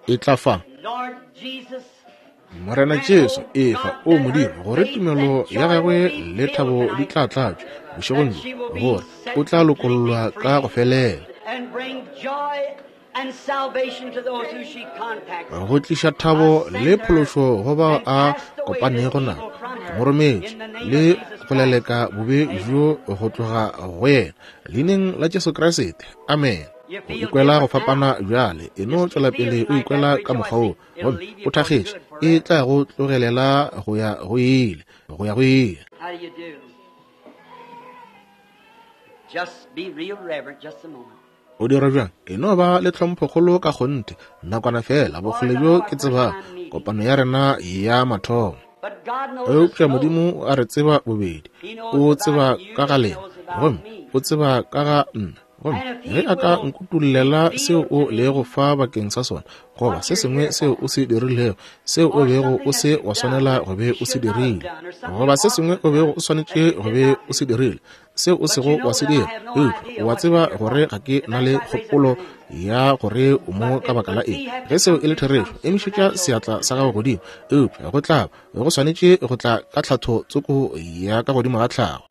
E tla fa. Morena Jesu, efa, o Modimo, gore tumelo ya gagwe le thabo di tla tlatšwa bošegong bjo, gore o tla lokollwa ka go felela. Go tliša thabo le phološo go bao a kopanego nabo. Ke mo rometše le go leleka bobe bjo go tloga go yena. Leineng la Jesu Kriste. Amen. O ikwela go fapana bjale. E no tšwela pele o ikwela ka mokgwa woo, gomme o thakgetše. E tla go tlogelela go ya go ile, go ya go ile. O dira bjang? E no ba le tlhomphokgolo ka kgonthe, nakwana feela, bokgole bjo ke tsebago, kopano ya rena ya mathomo. Eupša Modimo o a re tseba bobedi. O tseba ka ga lena, gomme o tseba ka ga nna. Gomme ge a ka nkutollela seo o lego fa bakeng sa sona, goba se sengwe seo o se dirilego, seo o bego o se wa swanela go be o se dirile, goba se sengwe o bego o swanetše go be o se dirile, seo o sego wa se dira, eupša o a tseba gore ga ke na le kgopolo ya gore o mo ka baka la eng. Ge seo e le therešo, emišetša seatla sa gago godimo. Eupša go tla ba, go swanetše go tla ka tlhatho tsoko ya ka godimo ga tlhago.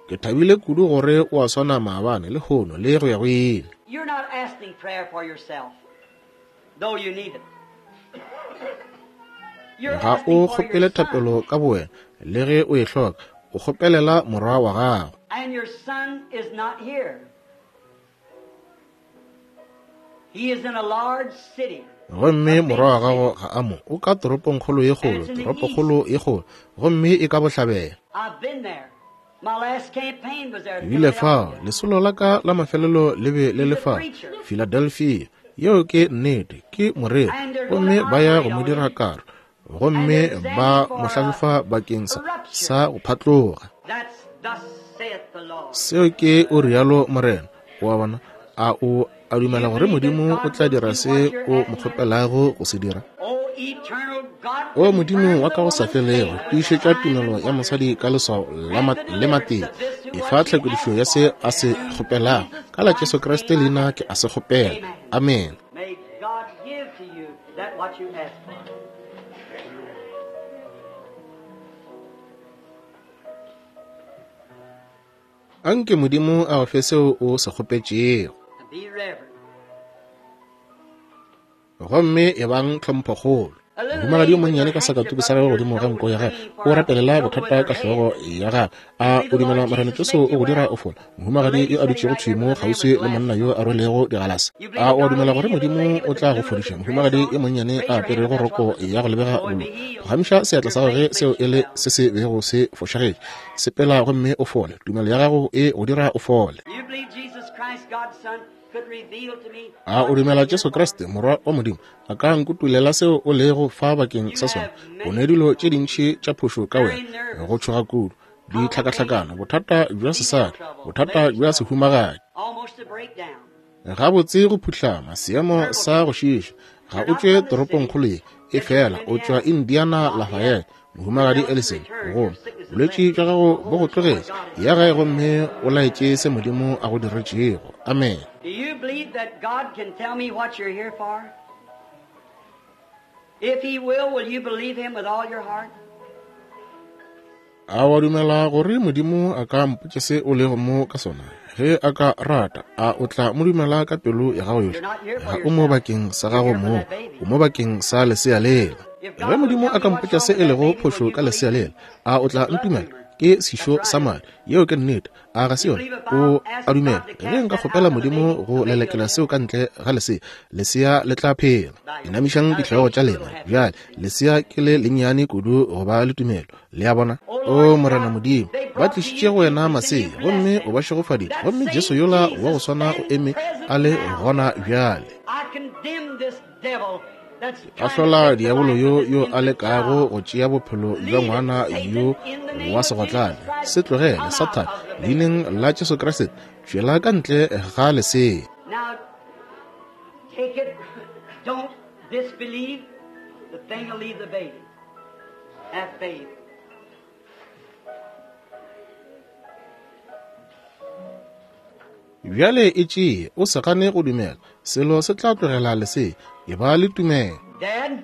Ke thabile kudu gore o a swana maabane, lehono, le go ya go ile. Ga o kgopele thapelo ka bowena, le ge o e hloka. O kgopelela morwa wa gago. Gomme morwa wa gago ga a mo. O ka toropongkgolo ye kgolo, toropokgolo ye kgolo, gomme e ka bohlabela. Ke bile fao, lesolo la ka la mafelelo le be le le fao, Philadelphia. Yeo ke nnete, ke moreri, gomme ba ya go mo dira karo, gomme ba mo hlahlofa bakeng sa, sa go phatloga. Seo ke o rialo Morena. O a bona? A o a dumela gore Modimo o tla dira se o mo kgopelago go se dira? O Modimo wa ka go sa felego, tiišetša tumelo ya mosadi ka leswao le matee. Efa tlhakodišo ya se a se kgopelago. Ka la Jesu Kriste leina ke a se kgopela. Amen. Anke Modimo a go fe seo o se kgopetšego. Gomme ebang tlhomphokgolo. Mohumagadi yo monnyane ka sakatuku sa gagwe godimo ga nko ya gagwe, o rapelela bothata ka hlogo ya gagwe. A o dumela Morena Jesu o go dira o fola? Mohumagadi yo a dutšego thwi mo kgauswi le monna yo a rwelego digalase. A o a dumela gore Modimo o tla go fodiša? Mohumagadi yo monnyane a aperego roko ya go lebega bolo, phagamiša seatla sa gagwe ge seo e le se se bego se fošagetše. Sepela gomme o fole. Tumelo ya gago e go dira o fole. A o dumela Jesu Kriste, Morwa wa Modimo, a ka nkutulela seo o lego fa bakeng sa sona? O ne dilo tše dintši tša phošo ka wena, go tšhoga kudu, ditlhakahlakano, bothata bja sesadi, bothata bja sehumagadi, gabotse go phuhlama, seemo sa go šiiša. Ga o tšwe toropongkgolo ye, efela o tšwa Indiana Lafayette. Mohumagadi Ellison, gomme bolwetši bja gago bo go tlogetše. Ya gae gomme o laetše se Modimo a go diretšego. Amen. Do you believe that God can tell me what you're here for? If he will, will you believe him with all your heart? A wa dumela gore Modimo a ka mpotša se o lego mo ka sona? Ge a ka rata, a o tla mo dumela ka pelo ya gago yohle? Ga o mo bakeng sa gago mong, o mo bakeng sa lesea lela. Ge Modimo a ka mpotša se e lego phošo ka lesea lela, a o tla ntumela? Ke sešo sa madi. Yeo ke nnete. A ga se yona? O a dumela? Ge nka kgopela Modimo go lelekela seo ka ntle ga lesea, lesea le tla phela. Inamišang dihlogo tša lena bjale. Lesea ke le lennyane kudu go ba le tumelo. Le a bona? O Morena Modimo, ba tlišitše go wena masea, gomme o ba šegofaditše, gomme Jesu yola wa go swana o eme a le gona bjale. Ke ahlola diabolo yo yo a lekago go tšea bophelo bja ngwana yo wa segotlane. Se tlogele, Sathane, leineng la Jesu Kriste, tšwela ka ntle ga lesea. Now, take it. Don't disbelieve. The thing will leave the baby. Have faith. Bjale e tšee, o se gane go dumela. Selo se tla tlogela lesea. E ba le tumelo. Dad,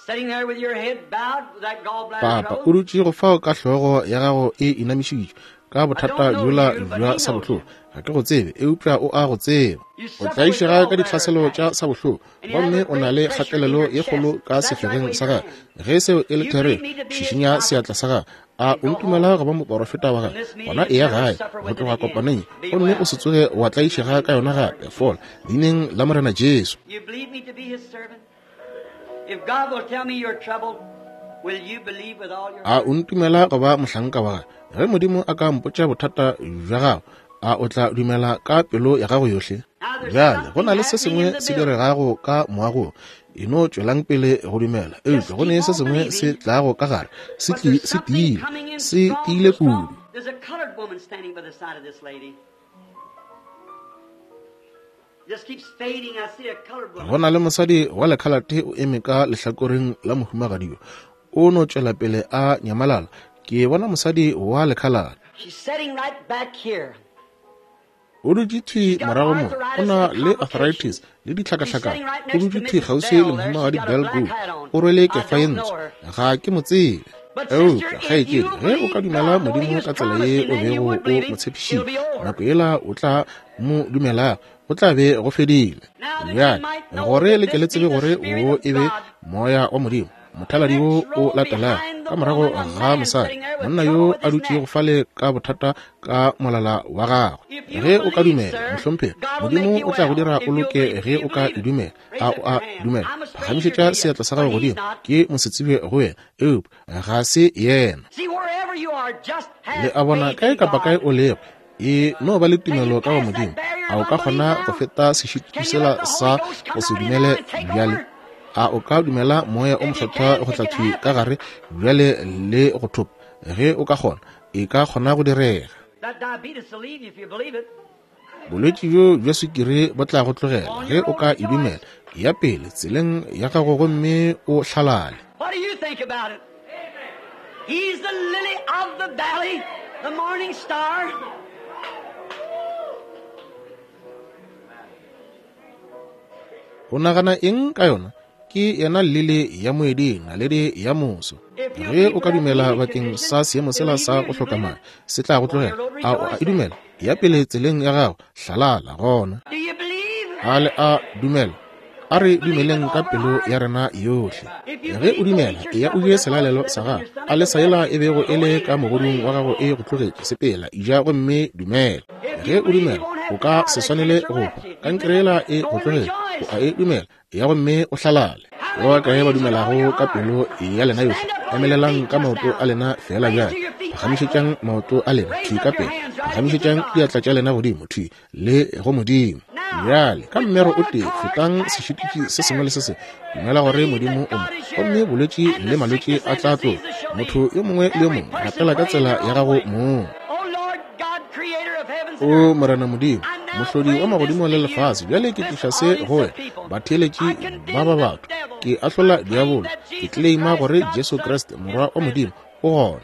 sitting there with your head bowed with that gallbladder Papa, trouble. o dutše go fao ka hlogo ya gago e inamišitšwe, Ka bothata bjola bja sabohloko. Ga ke go tsebe, eupša o a go tseba. O tlaišega ka ditlhaselo tša sabohloko, gomme o na le kgatelelo ye kgolo ka sefegeng sa gago. Ge seo e le therešo, šišinya seatla sa gago. A o ntumela go ba moporofeta wa gagwe? Gona eya gae go tloga kopanong ye, gomme o se tsoge wa tlaišega ka yona gape. Fola, Leineng la Morena Jesu. A o ntumela go ba mohlanka wa gagwe? Ge Modimo a ka mpotša bothata bja gago, a o tla dumela ka pelo ya gago yohle? Bjale, go na le se sengwe se diregago ka moagong. E no tšwelang pele go dumela. Eupša go ne se sengwe se tlago ka gare, se se tiile, se tiile kudu. Go na le mosadi wa lekhalate o eme ka lehlakoreng la mohumagadi yo. O no tšwela pele a nyamalala. Ke bona mosadi wa lekhalate. O dutše thwi morago mo, o na le arthritis le ditlhakahlakano. O dutše thwi kgauswi le Mohumagadi Bell Gould. O rwele kefa ye ntsho. Ga ke mo tsebe. Eupša, kgaetšedi, ge o ka dumela Modimo ka tsela ye o bego o mo tshepišitše, nako yela o tla mo dumelago, go tla be go fedile. Bjale, gore le ke le tsebe gore wo e be Moya wa Modimo, Mothaladi wo o latelago ka morago ga mosadi, monna yo a dutšego fale ka bothata ka molala wa gagwe. Ge o ka dumela, mohlomphegi, Modimo o tla go dira o loke ge o ka e dumela. A o a dumela? Phagamišetša seatla sa gago godimo. Ke mosetsebje go wena, eupša ga se yena. Le a bona, kae kapa kae o lego, e no ba le tumelo ka go Modimo. A o ka kgona go feta sešitiši sela sa go se dumele bjale? A o ka dumela Moya o Mokgethwa go tla thwi ka gare bjale le go thopa? Ge o ka kgona, e ka kgona go direga. Bolwetši bjo bja swikiri bo tla go tlogela ge o ka e dumela. Ya pele tseleng ya gago gomme o hlalale. What do you think about it? He's the lily of the valley, the morning star. O nagana eng ka yona? Ke yena lili ya moeding, naledi ya moso. Ge o ka dumela bakeng sa seemo sela sa go hloka madi, se tla go tlogela. A o a e dumela? Ya pele tseleng ya gago, hlalala gona. A le a dumela? A re dumeleng ka pelo ya rena yohle. Ge o dumela, eya o je selalelo sa gago. A lesa yela e bego e le ka mogodung wa gago e go tlogetše, sepela, eja gomme dumela. Ge o dumela, o ka se swanele go hwa. Kankere yela e go tlogetše, o a e dumela, eya gomme o hlalale. Ba bakae ba dumelago ka pelo ya lena yohle? Emelelang ka maoto a lena feela bjale. Phagamišetšang maoto a lena thwi ka pele. Phagamišetšang diatla tša lena godimo thwi le go Modimo. Bjale, ka mmero o tee, fetang sešitiši se sengwe le se sengwe. Dumela gore Modimo o mo, gomme bolwetši le malwetši a tla tloga. Motho yo mongwe le yo mongwe, rapela ka tsela ya gago mong. O Morena Modimo, Mohlodi wa magodimo le lefase, bjale ke tliša se go wena, batheeletši ba ba batho. Ke ahlola diabolo, ke tleleima gore Jesu Kriste, Morwa wa Modimo, o gona.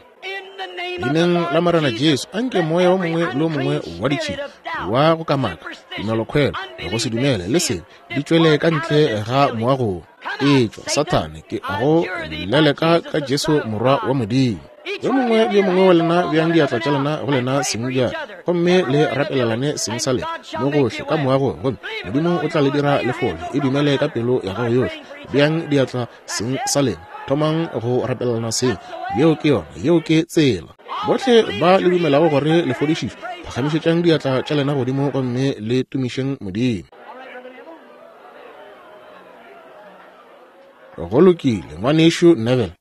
Leineng la Morena Jesu, anke moya wo mongwe le wo mongwe wa ditšhila, wa go kamaka, tumelokhwelo, go se dumele le sebe, di tšwele ka ntle ga moago wo. Etšwa, Sathane, ke a go leleka ka Jesu Morwa wa Modimo. Yo mongwe le yo mongwe wa lena beang diatla tša lena go lena seng bjale, gomme le rapelelane seng sa lena mo gohle ka moagong, gomme Modimo o tla le dira le fole. E dumele ka pelo ya gago yohle. Beang diatla seng sa lena, thomang go rapelelana seng. Yeo ke yona, yeo ke tsela. Bohle ba le dumelago gore le fodišišwe, phagamišetšang diatla tša lena godimo gomme le tumišeng Modimo. Go lokile, Ngwanešu Neville.